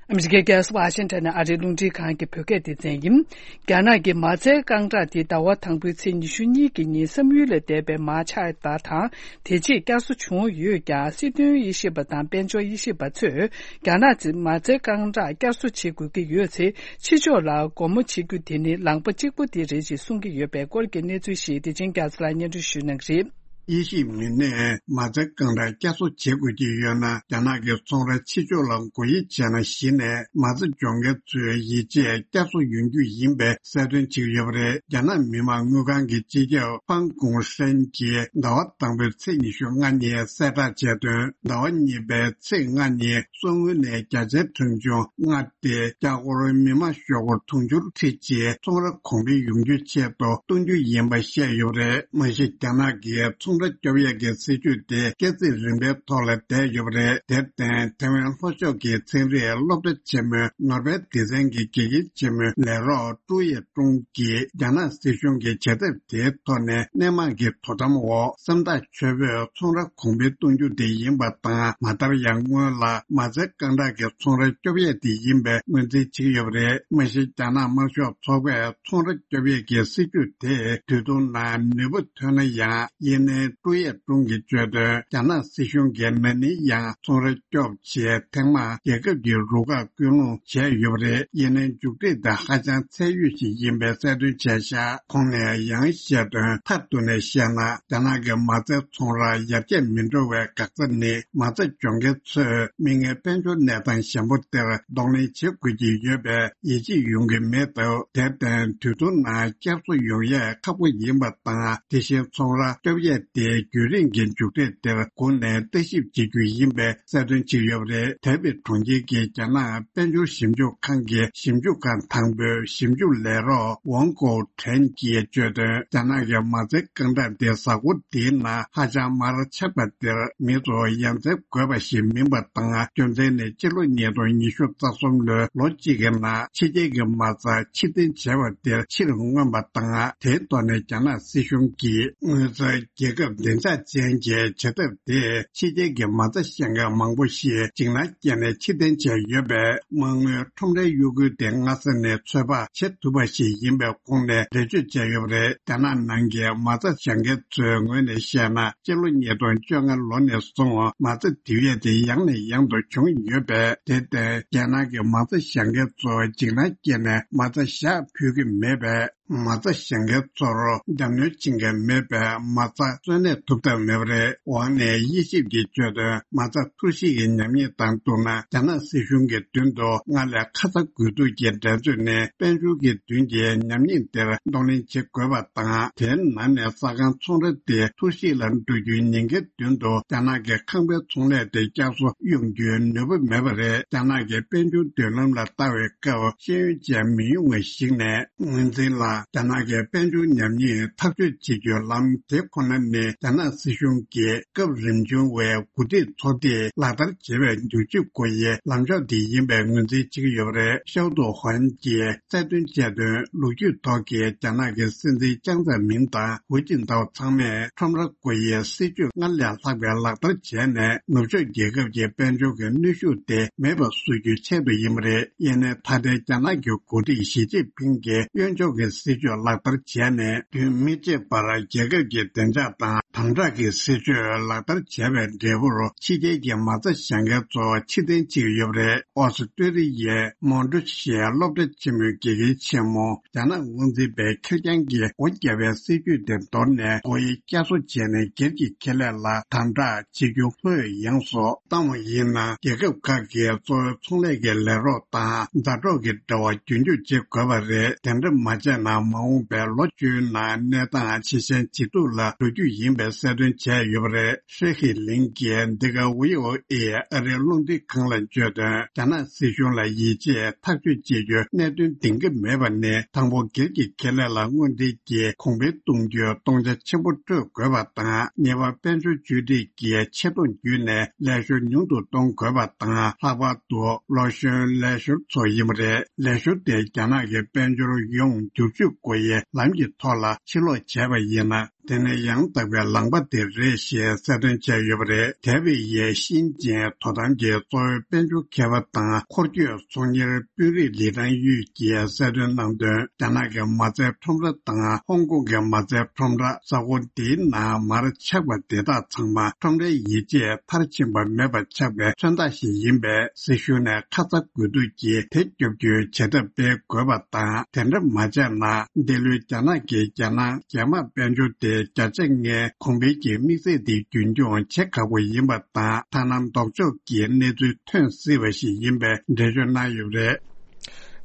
ཨ་མི་རི་ཀའི་རྒྱལ་ས་ཝ་ཤིང་ཊོན་ནས་ཨ་རིའི་རླུང་འཕྲིན་ཁང་གི་བོད་སྐད་སྡེ་ཚན་ཡིན། རྒྱ་ནག་གི་མ་རྩའི་རྐང་གྲངས་དེ་ཟླ་བ་དང་པོའི་ཚེས་ཉི་ཤུ་གཉིས་ཀྱི་ཉིན་བསམ་ཡུལ་ལས་འདས་པའི་མར་ཆག་པ་དང་། དེ་རྗེས་བསྐྱར་གསོ་བྱུང་ཡོད་ཀྱང་། སྲིད་དོན་དབྱེ་ཞིབ་པ་དང་དཔལ་འབྱོར་དབྱེ་ཞིབ་པ་ཚོས། རྒྱ་ནག་གི་མ་རྩའི་རྐང་གྲངས་བསྐྱར་གསོ་བྱེད་དགོས་ཀྱི་ཡོད་ཚེ། ཕྱི་ཕྱོགས་ལ་སྒོ་མོ་འབྱེད་རྒྱུ་དེ་ནི་ལངས་པ་གཅིག་པུ་དེ་རེད་ཅེས་གསུང་གི་ཡོད་པའི་སྐོར་གྱི་གནས་ཚུལ་ཞིག་བདེ་ཆེན་རྒྱ་མཚོ་ལགས་སྙན་སྒྲོན་ཞུ་གནང་གི་རེད། དབྱེ་ཞིབ་མི་སྣས་མ་རྩའི་རྐང་གྲངས་བསྐྱར་གསོ་བྱེད་དགོས་ཀྱི་ཡོད་ན། རྒྱ་ནག་གི་ཚོང་ར་ཕྱི་ཕྱོགས་ལ་སྒོ་དབྱེ་བྱས་ན། གཞི་ནས་མ་རྩ་སྦྱོང་མཁན་ཚོའི་ཡིད་ཆེས་བསྐྱར་གསོ་ཡོང་རྒྱུ་ཡིན་པའི་གསལ་སྟོན་བྱས་ཡོད་པ་རེད། རྒྱ་ནག་མི་དམངས་དངུལ་ཁང་གི་སྤྱི་ཁྱབ་ཕང་ཀུང་ཧྲན་གྱིས་ཟླ་བ་དང་པོའི་ཚེས་ཉི་ཤུ་ལྔ་ཉིན་གསལ་བསྒྲགས་བྱས་དོན། ཟླ་བ་གཉིས་པའི་ཚེས་ལྔ་ཉིན་གསོག་དངུལ་ནས་བརྒྱ་ཆའི་གྲངས་ཆུང་ལྔ་སྟེ། འཁྱག་སྒོར་མི་མང་ཤོག་སྒོར་དུང་ཕྱུར་ཁྲི་གཅིག་ཚོང་ར་གོང་འཕེལ་ཡོང་རྒྱུའི་ཆེད་དུ་གཏོང་རྒྱུ་ཡིན་པ་བཤད་ཡོད་པ་རེད། མ་གཞི་རྒྱ་ནག་གི་ཚོང་ར་སྐྱོབ་ཡས་ཀྱི་སྲིད་ཇུས་དེ་སྐྱེད་ཚིག་རིམ་པའི་ཐོག་ལ་བསྡད་ཡོད་པ་རེད། དེར་བརྟེན། ཐེ་ཝན་ལྷོ་ཕྱོགས་ཀྱི་ཚན་རིག་སློབ་གྲྭ་ཆེན་མོའི་ནོར་བེལ་སྡེ་ཚན་གྱི་དགེ་རྒན་ཆེན་མོའི་ལས་རོགས་ཀྲུའུ་ཡེ་ཀྲུང་གིས། རྒྱ་ནག་སྲིད་གཞུང་གི་བྱེད་ཐབས་དེའི་ཐོག་ནས་སྣེ་མང་གི་དོ་དམ་འོག་སེམས་ཐག་ཆོད་པོས་ཚོང་ར་གོང་འཕེལ་གཏོང་རྒྱུ་དེ་ཡིན་པ་དང་། མ་མཐར་ཡང་སྔོན་ལ་མ་རྩའི་རྐང་གྲངས་ཀྱི་ཚོང་ར་སྐྱོབ་ཡས་དེ་ཡིན་པའི་ངོས་འཛིན་བྱེད་ཀྱི་ཡོད་པ་རེད། མ་གཞི་རྒྱ་ནག་དམར་ཤོག་ཚོགས་པས་ཚོང་ར་སྐྱོབ་ཡས་ཀྱི་སྲིད་ཇུས་དེ་དུས་ཐུང་ནང་ནུས་པ་ཐོན་ན་ཡང་། ཡིན་ནའི་ཀྲུའུ་ཡེ་ཀྲུང་གིས་བརྗོད་དོན། རྒྱ་ནག་སྲིད་གཞུང་གིས་ན་ནིང་ཡང་ཚོང་ར་སྐྱོབ་ཆེད་ཐེངས་མང་རྒྱལ་ཁབ་ཀྱི་རུ་ཁག་བསྐུལ་སློང་བྱས་ཡོད་པ་རེད། ཡིན་ནའི་མཇུག་འབྲས་དེ་ཧ་ཅང་ཚད་ཡོད་ཞིག་ཡིན་པའི་གསལ་སྟོན་བྱས་ཤག་ཁོང་ནས་ཡང་བཤད་དོན། མཐར་གཏུགས་ནས་བཤད་ན། རྒྱ་ནག་གི་མ་རྩའི་ཚོང་རར་ཡར་རྒྱས་མི་འགྲོ་བའི་འགག་རྩ་ནི། མ་རྩ་སྦྱོང་མཁན་ཚོས་མིག་སྔའི་དཔལ་འབྱོར་གནས་སྟངས་ཞན་པོ་དེར་གདོང་ལེན་བྱེད་དགོས་ཀྱི་ཡོད་པའི་ཡིད་ཆེས་ཡོང་གི་མེད་སྟབས། དེར་བརྟེན། དུས་ཐུང་ནང་བསྐྱར་གསོ་ཡོང་ཡས་ཁག་པོ་ཡིན་པ་དང་། དེ་བཞིན་ཚོང་ར་སྐྱོབ་ཡས་དེ་རྒྱུན་རིང་གི་མཇུག་འབྲས་དེར་སྒུག་ནས་ལྟ་ཞིབ་བྱེད་རྒྱུ་ཡིན་པའི་གསལ་སྟོན་བྱས་ཡོད་པ་རེད། ཐའེ་པེ་གྲོང་ཁྱེར་གྱི་རྒྱ་ནག་དཔལ་འབྱོར་ཞིབ་འཇུག་ཁང་གི་ཞིབ་འཇུག་ཁང་དང་པོའི་ཞིབ་འཇུག་ལས་རོགས་ཝང་ཀོ་ཁྲེན་གྱིས་བརྗོད་དོན། རྒྱ་ནག་གི་མ་རྩའི་རྐང་གྲངས་དེ་གཟའ་འཁོར་འདིའི་ནང་ཧ་ཅང་མར་ཆག་པ་དེར་མི་ཚོ་ཡ་མཚན་དགོས་པ་ཞིག་མིན་པ་དང་། རྒྱུ་མཚན་ནི་ཕྱི་ལོ་ཉིས་སྟོང་ཉི་ཤུ་རྩ་གསུམ་ལོའི་ལོ་གཅིག་གི་ནང་ཕྱི་རྒྱལ་གྱི་མ་རྩ་ཕྱིར་འཐེན་བྱས་པ་དེར་ཕྱིར་མངོན་པ་དང་། དེའི་ཐོག་ནས་རྒྱ་ནག་སྲིད་གཞུང་གིས་དངུལ་རྩ་རྒྱལ་ཁབ་བདེ་འཇགས་ཅན་གྱི་བྱེད་ཐབས་དེས་ཕྱི་རྒྱལ་གྱི་མ་རྩ་བཞེངས་མཁན་མང་པོ་ཞིག་འཇིགས་སྣང་སྐྱེས་ནས་ཕྱིར་འཐེན་བྱས་ཡོད་པས། མ་དངུལ་ཁྲོམ་རའི་གཡོ་འགུལ་དེ་སྔ་ས་ནས་ཚོད་དཔག་བྱེད་ཐུབ་པ་ཞིག་ཡིན་པའི་ཁོངས་ནས་འགྲེལ་བརྗོད་བྱས་ཡོད་པ་རེད། རྒྱ་ནག་ནང་གི་མ་རྩ་བཞེངས་མཁན་ཚོའི་ངོས་ནས་བཤད་ན། སྤྱི་ལོ་ཉིས་སྟོང་བཅོ་ལྔ་ལོ་ནས་བཟུང་མ་རྩ་ལྡིར་ཡས་དེ་ཡང་ནས་ཡང་དུ་བྱུང་ཡོད་པས། དེར་བརྟེན། རྒྱ་ནག་གི་མ་རྩ་བཞེངས་མཁན་ཚོ་འཇིགས་སྣང་སྐྱེས་ནས་མ་རྩ་བཞག་ཕོད་ཀྱི་མེད་པས། མ་རྩ་བཞེངས་མཁན་ཚོར་རྒྱབ་གནོན་བྱེད་མཁན་མེད་པས། མ་རྩ་གསོན་གནས་ཐུབ་ཐབས་མེད་པ་རེད། ཝང་ནས་དབྱེ་ཞིབ་ཀྱིས་བརྗོད་དོན། མ་རྩ་འཐོར་བཤིག་གི་ཉམས་ཉེས་དང་བསྡུར་ན། རྒྱ་ནག་སྲིད་གཞུང་གི་མདུན་དུ་སྔར་ལས་ཁ་ཚ་དགོས་གཏུགས་ཀྱི་འགྲན་རྩོད་ནི། དཔལ་འབྱོར་གྱི་མདུན་གྱི་ཉམས་ཉེས་དེར་གདོང་ལེན་བྱེད་དགོས་པ་དང་། དེའི་ནང་ནས་ས་ཁང་ཚོང་ར་དེ་འཐོར་བཤིག་ལ་འགྲོ་རྒྱུའི་ཉེན་ཁའི་མདུན་དུ། རྒྱ་ནག་གི་ཁང་པའི་ཚོང་ལས་དེ་བསྐྱར་གསོ་ཡོང་རྒྱུའི་ནུས་པ་མེད་པ་རེད། རྒྱ་ནག་གི་དཔལ་འབྱོར་མདུན་ལམ་ལ་ལྟ་བའི་སྐབས་ཤེས་ཡོན་ཅན་མི་ཡོང་བ་ཞིག་ནས། ངོས་འཛིན་ལ། རྒྱ་ནག་གི་དཔལ་འབྱོར་ཉམས་ཉེས་ཐག་གཅོད་བྱེད་རྒྱུའི་ལམ་དེ་ཁོ་ན་ནི། རྒྱ་ནག་སྲིད་གཞུང་གིས་སྐབས་རིམ་བྱུང་བའི་འགོ་ཁྲིད་ཚོགས་སྡེས་ལག་བསྟར་བྱེད་པའི་མཇུག་ཇུས་སྒོ་དབྱེའི་ལམ་ཕྱོགས་དེ་ཡིན་པའི་ངོས་འཛིན་བྱེད་ཀྱི་ཡོད་པ་རེད། ཤའོ་ཏུའུ་ཧོན་གྱིས་གསལ་སྟོན་བྱས་དོན། ལོ་རྒྱུས་ཐོག་གི་རྒྱ་ནག་གི་སྲིད་འཛིན་ཅང་ཙེ་མིན་དང་ཧུའུ་ཅིན་ཐའོ་ཚང་མས་ཁྲོམ་ར་སྒོ་དབྱེའི་སྲིད་ཇུས་སྔར་ལས་ལྷག་པའི་ལག་བསྟར་བྱས་ནས། ནུབ་ཕྱོགས་རྒྱལ་ཁབ་ཀྱི་དཔལ་འབྱོར་གྱི་གནོན་ཤུགས་དེ་མེད་པ་བཟོ་རྒྱུའི་ཆེད་དུ་ཡིན་པ་རེད། ཡིན་ནའི་ད་ལྟའི་རྒྱ་ནག་གི་འགོ་ཁྲིད་ཞི་ཅིན་ཕིང་གིས་གཡོན་ཕྱོགས་ཀྱི་ སྲིད་ཇུས་ལག་བསྟར་བྱས་ནས། རྒྱུན་མི་ཆད་པར་རྒྱལ་ཁབ་ཀྱི་བདེ་འཇགས་དང་དམ་དྲག་གི་སྲིད་ཇུས་ལག་བསྟར་བྱས་པའི་འབྲས་བུར། ཕྱི་རྒྱལ་གྱི་མ་རྩ་བཞག་མཁན་ཚོ་ཕྱིར་འཐེན་བྱེད་ཀྱི་ཡོད་པ་རེད། ཨོ་སི་ཀྲི་ལི་ཡའི་མོན་ཊུ་ཤི་སློབ་གྲྭ་ཆེན་མོའི་དགེ་རྒན་ཆེན་མོ། རྒྱ་ནག་དབང་འཛིན་པའི་ཁེར་རྐྱང་གིས་སྒོ་བརྒྱབ་པའི་སྲིད་ཇུས་དེ་འདོར་ནས། སྒོ་དབྱེ་བསྐྱར་གསོ་བྱས་ནས། སྒེར་གྱི་ཁེ་ལས་ལ་དམ་དྲག་བྱེད་རྒྱུ་ལྷོད་ཡངས་སུ་བཏང་བ་ཡིན་ན། རྒྱལ་ཁབ་ཁག་གིས་གཙོ་བོའི་ཚོང་ལས་ཀྱི་ལས་རོགས་དང་མཛའ་གྲོགས་ཀྱི་འབྲེལ་བ་རྒྱུན་འཁྱོངས་བྱེད་དགོས་པ་རེད། དེ་འདྲ་མ་བྱས་ན། མ་འོངས་པའི་ལོ་བཅུའི་ནང་གནས་སྟངས་ཇེ་ཞན་ཇེ་སྡུག་ལ་འགྲོ་རྒྱུ་ཡིན་པའི་གསལ་སྟོན་བྱས་ཡོད་པ་རེད། ཧྲེ་ཧི་ལིང་གིས་འདི་ག་ཝི་ཨོ་ཨེ་ཨ་རིའི་རླུང་འཕྲིན་ཁང་ལ་བརྗོད་དོན། རྒྱ་ནག་སྲིད་གཞུང་ལ་ཡིད་ཆེས་ཐག་གཅོད་བྱེད་རྒྱུའི་གནད་དོན་འདིང་གི་མེད་པ་ནི། དང་པོ། སྒེར་གྱི་ཁེ་ལས་ལ་དངོས་འབྲེལ་གྱིས་གོང་འཕེལ་གཏོང་རྒྱུའི་གཏོང་ཆ་ཆེན་པོ་སྤྲོད་དགོས་པ་དང་། གཉིས་པ། དཔལ་འབྱོར་བཅོས་སྒྲིག་གིས་ཆེ་མཐོང་བརྒྱུད་ནས་ལས་ཞོར་ཉུང་དུ་གཏོང་དགོས་པ་དང་། ལྷག་པར་དུ་ལོ་གཞོན་ལས་ཞོར་ཚོ་ཡིན་པ་རེད། ལས་ཞོར་དེ་རྒྱ་ནག་གི་དཔལ་འབྱོར་ཡོངས་བསྒྱུར་བཅོས་སྒོ་དབྱེའི་ལམ་གྱི་ཐོག་ལ་ཕྱིར་ལོག་བྱས་པ་ཡིན་ན། དེ་ནི་ཡང་དག་པའི་ལམ་པ་དེ་རེད་ཞེས་གསལ་སྟོན་བྱས་ཡོད་པ་རེད། ཐའེ་ཝེ་ཡའི་ཤིན་ཅན་དོ་དམ་གྱི་གཙོ་བོའི་དཔལ་འབྱོར་མཁས་པ་དང་འཁོར་སྐྱོད་ཚོང་གཉེར་དཔོན་རིགས་ལི་ཀྲང་ཡུས་ཀྱིས་གསལ་སྟོན་གནང་དོན། རྒྱ་ནག་གི་མ་རྩའི་ཁྲོམ་ར་དང་ཧོང་ཀོང་གི་མ་རྩའི་ཁྲོམ་ར། ས་ཁོངས་དེའི་ནང་མར་ཆག་པ་དེ་དག་ཚང་མ་ཁྲོམ་རའི་ཡིད་ཆེས་མཐར་ཕྱིན་པ་མེད་པ་ཆགས་པའི་མཚོན་རྟགས་ཤིག་ཡིན་པས། སྲིད་གཞུང་ནས་ཁ་ཚ་དགོས་གཏུགས་ཀྱིས་དེ་སྐྱོབ་རྒྱུའི་བྱེད་ཐབས་སྤེལ་དགོས་པ་དང་། དེ་འདྲ་མ་བྱས་ན། འདི་ལོའི་རྒྱ་ནག་གི་རྒྱལ་ནང་རྒྱལ་དམངས་དཔལ་འབྱོར་དེ་བརྒྱ་ཆ་ལྔའི་གོང་འཕེལ་གྱི་དམིགས་ཚད་དེ་རྒྱུན་འཁྱོངས་བྱེད་ཁག་པོ་ཡིན་པ་དང་། ཐ་ན་ལྡོག་ཕྱོགས་ཀྱི་གནས་ཚུལ་ཐོན་སྲིད་པ་ཞིག་ཡིན་པའི་འགྲེལ་བརྗོད་གནང་ཡོད་པ་རེད།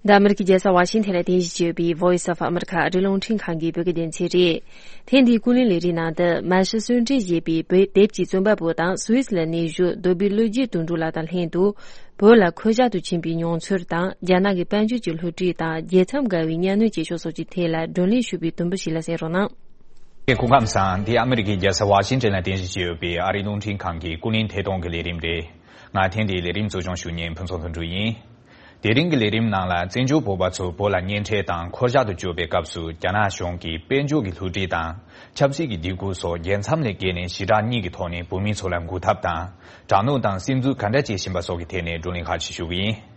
འདི་ཨ་མི་རི་ཀའི་རྒྱལ་ས་ཝ་ཤིང་ཐན་ལ་རྟེན་གཞི་བྱས་ཡོད་པའི་Voice of America ཨ་རིའི་རླུང་འཕྲིན་ཁང་གི་བོད་སྐད་སྡེ་ཚན་རེད། ཐེངས་འདིའི་ཀུན་གླེང་ལས་རིམ་ནང་དུ། མ་ཤི་གསོན་བསྲེགས་བྱས་པའི་བོད་དེབ་ཀྱི་རྩོམ་པ་པོ་དང་སུད་སི་ལ་གནས་བཞུགས་རྡོ་སྦིས་བློ་རྒྱས་དོན་གྲུབ་ལགས་དང་ལྷན་དུ། བོད་ལ་འཁོད་བཞག་ཏུ་ཕྱིན་པའི་མྱོང་ཚོར་དང་། རྒྱ་ནག་གི་དཔལ་འབྱོར་གྱི་བསླུ་བྲིད་དང་རྒྱལ་མཚམས་བརྒལ་བའི་གཉའ་གནོན་བྱེད་ཕྱོགས་སོགས་ཀྱི་ཐད་ལ་བགྲོ་གླེང་ཞུས་པའི་དུམ་བུ་ཞིག་ལ་གསན་རོགས་གནང་། སྐུ་ཁམས་བཟང་། འདི་ཨ་མི་རི་ཀའི་རྒྱལ་ས་ཝ་ཤིང་ཊོན་ལ་རྟེན་གཞི་བྱས་ཡོད་པའི་ཨ་རིའི་རླུང་འཕྲིན་ཁང་གི་ཀུན་གླེང་ཐད་གཏོང་གི་ལས་རིམ་རེད། ང་ཐེངས་འདིའི་ལས་རིམ་གཙོ་སྐྱོང་ཞུ་མཁན་ཕུན་ཚོགས་དོན་གྲུབ་ཡིན། དེ་རིང་གི་ལས་རིམ་ནང་ལ། བཙན་བྱོལ་བོད་པ་ཚོ་བོད་ལ་གཉེན་འཕྲད་དང་འཁོར་བཞག་ཏུ་བསྐྱོད་པའི་སྐབས་སུ། རྒྱ་ནག་གཞུང་གིས་དཔལ་འབྱོར་གྱི་བསླུ་བྲིད་དང་ཆབ་སྲིད་ཀྱི་སྡིགས་སྐུལ་སོགས་རྒྱལ་མཚམས་ལས་བརྒལ་ནས་ཞི་དྲག་གཉིས་ཀྱི་ཐོག་ནས་བོད་མི་ཚོ་ལ་འགུག་ཐབས་དང་། དྲག་གནོན་དང་སིམ་འཛུལ་ག་འདྲ་བྱེད་བཞིན་པ་སོགས་ཀྱི་ཐད་ནས་བགྲོ་གླེང་ཁག་ཅིག་ཞུ་གི་ཡིན།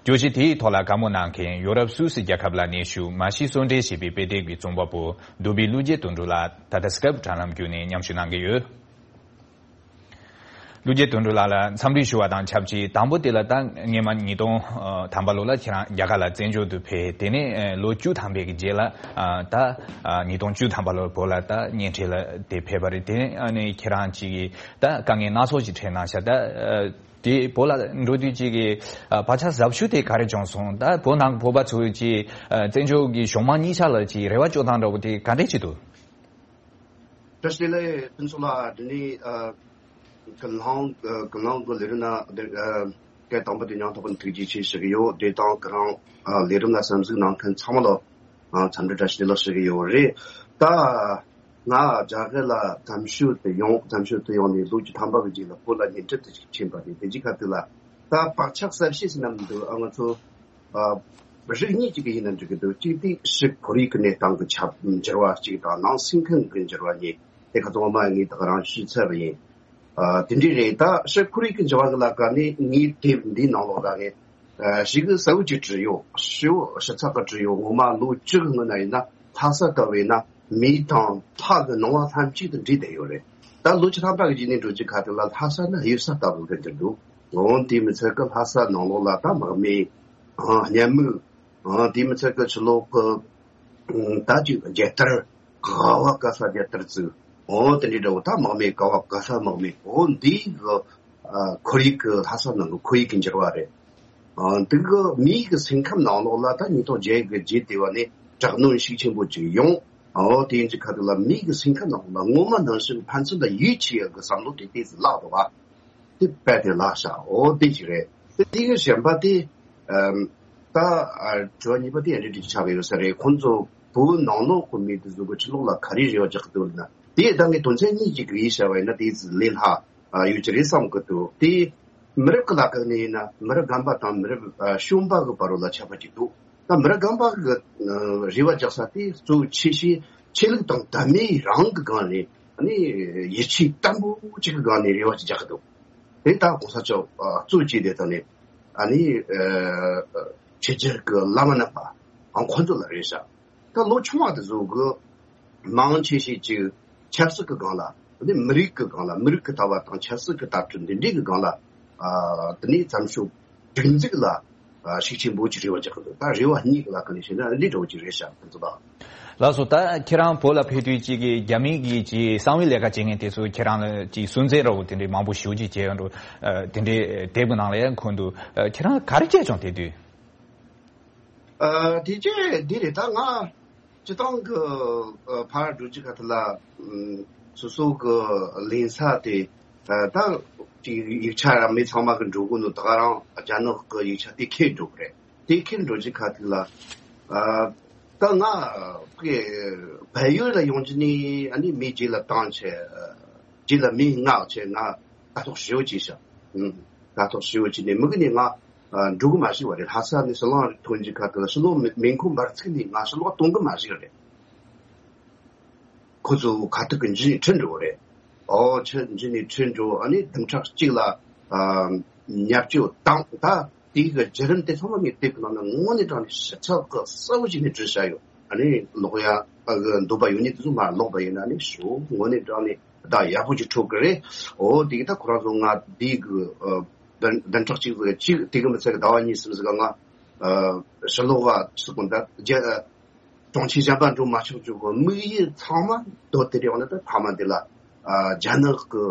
བརྗོད་གཞི་དེའི་ཐོག་ལ་བཀའ་མོལ་གནང་མཁན་ཡོ་རོབ་སུད་སི་རྒྱལ་ཁབ་ལ་གནས་བཞུགས་མ་ཤི་གསོན་བསྲེགས་ཞེས་པའི་དཔེ་དེབ་ཀྱི་རྩོམ་པ་པོ་རྡོ་སྦིས་བློ་རྒྱས་དོན་གྲུབ་ལགས་ད་ལྟ་སི་ཀེབ་དྲ་ལམ་བརྒྱུད་ནས་མཉམ་ཞུགས་གནང་གི་ཡོད། བློ་རྒྱས་དོན་གྲུབ་ལགས་ལ་འཚམས་འདྲི་ཞུ་བ་དང་ཆབས་ཅིག་དང་པོ་དེ་ལ་ད་སྔོན་མ་ཉིས་སྟོང་ཐམ་པ་ལོ་ལ་ཁྱེད་རང་རྒྱ་གར་ལ་བཙན་བྱོལ་དུ་ཕེབས། དེ་ནས་ལོ་བཅུ་ཐམ་པའི་གི་རྗེས་ལ་ད་ཉིས་སྟོང་བཅུ་ཐམ་པ་ལོར་བོད་ལ་ད་གཉེན་འཕྲད་ལ་དེ་ཕེབས་པ་རེད། དེ་ནས་ཁྱེད་རང་ཅིག་གིས་ད་དཀའ་ངལ་སྣ་ཚོགས་ཅིག་འཕྲད་གནང་ཤག་ད་དེ་བོད་ལ་འགྲོ་དུས་ཅིག་གི་བག་ཆགས་ཟབ་ཤོས་དེ་ག་རེ་བྱུང་སོང་། ད་བོད་ནང་གི་བོད་པ་ཚོས་ཅིག་བཙན་བྱོལ་གྱི་གཞུང་མང་གཉིས་ཆ་ལ་ཅིག་རེ་བ་བཅོལ་སྟངས་འདྲ་བོ་དེ་ག་འདྲས་ཅིག་འདུག། བཀྲ་ཤིས་བདེ་ལེགས་ཕུན་ཚོགས་ལགས། དེ་ནས་ཨ་ཀུན་སློང་ཀུན་སློང་གི་ལས་རིམ་ནང་དེ་ཨ་སྐད་དང་པོ་དེ་མྱོང་ཐུབ་པ་ཐུགས་རྗེ་ཆེ་ཞུ་གི་ཡོད། དེ་དང་ཁོ་རང་ཨ་ལས་རིམ་ལ་གསན་གཟིགས་གནང་མཁན་ཚང་མ་ལ་ཨ་འཚམས་འདྲི་བཀྲ་ཤིས་བདེ་ལེགས་ཞུ་གི་ཡོད་རེད། ད་ང་རྒྱ་གར་ལ་གཏམ་ཞུ་དུ་ཡོང་། གཏམ་ཞུ་དུ་ཡོང་ནས་ལོ་བཅུ་ཐམ་པ་གི་རྗེས་ལ་བོད་ལ་གཉེན་འཕྲད་དུ་ཕྱིན་པ་རེད། དེ་རྗེས་ཁ་ཐུག་ལ་ད་བག་ཆགས་གསར་བཤད་ཟེར་ན་མི་འདུག་ཨ་ང་ཚོ། ཨ་རིགས་གཉིས་ཅིག་གི་ཡིན་ན་འགྲིག་གི་འདུག་གཅིག་དེ་ཕྱི་ཁོར་ཡུག་གི་གནས་སྟངས་ཀྱི་ཁྱབ་འགྱུར་བ་གཅིག་དང་ནང་སེམས་ཁམས་ཀྱི་འགྱུར་བ་གཉིས། དེ་ཁ་ཚང་མ་ངས་ད་ག་རང་ཞུས་ཚར་བ་ཡིན། ཨ་དེ་འདྲ་རེད། ད་ཕྱི་ཁོར་ཡུག་གི་འགྱུར་བ་གི་ལ་ཀ་ནི་ངའི་དེབ་འདིའི་ནང་ལོགས་ལ་ངས་ཨ་ཞེ་གི་གསལ་བོ་ཅིག་བྲིས་ཡོད། ཞེ་པོ་ཞིབ་ཚགས་ཀྱི་བྲིས་ཡོད། ངོ་མ་ལོ་བཅུ་གི་སྔོན་ན་ཡིན་ན་ལྷ་ས་ལྟ་བུ་ཡིན་ན་མེ་དང་ལྷ་གི་སྣང་བ་ལྷན་ཅིག་ཏུ་འདྲེས་བསྡད་ཡོད་རེད། ད་ལོ་བཅུ་ཐམ་པ་གི་རྗེས་ནས་འགྲོ་རྒྱུ་ཁ་ཐུག་ལ་ལྷ་ས་ནི་གཡུལ་ས་ལྟ་བུ་གི་འགྱུར་འདུག་འོ་དེ་མི་ཚད་ཀི་ལྷ་ས་ནང་ལོགས་ལ་ད་དམག་མི་ཨ་གཉན་མོ། ཨ་དེ་མི་ཚད་ཀི་ཕྱི་ལོགས་ཀི་ད་ཅིག་རྒྱལ་དར་ག་བ་ག་ས་རྒྱལ་དར་བཙུགས། འོ་དེ་འདྲའི་འདྲ་བོ་ད་དམག་མི་ག་བ་ག་ས་དམག་མི། འོ་འདི་གི་ཨ་ཁོར་ཡུག་གི་ལྷ་ས་ནང་གི་ཁོར་ཡུག་གི་འགྱུར་བ་རེད། ཨ་འདི་གི་མིའི་གི་སེམས་ཁམས་ནང་ལོགས་ལ་ད་ཉིས་སྟོང་བརྒྱད་གི་རྗེས་དེ་བ་ནས་དྲག་གནོན་ཤུགས་ཆེན་པོ་ཅིག་ཡོང་། འོ་དེ་ཡིན་གྱི་ཁ་ཐུག་ལ་མིའི་གི་སེམས་ཁམས་ནང་ལོགས་ལ་ངོ་མ་ནང་བཞིན་ཕན་ཚུན་ལ་ཡིད་ཆེས་ཡག་གི་བསམ་བློ་དེ་ཏོག་ཙམ་བརླག་འདུག་བ། དེ་རྦད་དེ་བརླག་ཤག་འོ་དེ་ཅིག་རེད། དེ་དེ་གི་གཞན་པ་དེ་ཨམ་ད་ཨ་དྲི་བ་གཉིས་པ་དེ་ཡང་འདྲི་འདྲི་ཆགས་ཀྱི་ཡོད་ས་རེད། ཁོང་ཚོ་བོད་ནང་ལོགས་ཁོ་མི་དེ་ཚོ་གི་ཕྱི་ལོགས་ལ་ག་རེ་རེ་བ་རྒྱག་གི་འདུག་ལབ་ན། དེ་ད་ངས་དོན་ཚན་གཉིས་ཀྱི་གི་ཡིད་བྱ་བ་ཡིན་ན་དེ་ལས་སླ་ཨ་ཡོད་ཀྱི་རེད་བསམ་གི་འདུག་དེ་མི་རབས་ཀྱི་ལ་ཁག་ནས་ཡིན་ན་མི་རབས་རྒན་པ་དང་མི་རབས་ཨ་གཞོན་པ་གི་བར་ལ་ཁྱད་པར་ཅིག་འདུག་ད་མི་རབས་རྒན་པ་གི་ཨ་རེ་བ་རྒྱག་ས་དེ་གཙོ་བོ་ཆེ་ཤོས་ཆོས་ལུགས་དང་དད་མོས་རང་གི་སྒང་ནས་ཨ་ནི་ཡིད་ཆེས་བརྟན་པོ་ཅིག་གི་སྒང་ནས་རེ་བ་ཅིག་རྒྱག་གི་འདུག་དེ་ད་གོང་ས་མཆོག་ཨ་གཙོ་བྱས་དེ་ད་ནི་ཨ་ནི་ཨ་ཕྱི་རྒྱལ་གི་བླ་མ་རྣམ་པ་ཨ་ཁོང་ཚོ་ལ་རེད་ཤག་ད་ལོ་ཆུང་བ་དེ་ཚོ་གི་མང་ཆེ་ཤོས་ཅིག་ཆབ་སྲིད་ཀྱི་སྒང་ལ། དེ་མི་རིགས་ཀྱི་སྒང་ལ། མི་རིགས་ཀྱི་ལྟ་བ་དང་ཆབ་སྲིད་ཀྱི་ལྟ་གྲུབ་འདི་འདྲའི་གི་སྒང་ལ། ཨ། དེ་ནས་བཙན་བྱོལ་སྒྲིག་འཛུགས་ལ་ཨ། ཤུགས་ཆེན་པོ་ཅིག་རེ་བ་རྒྱག་གི་འདུག་ད་རེ་བ་གཉིས་ཀྱི་ལ་ཁ་ནས་བཤད་ན་འདི་འདྲ་བོ་ཅིག་རེད་ཤག་ཁོང་ཚོ་ད། ལགས་སོ། ད་ཁྱེད་རང་བོད་ལ་ཕེབས་དུས་ཅིག་གི་རྒྱ་མི་གི་ཅིག་གསང་བའི་ལས་ཀ་བྱེད་མཁན་དེ་ཚོ་ཁྱེད་རང་ལ་ཅིག་སུན་གཙེར་འདྲ་བོ་དེ་འདྲའི་མང་པོ་ཞེ་པོ་ཅིག་བྱས་ཡོད་འགྲོ། ཨ། དེ་འདྲའི་དེབ་ཀྱི་ནང་ལ་ཡང་འཁོད་འདུག་ཨ། ཁྱེད་རང་ག་རེ་བྱས་བྱུང་དེ་དུས། ཨ། དེ་རྗེས་འདི་རེད། ད་ང་སྤྱི་བཏང་གི་ཨ། ཕར་འགྲོ་རྒྱུ་ཁ་ཐུག་ལ། ཨམ། སོ་སོ་གི་ལེན་ས་དེ། ཨ། ད་ཅིག་ཡིག་ཆ་ར་མི་ཚང་མ་གི་འགྲོ་གི་འདུག་ད་ག་རང་རྒྱ་ནག་གི་ཡིག་ཆ་དེ་ཁྱེར་འགྲོ་གི་རེད། དེ་ཁྱེར་འགྲོ་རྒྱུ་ཁ་ཐུག་ལ། ཨ། ད་ང་ཕ་གི་བལ་ཡུལ་ལ་ཡོང་རྒྱུ་ནི་ཨ་ནི་མི་རྗེས་ལ་བཏང་བྱས། ཨ། རྗེས་ལ་མི་མངགས་བྱས་ང་ལྟ་རྟོག་ཞེ་པོ་བྱས་ཤག་ཨུམ། ལྟ་རྟོག་ཞེ་པོ་བྱས་ནས་མི་གི་ནས་ང་ཨ། འགྲོ་གི་མ་ཤེས་པ་རེད། ལྷ་ས་ནས་ཕྱི་ལོགས་ཐོན་རྒྱུ་ཁ་ཐུག་ལ་ཕྱི་ལོགས་མེ་མེ་འཁོར་འབར་ཚིག་ནས་ང་ཕྱི་ལོགས་གཏོང་གི་མ་ཤེས་རེད། ཁོ་ཚོ་ཁ་ཐུག་གི་འཇུས་ནས་ཁྲིད་འགྲོ་བ་རེད། ཨོ་ཆུ་འཇུས་ནས་ཁྲིད་འགྲོ། ཨ་ནི་བདུན་ཕྲག་གཅིག་ལ་ཨ། མཉམ་སྤྱོད་བཏང་། ད་དེའི་གི་བརྒྱུད་རིམ་དེ་ཚང་མ་ངས་དེབ་ཀྱི་ནང་ན་དངོས་གནས་དྲང་ནས་ཞིབ་ཚགས་ཀྱི་གསལ་པོ་བྱས་ནས་བྲིས་བཞག་ཡོད། ཨ་ནི་ཀློག་ཡ་ཨ། འདོད་པ་ཡོད་མཁན་དེ་ཚོ་མར་ཀློག་པ་ཡིན་ན་ནི་ཞེ་པོ་དངོས་གནས་དྲང་ནས་བརྡ་ཡག་པོ་ཅིག་འཕྲོད་ཀྱི་རེད། ཨོ་དེ་གི་ད་ཁོ་རང་ཚོ་ང་དེའི་གི་ཨ། བདུན་བདུན་ཕྲག་གཅིག་ཙམ་གཅིག་དེ་གི་མི་ཚད་གི་ཟླ་བ་གཉིས་གསུམ་ཙམ་གི་ང་ཨ། ཕྱི་ལོགས་ལ་ཚུད་གོ་ད་རྒྱ། གྲོང་ཁྱེར་གཞན་པ་འགྲོ་མ་ཆོག་རྒྱུ་གི་དམིགས་ཡུལ་ཚང་མ་མདོར་དེ་རེད། འོ་ན་ད་ཕ་མ་འདི་ལ་ཨ། རྒྱ་ནག་གི་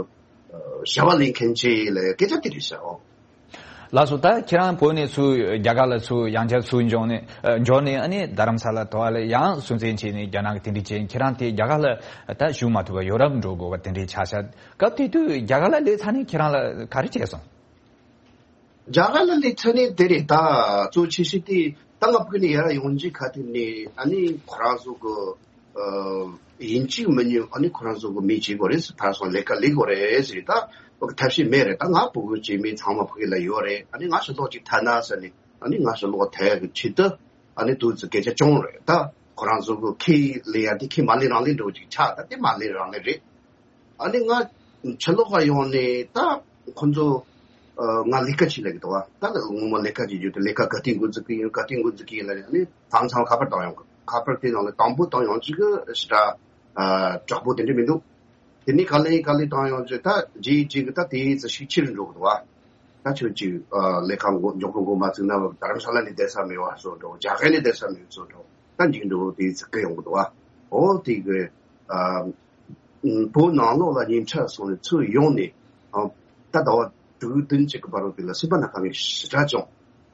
ཨ། བྱ་བ་ལས་མཁན་ཅིག་ལ་སྐད་ཆ་དེ་རེད་ཤག་ཨོ། ལགས་སོ། ད་ཁྱེད་རང་བོད་ནས་ཚུར་རྒྱ་གར་ལ་ཚུར་ཡང་བསྐྱར་ཚུར་འབྱོར་ནས་ཨ། འབྱོར་ནས་ཨ་ནི་རྡ་རམ་ས་ལ་དོ་བ་ལ་ཡང་སུན་གཙེར་བྱས་ནས་རྒྱ་ནག་གི་དེ་འདྲ་བྱས། ཁྱེད་རང་དེ་རྒྱ་གར་ལ་ད་བཞུགས་མ་ཐུབ་པ་ཡོ་རོབ་འགྲོ་དགོས་པ་དེ་འདྲ་ཆགས་ཤག་སྐབས་དེ་དུས་རྒྱ་གར་ལ་སླེབས་ཚར་ནས་ཁྱེད་རང་ལ་ག་རེ་བྱས་སོང་། རྒྱ་གར་ལ་སླེབས་ཚར་ནས་དེ་རེད། ད་གཙོ་ཆེ་ཤོས་དེ་ད་ང་ཕ་གི་ནས་ཡར་ཡོང་རྒྱུ་ཁ་ཐུག་ནས་ཨ་ནི་ཁོ་རང་ཚོ་གི་ཨ། ཡིན་གཅིག་མིན་གཉིས་ཨ་ནི་ཁོ་རང་ཚོ་གི་མི་བྱེད་དགོས་རེད་ཟེར། ཕར་སོང་ལས་ཀ་ལས་དགོས་རེད་ཟེར། ད་ཕ་གི་ཐབས་ཤེས་མེད་རེད། ད་ང་ཕྲུ་གུ་སྐྱེས་མི་ཚང་མ་ཕ་གི་ལ་ཡོད་རེད། ཨ་ནི་ང་ཕྱི་ལོགས་ཅིག་ཐར་ན་ཟེར་ནས། ཨ་ནི་ང་ཕྱི་ལོགས་ཐར་ཡག་གི་ཆེད་དུ་ཨ་ནི་དུས་ཚོད་སྐད་ཆ་བྱུང་རེད། ད་ཁོ་རང་ཚོ་གི་ཁས་ལེན་ཡ་དེ་ཁས་མ་ལེན་རང་ལེན་འདྲ་བོ་ཅིག་ཆགས། ད་དེ་མ་ལེན་རང་ལེན་རེད། ཨ་ནི་ང་ཕྱི་ལོགས་ལ་ཡོང་ནས་ད་ཁོ་ཚོ་ཨ། ང་ལས་ཀ་བྱེད་ལབ་ཀྱི་འདུག་བ། ད་ངོ་མ་ལས་ཀ་བྱེད་རྒྱུ་དེ་ལས་ཀ་ག་དུས་འགོ་འཛུགས་ཀྱི་ཡིན། ག་དུས་འགོ་འཛུགས་ཀྱི་ཡིན་ལབ་ནས། ཨ་ནི་མཚམས་མཚམས་ཁ་པར་བཏང་ཡོང་གི། ཁ་པར་དེ་ནང་ལ་དང་པོ་བཏང་ཡོང་རྒྱུ་གི་ཞེ་དྲག་ཨ། དྲག་པོ་དེ་འདྲ་མི་འདུག་དེ་ནས་ག་ལེ་ག་ལེ་བཏང་ཡོང་རྒྱུ། ད་རྗེས་གཅིག་གི་ད་དེའི་ཚེ་ཤུགས་ཆེ་རུ་འགྲོ་གི་འདུག་བ། ད་ཁྱོད་ཀྱིས་ཨ། ལས་ཀ་འགོ་མགྱོགས་པོ་འགོ་མ་བཙུགས་ན་རྡ་རམ་ས་ལ་ནས་བསྡད་ས་མེད་པ་བཟོ་འགྲོ། རྒྱ་གར་ནས་བསྡད་ས་མེད་བཟོ་འགྲོ། ད་འཇིགས་འགྲོ་དེའི་ཚེ་སྐད་ཡོང་གི་འདུག་བ། ཨོ་དེ་གི་ཨ། བོད་ནང་ལོགས་ལ་ཉིན་ཆ་སོང་ནས་ཚུར་ཡོང་ནས། ཨ། ད་ཟླ་བ་དྲུག་བདུན་ཅིག་གི་བར་དུ་དེ་ལ་སེམས་པ་ན་དཀའ་ངལ་ཞེ་དྲག་བྱུང་།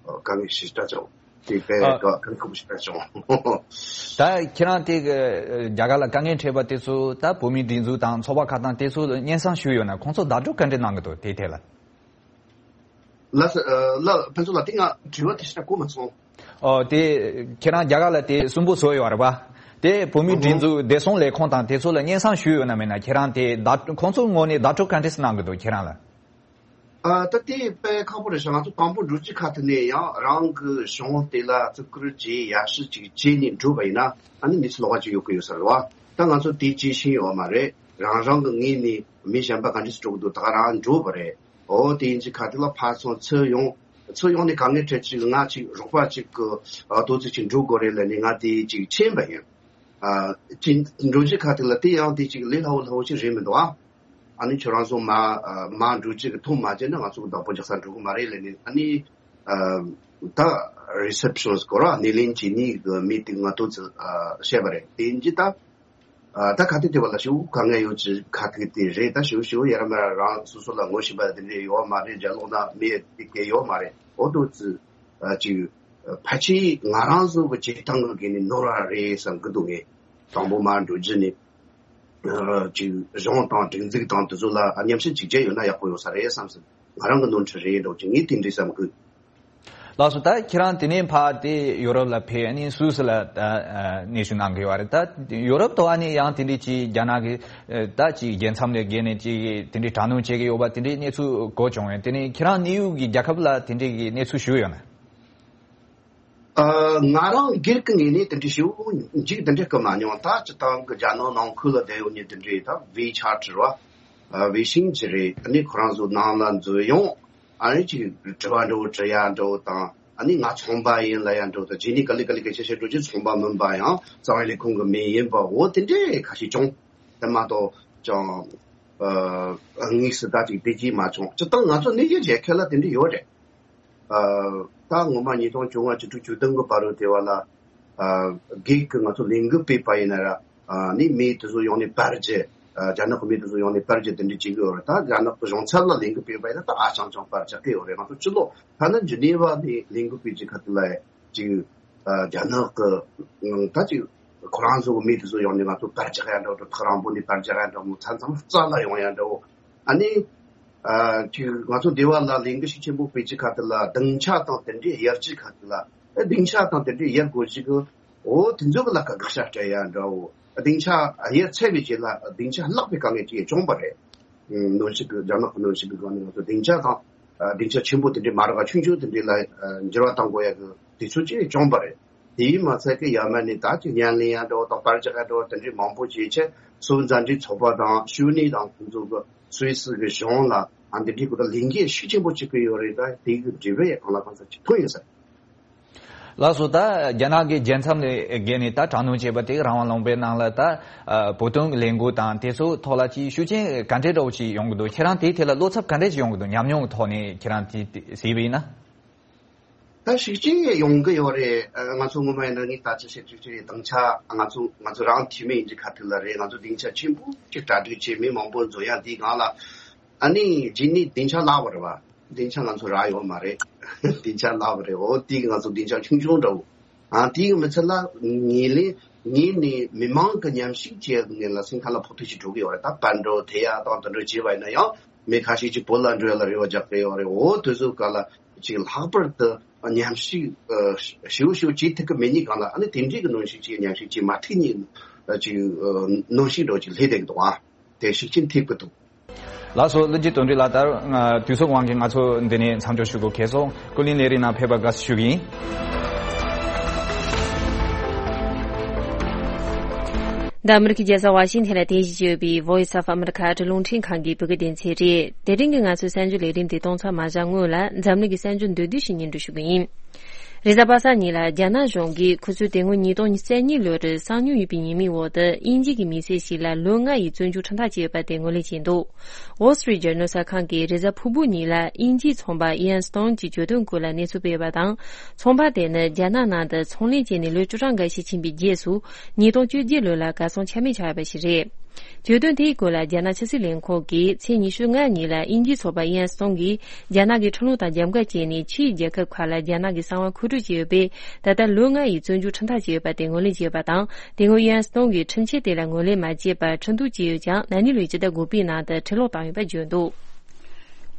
ཨ། དཀའ་ངལ་ཞེ་དྲག་བྱུང་། དེ་དཔེ་ཨ། དཀའ་དཀའ་ཁག་པོ་ཞེ་དྲག་བྱུང་། ད་ཁྱེད་རང་དེ་གི་རྒྱ་གར་ལ་དཀའ་ངལ་འཕྲད་པ་དེ་ཚོ་ད་བོད་མིའི་སྒྲིག་འཛུགས་དང་ཚོགས་པ་ཁག་དང་དེ་ཚོ་ལ་སྙན་སེང་ཞུས་ཡོད་ན། ཁོང་ཚོ་བརྡ་སྤྲོད་ག་འདྲ་གནང་གི་འདུག་དེའི་ཐད་ལ། ལགས་སོ། ཨ། ལགས་ཕུན་ཚོགས་ལགས། དེ་ང་དྲི་བ་དེ་ཞིག་གོ་མ་སོང་། ཨོ་དེ་ཁྱེད་རང་རྒྱ་གར་ལ་དེ་གསོན་པོ་བཟོས་ཡོད་རེད་པ། དེ་བོད་མིའི་ཨ་སྒྲིག་ཧུམ། འཛུགས་བདེ་སྲུང་ལས་ཁུངས་དང་དེ་ཚོ་ལ་སྙན་སེང་ཞུས་ཡོད་ན་མེད་ན། ཁྱེད་རང་དེ་བརྡ་ཁོང་ཚོའི་ངོས་ནས་བརྡ་སྤྲོད་ག་འདྲས་གནང་གི་འདུག་ཁྱེད་རང་ལ། ཨ། ད་དེ་དཔེ་ཁག་པོ་རེད་ཤག་ང་ཚོ་དང་པོ་འགྲོ་རྒྱུ་ཁ་ཐུག་ནས་ཡང་རང་གི་གཞུང་དེ་ལ་བརྩི་བཀུར་བྱས། ཡར་ཞུ་ཅིག་བྱས་ནས་འགྲོ་བ་ཡིན་ན། ཨ་ནི་མི་ཚེ་ལོགས་ཀ་ཅིག་ཡོད་ཀྱི་ཡོད་ས་རེད་བ། ད་ང་ཚོ་དེ་ཅིག་ཤེས་ཡོད་མ་རེད། རང་རང་གི་ངོས་ནས་མི་གཞན་པ་ག་འདྲས་སེ་འགྲོ་གི་འདུག་ད་ག་རང་འགྲོ་བ་རེད། ཨོ་དེ་ཡིན་གྱི་ཁ་ཐུག་ལ་ཕར་ཚུར་ཚུར་ཡོང་། ཚུར་ཡོང་ནས་ག་ངའི་གྲས་ཅིག་ང་ཅིག་རོགས་པ་ཅིག་གི་ཨ་ཏོག་ཙི་ཅིག་འགྲོ་དགོས་རེད་ལབ་ནས་ང་དེ་ཅིག་ཕྱིན་པ་ཡིན། ཨ་ཅིག་འགྲོ་གི་ཁ་ཐུག་ལ་དེ་ཡང་དེ་ཅིག་ལས་སླ་བོ་སླ་བོ་ཅིག་རེད་མི་འདུག་ཨ། ཨ་ནི་ཁྱོད་རང་ཚོ་མ་ཨ་མ་འགྲོ་ཅིག་གི་ཐུག་མ་བྱས་ན་ང་ཚོ་གི་བདག་པོ་རྒྱག་ས་འགྲོ་གི་མ་རེད་ལབ་ནས། ཨ་ནི་ཨ་ད་རི་སེབ་ཤོན་སྐོར་བ་སྣེ་ལེན་བྱེད་ནི་གི་མི་དེ་ང་ཏོག་ཙི་ཨ་བཤད་པ་རེད། དེ་ཡིན་གྱི་ད། ཨ་ད་ཁ་ཐུག་དེ་བ་ལ་ཞེ་པོ་དཀའ་ངལ་ཡོད་ཀྱི་ཁ་ཐུག་དེ་རེད། ད་ཞེ་པོ་ཞེ་པོ་ཡ་ར་མ་ར་རང་སོ་སོ་ལ་ངོ་ཤེས་པ་དེ་འདྲས་ཡོད་མ་རེད། རྒྱ་ལོག་ན་མི་དེ་གས་ཡོད་མ་རེད། འོ་དོ་ཙི་ཨ་ཅིག་ཕལ་ཆེར་ང་རང་ཚོ་གི་བྱེད་སྟངས་གི་གས་ནི་ནོར་བ་རེད་བསམ་གི་འདུག་ངས་དང་པོ་མར་འགྲོ་རྒྱུ་ནི་ཨ་ཅིག་གཞུང་དང་སྒྲིག་འཛུགས་དང་དེ་ཚོ་ལ་ཨ་མཉམ་ཞིབ་ཅིག་བྱས་ཡོད་ན་ཡག་པོ་ཡོད་ས་རེད་བསམ་སོང་། ང་རང་གི་ནོར་འཁྲུལ་རེད་འགྲོ་ཅིག་ངས་དེ་འདྲས་བསམ་གི། ལགས་སོ། ད་ཁྱེད་རང་དེ་ནས་ཕར་དེ་ཡོ་རོབ་ལ་ཕེབས། ཨ་ནི་སུད་སི་ལ་ད་ཨ་གནས་བཞུགས་གནང་གི་ཡོད་རེད། ད་ཡོ་རོབ་དུ་ཨ་ནི་ཡང་དེ་འདྲའི་ཅིག་རྒྱ་ནག་གི་ད་ཅིག་རྒྱལ་མཚམས་ལས་བརྒལ་ནས་ཅིག་དེ་འདྲའི་དྲག་གནོན་བྱེད་ཀྱི་ཡོད་པ་དེ་འདྲའི་གནས་ཚུལ་གོ་བྱུང་བས། དེ་ནས་ཁྱེད་རང་གནས་ཡུལ་གྱི་རྒྱལ་ཁབ་ལ་དེ་འདྲའི་གི་གནས་ཚུལ་ཞུ་ཡོད་ན། ཨ་ང་རང་སྒེར་གྱི་ངོས་ནས་དེ་འདྲའི་ཞེ་པོ་འཇིགས་དེ་འདྲ་སྐུལ་མ་མྱོང་། ད་སྤྱི་བཏང་གི་རྒྱ་ནག་ནང་ཁུལ་ལ་བསྡད་ཡོད་མཁན་དེ་འདྲའི་ད་ཝེ་ཆ་ཊི་རེད་བ། ཨ་ཝེ་ཤིང་ཅི་རེད། ཨ་ནི་ཁོ་རང་ཚོ་ནང་ལ་འཛུལ་ཡོང་། ཨ་ནི་ཅིག་དྲི་བ་འདྲ་བོ་དྲི་ཡ་འདྲ་བོ་དང་། ཨ་ནི་ང་ཚོང་པ་ཡིན་ལབ་ཡ་འདྲ་བོ་དང་རྗེས་ནས་ག་ལེ་ག་ལེ་སྐད་ཆ་བཤད་འགྲོ་རྒྱུ་ཚོང་པ་མིན་པ་ཡང་རྩ་བའི་ལས་ཁུངས་ཀྱི་མི་ཡིན་པ་འོ་དེ་འདྲའི་ཁ་ཤས་བྱུང་། དེ་མ་གཏོགས་ཀྱང་ཨ་དངོས་སུ་ད་ཅིག་བདེ་སྐྱིད་མ་བྱུང་། སྤྱིར་བཏང་ང་ཚོ་གནས་ཡུལ་རྒྱལ་ཁབ་ལ་དེ་འདྲ་ཡོད་རེད། ཨ་ད་ངོ་མ་ཉིས་སྟོང་བཅོ་ལྔ་བཅུ་དྲུག་བཅུ་བདུན་གི་བར་དུ་དེ་བ་ལ་ཨ་སྒེར་གྱི་ང་ཚོ་ལས་འགུལ་སྤེལ་པ་ཡིན་ན་ར་ཨ་ནི་མི་དེ་ཚོ་ཡོང་ནས་པར་རྒྱག་ཨ་རྒྱ་ནག་གི་མི་དེ་ཚོ་ཡོང་ནས་པར་རྒྱག་དེ་འདྲ་བྱེད་གི་ཡོད་རེད། ད་རྒྱ་ནག་གི་གཞུང་ཚབ་ལ་ལས་འགུལ་སྤེལ་པ་ཡིན་ན་ད་ཨ་ཅང་ཅང་པར་རྒྱག་གི་ཡོད་རེད། ང་ཚོ་སྤྱི་ལོ་ཐ་ན་ཇི་ནི་ཝ་ནས་ལས་འགུལ་སྤེལ་གྱི་ཁ་ཐུག་ལ་ཅིག་ཨ་རྒྱ་ནག་གི་ད་ཅིག་ཁོ་རང་ཚོ་གི་མི་དེ་ཚོ་ཡོང་ནས་ང་ཚོ་པར་རྒྱག་ཡ་འདྲ་བོ་ཐག་རིང་པོ་ནས་པར་རྒྱག་ཡ་འདྲ་བོ་མཚམས་མཚམས་རྩ་ལ་ཡོང་ཡ་འདྲ་བོ། ཨ་ནི། ཨ་ཅིག་ང་ཚོ་སྡེ་བ་ལ་ལས་འགུལ་ཤུགས་ཆེན་པོ་སྤེལ་གྱི་ཁ་ཐུག་ལ་སྡིངས་ཆ་དང་དེ་འདྲའི་གཡར་གྱི་ཁ་ཐུག་ལ་ཨ་སྡིངས་ཆ་དང་དེ་འདྲའི་གཡར་དགོས་ཞིག་གི་འོ་དེ་ཚོ་གི་ལ་ཁ་དགག་བྱ་སྤྲད་ཡ་འདྲ་བོ། སྡིངས་ཆ་གཡར་ཚར་བའི་རྗེས་ལ་སྡིངས་ཆ་བརླག་པའི་དཀའ་ངལ་ཅིག་བྱུང་བ་རེད། ཨ་གནོན་ཤུགས་ཀྱི་རྒྱ་ནག་གི་གནོན་ཤུགས་ཀྱི་སྒང་ནས་ང་ཚོ་སྡིངས་ཆ་དང་ཨ་སྡིངས་ཆ་ཆེན་པོ་དེ་འདྲའི་མ་རག་ཆུང་ཆུང་དེ་འདྲའི་ལ་ཨ་འགྱུར་བ་གཏང་དགོས་ཡ་གི་དུས་ཚོད་ཅིག་བྱུང་བ་རེད། དེའི་མ་ཚད་ཀྱི་ཡར་མར་ནས་ད་ཅིག་ཉམས་ལེན་ཡང་འདྲ་བོ་དང་པར་རྒྱག་ཡང་འདྲ་བོ་དེ་འདྲའི་མང་པོ་བྱས་ཆེད་སུད་མཛའ་འབྲེལ་ཚོགས་པ་དང་ཤུལ་ནས་དང་ཁོང་ཚོ་གི་སུད་སི་གི་གཞུང་ལ་ཨ་འདི་འདྲའི་སྐོར་ལ་ལས་འགན་ཤུགས་ཆེན་པོ་བྱེད་ཀྱི་ཡོད་རེད། ད་དེ་གི་འབྲས་བུ་ཡང་གང་ལ་གང་འཚམ་ཅིག་ཐོན་ཡོད་ས་རེད། ལགས་སོ། ད་རྒྱ་ནག་གི་རྒྱལ་མཚམས་ལས་བརྒལ་ནས་ད་དྲག་གནོན་བྱས་པ་དེ་རང་དབང་ལུང་པའི་ནང་ལ་ད་ཨ་བོད་དོན་གྱི་ལས་འགུལ་དང་དེ་ཚོའི་ཐོག་ལ་ཅིག་ཤུགས་རྐྱེན་ག་འདྲའི་འདྲ་བོ་ཅིག་ཡོང་གི་འདུག་ཁྱེད་རང་དེའི་ཐད་ལ་བློ་འཚབ་ག་འདྲ་ཅིག་ཡོང་གི་འདུག་ཉམས་མྱོང་གི་ཐོག་ནས་ཁྱེད་རང་དེ་དེ་གཟིགས་པ་ཡིན་ན། ད་ཤུགས་རྐྱེན་ཡོང་གི་ཡོད་རེད། ཨ་ང་ཚོ་ངོ་མ་ཡིན་ན་ངས་ད་ཅི་བཤད་ཅི་བྱེད་སྡིངས་ཆ་ང་ཚོ་ང་ཚོ་རང་འཐུས་མི་ཡིན་གྱི་ཁ་ཐུག་ལ་རེད། ང་ཚོ་སྡིངས་ཆ་ཆེན་པོ་ཅིག་གྲ་སྒྲིག་བྱས་མི་མང་པོ་འཛོམས་ཡ་འདིའི་སྒང་ལ་ཨ་ནི་རྗེས་ནས་སྡིངས་ཆ་བརླག་པ་རེད་བ། སྡིངས་ཆ་ང་ཚོ་རག་ཡོད་མ་རེད། སྡིངས་ཆ་བརླག་པ་རེད། འོ་དེ་གི་ང་ཚོ་སྡིངས་ཆ་ཆུང་ཆུང་འདྲ་བོ། ཨ་དེ་གི་མི་ཚད་ལ་ངེས་ལེ་ངེས་ནས་མི་མང་གི་མཉམ་ཞུགས་བྱས་ནས་ལ་སེམས་ཁ་ལ་ཕོག་ཐུག་ཅིག་འགྲོ་གི་ཡོད་རེད། ད་པར་འགྲོ་དེ་ཡ་དང་དེ་འགྲོ་བྱས་པ་ཡིན་ན་ཡང་མི་ཁ་ཤས་ཅིག་བོད་ལ་འགྲོ་ཡ་ལ་རེ་བ་རྒྱག་གི་ཡོད་རེད། འོ་དེ་ཚོ་ག་ལ་ཅིག་ལྷག་པར་དུ་མཉམ་ཞུགས་ཨ་ཞིའུ་ཞིའུ་བྱེད་ཐུབ་གི་མེད་ནི་གང་ལ་ཨ་ནི་དེ་འདྲའི་གི་གནོན་ཤུགས་ཅིག་མཉམ་ཞུགས་ཅིག་མ་ཐུབ་ནི་ཅིག་ཨ་གནོན་ཤུགས་འདྲ་བོ་ཅིག་སླེབས་བསྡད་གི་འདུག་ཨ་དེ་ཤུགས་རྐྱེན་ཐེབས་གི་འདུག་ལགས་སོ། ཀླུ་འཇིགས་དོན་གྲུབ་ལགས། ད་ང་དུས་ཚོད་དབང་གིས་ང་ཚོ་འདི་ནས་མཚམས་འཇོག་ཞུ་དགོས་ཁེལ་སོང་། ཀུན་གླེང་ལས་རིམ་ནང་ཕེབས་པར་དགའ་བསུ་ཞུ་གི་ཡིན། འདི་ཨ་མི་རི་ཀའི་རྒྱལ་ས་ཝ་ཤིང་ཐན་ལ་རྟེན་གཞི་བྱས་ཡོད་པའི་Voice of America ཨ་རིའི་རླུང་འཕྲིན་ཁང་གི་བོད་སྐད་སྡེ་ཚན་རེད། དེ་རིང་གི་ང་ཚོའི་གསར་འགྱུར་ལས་རིམ་དེ་གཏོང་ཚར་མ་བཞག་སྔོན་ལ་འཛམ་གླིང་གི་གསར་འགྱུར་མདོར་བསྡུས་ཤིག་སྙན་སྒྲོན་ཞུ་གི་ཡིན། རེས་གཟའ་པ་སངས་ཉིན་ལ་རྒྱ་ནག་གཞུང་གིས་ཁོ་ཚོས་དེ་སྔོན་ཉིས་སྟོང་ཉེར་གཉིས་ལོར་གསང་མྱུལ་ཡོད་པའི་ཉེས་མིང་འོག་ཏུ་དབྱིན་ཇི་གི་མི་སེར་ཞིག་ལ་ལོ་ལྔ་ཡི་བཙོན་འཇུག་ཁྲིམས་ཐག་བཅད་ཡོད་པ་དེ་ངོས་ལེན་བྱས་འདུག Wall Street Journal གསར་ཁང་གིས་རེས་གཟའ་ཕུར་བུ་ཉིན་ལ་དབྱིན་ཇིའི་ཚོང་པ་Ian Stone གྱི་གྱོད་དོན་སྐོར་ལ་གནས་ཚུལ་སྤེལ་བ་དང་། ཚོང་པ་དེ་ནི་རྒྱ་ནག་ནང་དུ་ཚོང་ལས་བྱས་ནས་ལོ་བཅུ་གྲངས་འགའ་ཞིག་ཕྱིན་པའི་རྗེས་སུ། ཉིས་སྟོང་བཅོ་བརྒྱད་ལོ་ལ་གར་སོང་ཆ་མེད་ཆགས་ཡོད་པ་ཞིག་རེད། གྱོད་དོན་དེའི་སྐོར་ལ་རྒྱ་ནག་ཕྱི་སྲིད་ལས་ཁུངས་ཀྱིས་ཚེས་ཉི་ཤུ་ལྔ་ཉིན་ལ་དབྱིན་ཇིའི་ཚོང་པ་Ian Stone གྱིས་རྒྱ་ནག་གི་ཁྲིམས་ལུགས་དང་རྒྱབ་འགལ་བྱས་ནས་ཕྱིའི་རྒྱལ་ཁབ་ཁག་ལ་རྒྱ་ནག་གི་གསང་བ་མཁོ་སྤྲོད་བྱས་ཡོད་པས། ད་ལྟ་ལོ་ལྔ་ཡི་བཙོན་འཇུག་ཁྲིམས་ཐག་བཅད་ཡོད་པ་དེ་ངོས་ལེན་བྱས་ཡོད་པ་དང་། དེ་སྔོན་Ian Stone གྱིས་ཁྲིམས་ཆད་དེ་ལ་ངོས་ལེན་མ་བྱས་པར་ཁྲིམས་གཏུག་བྱས་ཡོད་ཀྱང་། ན་ནིང་ལོའི་སྤྱི་ཟླ་དགུ་པའི་ནང་དུ་ཁྲིམས་ལོག་བཏང་ཡོད་པ་བརྗོད་འདུག་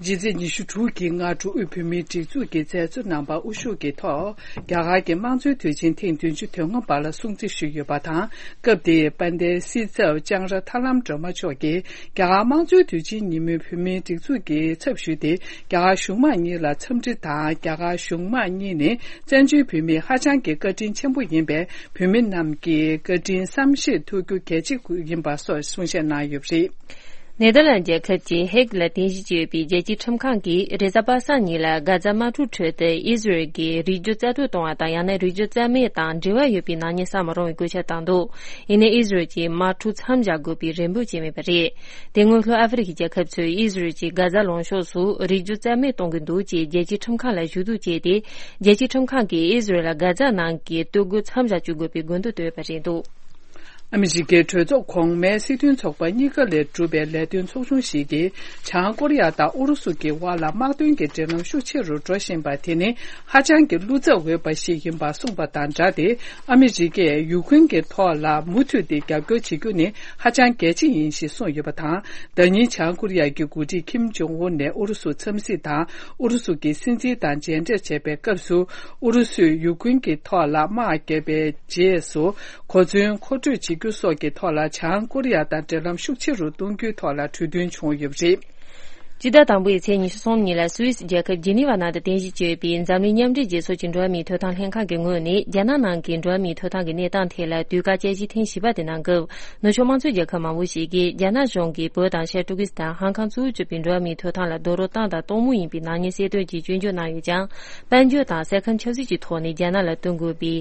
རྗེས་ཚེས་ཉི་ཤུ་དྲུག་གི་སྔ་དྲོ་དབུས་བོད་མིའི་སྒྲིག་འཛུགས་ཀྱི་མཛད་གཙོ་རྣམ་པ་དབུ་བཞུགས་ཀྱི་ཐོག་རྒྱ་གར་གྱི་དམངས་གཙོའི་དུས་ཆེན་ཐེངས་བདུན་ཅུ་དོན་ལྔ་པ་ལ་སྲུང་བརྩི་ཞུས་ཡོད་པ་དང་། སྐབས་དེའི་དཔལ་ལྡན་སྲིད་ཚབ་ལྕང་ར་ཐར་ལམ་སྒྲོལ་མ་མཆོག་གིས་རྒྱ་གར་དམངས་གཙོའི་དུས་ཆེན་ཉིན་མོའི་བོད་མིའི་སྒྲིག་འཛུགས་ཀྱི་ཚབ་ཞུས་ཏེ། རྒྱ་གར་གཞུང་མང་གཉིས་ལ་འཚམས་འདྲི་དང་། རྒྱ་གར་གཞུང་མང་གཉིས་ནི་བཙན་བྱོལ་བོད་མིའི་ཧ་ཅང་གི་བཀའ་དྲིན་ཆེན་པོ་ཡིན་པས། བོད་མི་རྣམས་ཀྱི་བཀའ་དྲིན་བསམ་ཤེས་ཐུབ་རྒྱུ་གལ་ཆེ་ཡིན་པ་སོགས་གསུང་བཤད་གནང་ཡོད་པ་རེད། ནེ་དར་ལན་རྒྱལ་ཁབ་ཀྱི་ཧེག་ལ་རྟེན་གཞི་བྱས་ཡོད་པའི་རྒྱལ་སྤྱིའི་ཁྲིམས་ཁང་གིས་རེས་གཟའ་པ་སངས་ཉིན་ལ་གྷ་ཛ་དམག་འཁྲུག་ཁྲོད་དུ་ཨི་ཟི་རལ་གྱིས་རིགས་རྒྱུད་རྩ་གཏོར་གཏོང་བ་དང་། ཡང་ན་རིགས་རྒྱུད་རྩ་མེད་དང་འབྲེལ་བ་ཡོད་པའི་ནག་ཉེས་བསགས་མི་རུང་བའི་བཀོད་ཁྱབ་བཏང་འདུག་ཡིན་ནའི་ཨི་ཟི་རལ་གྱིས་དམག་འཁྲུག་མཚམས་བཞག་དགོས་པའི་རེ་འབོད་བྱས་མེད་པ་རེད། དེ་སྔོན་ལྷོ་ཨ་ཧྥེ་རི་ཁའི་རྒྱལ་ཁབ་ཚོས་ཨི་ཟི་རལ་གྱིས་གྷ་ཛ་ལུང་ཕྱོགས་སུ་རིགས་རྒྱུད་རྩ་མེད་གཏོང་གི་འདུག་ཅེས་རྒྱལ་སྤྱིའི་ཁྲིམས་ཁང་ལ་ཞུ་གཏུག་བྱས་ཏེ། རྒྱལ་སྤྱིའི་ཁྲིམས་ཁང་གིས་ཨི་ཟི་རལ་ལ་གྷ་ཛ་ནང་གི་སྡོད་དགོས་མཚམས་བཞག་བཅུག་དགོས་པའི་དགོས་འདུན་བཏོན་ཡོད་པ་རེད་འདུག་ཨ་མི་རི་ཀའི་གྲོས་ཚོགས་གོང་མའི་སྲིད་དོན་ཚོགས་པ་གཉིས་ཀ་ལས་གྲུབ་པའི་ལས་དོན་ཚོགས་ཆུང་ཞིག་གིས་བྱང་ཀོ་རི་ཡ་དང་ཨུ་རུ་སུ་གི་དབར་ལ་དམག་དོན་གྱི་འབྲེལ་ལམ་ཤུགས་ཆེ་རུ་འགྲོ་བཞིན་པ་དེ་ནི་ཧ་ཅང་གི་བློ་འཚབ་འོས་པ་ཞིག་ཡིན་པ་གསུངས་པ་དང་སྦྲགས་ཏེ། ཨ་མི་རི་ཀས་ཡུ་ཁུན་གྱི་ཐོག་ལ་མུ་མཐུད་དེ་རྒྱབ་སྐྱོར་བྱེད་རྒྱུ་ནི་ཧ་ཅང་གལ་ཆེ་ཡིན་ཞེས་གསུངས་ཡོད་པ་དང་། ཟླ་ཉིན་བྱང་ཀོ་རི་ཡ་གི་འགོ་ཁྲིད་ཁིམ་ཇོང་ཨུན་ནས་ཨུ་རུ་སུ་འཚམས་གཟིགས་དང་ཨུ་རུ་སུ་གི་སྲིད་འཛིན་དང་མཇལ་འཕྲད་བྱས་པའི་སྐབས་སུ། ཨུ་རུ་སུས་ཡུ་ཁུན་གྱི་ཐོག་ལ་དམག་བརྒྱབ་པའི་རྗེས་སུ། གོ་མཚོན་མཁོ་སྤྲོད་བྱེད་རྒྱུ་སོགས་ཀྱི་ཐོག་ལ་བྱང་ཀོ་རི་ཡ་དང་འབྲེལ་ལམ་ཤུགས་ཆེ་རུ་གཏོང་རྒྱུའི་ཐོག་ལ་གྲོས་མཐུན་བྱུང་ཡོད་པ་རེད། སྤྱི་ཟླ་དང་པོའི་ཚེས་ཉི་ཤུ་གསུམ་ཉིན་ལ་སུད་སི་རྒྱལ་ཁབ་ཇི་ནི་ཝ་ནང་དུ་རྟེན་གཞི་བྱས་པའི་འཛམ་གླིང་མཉམ་འབྲེལ་རྒྱལ་ཚོགས་ཀྱི་འགྲོ་བ་མིའི་ཐོབ་ཐང་ལྷན་ཁང་གི་ངོས་ནས་རྒྱ་ནག་ནང་གི་འགྲོ་བ་མིའི་ཐོབ་ཐང་གི་གནས་སྟངས་ཐད་ལ་དུས་བཀག་དཔྱད་ཞིབ་ཐེངས་བཞི་པ་དེ་གནང་སྐབས། ནུབ་ཕྱོགས་དམངས་གཙོའི་རྒྱལ་ཁབ་མང་པོ་ཞིག་གིས་རྒྱ་ནག་གཞུང་གིས་བོད་དང་ཤར་ཏུར་ཀི་སི་ཐན། ཧང་ཀང་གཙོ་བོར་གྱུར་པའི་འགྲོ་བ་མིའི་ཐོབ་ཐང་ལ་རྡོག་རོལ་བཏང་དང་གཏོང་མུས་ཡིན་པའི་ནག་ཉེས་གསལ་སྟོན་གྱིས་སྐྱོན་བརྗོད་གནང་ཡོད་ཀྱང་། དཔལ་འབྱོར་དང་ས་ཁམས་ཆབ་སྲིད་ཀྱི་ཐོག་ནས་རྒྱ་ནག་ལ་བསྟུན་དགོས་པའི་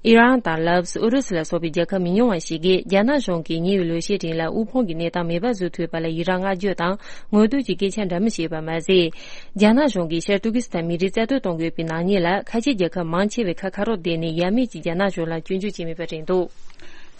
ཨི་རན་དང་ལཱ་ཨོ་སི། ཨུ་རུ་སུ་ལ་སོགས་པའི་རྒྱལ་ཁབ་མི་ཉུང་བ་ཞིག་གིས་རྒྱ་ནག་གཞུང་གིས་ཉེ་བའི་ལོ་ཤས་རིང་ལ་དབུལ་ཕོངས་ཀྱི་གནས་སྟངས་མེད་པ་བཟོ་ཐུབ་པ་ལ་ཡི་རངས་བསྔགས་བརྗོད་དང་ངོ་བསྟོད་ཀྱི་སྐད་ཆ་འདྲ་མིན་བཤད་པ་མ་ཟད། རྒྱ་ནག་གཞུང་གིས་ཤར་ཏུར་ཀི་སི་ཐན་མི་རིགས་རྩ་གཏོར་གཏོང་དགོས་པའི་ནག་ཉེས་ལ་ཁ་ཆེ་རྒྱལ་ཁབ་མང་ཆེ་བས་ཁ་ཁ་རོག་བསྡད་ནས་ཡ་མེད་ཀྱིས་རྒྱ་ནག་གཞུང་ལ་སྐྱོན་བརྗོད་བྱས་མེད་པ་རེད་འདུག།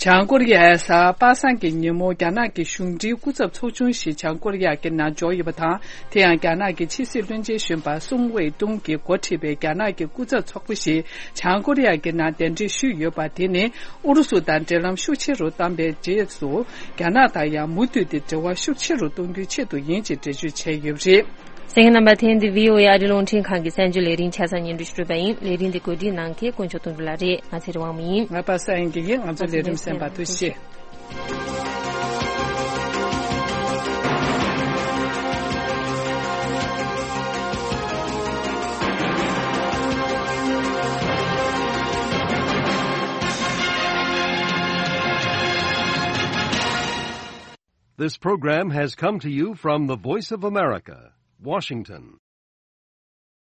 བྱང་ཀོ་རི་ཡའི་གཟའ་པ་སངས་ཀྱི་ཉིན་མོ་རྒྱ་ནག་གི་གཞུང་འབྲེལ་སྐུ་ཚབ་ཚོགས་ཆུང་ཞིག་བྱང་ཀོ་རི་ཡ་གི་ནང་འབྱོར་ཡོད་པ་དང་། དེ་ཡང་རྒྱ་ནག་གི་ཕྱི་སྲིད་བློན་ཆེན་གཞོན་པ་སུང་ཝེ་ཏུང་གིས་འགོ་ཁྲིད་པའི་རྒྱ་ནག་གི་སྐུ་ཚབ་ཚོགས་པ་ཞིག་བྱང་ཀོ་རི་ཡ་གི་ནང་གདན་འདྲེན་ཞུས་ཡོད་པ་དེ་ནི་ཨུ་རུ་སུ་དང་འབྲེལ་ལམ་ཤུགས་ཆེ་རུ་བཏང་པའི་རྗེས་སུ། རྒྱ་ནག་དང་ཡང་མུ་མཐུད་དེ་འབྲེལ་བ་ཤུགས་ཆེ་རུ་གཏོང་རྒྱུའི་ཆེད་དུ་ཡིན་ཅེས་འགྲེལ་བརྗོད་བྱས་ཡོད་པ་རེད། གསན་མཁན་རྣམ་པ། དེ་ནི་འདི་བྷི་ཨོ་ཨེ་ཨ་རིའི་རླུང་འཕྲིན་ཁང་གི་གསར་འགྱུར་ལས་རིམ་ཆ་ཚང་སྙན་སྒྲོན་ཞུ་གྲུབ་པ་ཡིན། ལས་རིམ་འདི་གོ་སྒྲིག་གནང་མཁན་དཀོན་མཆོག་དོན་གྲུབ་ལགས་རེད། ང་ཚེ་རིང་དབང་མོ་ཡིན། ང་པ་སངས་དབྱངས་སྐྱིད་ཡིན། ང་ཚོའི་ལས་རིམ་གསན་པར་ཐུགས་རྗེ་ཆེ། This program has come to you from the Voice of America, Washington.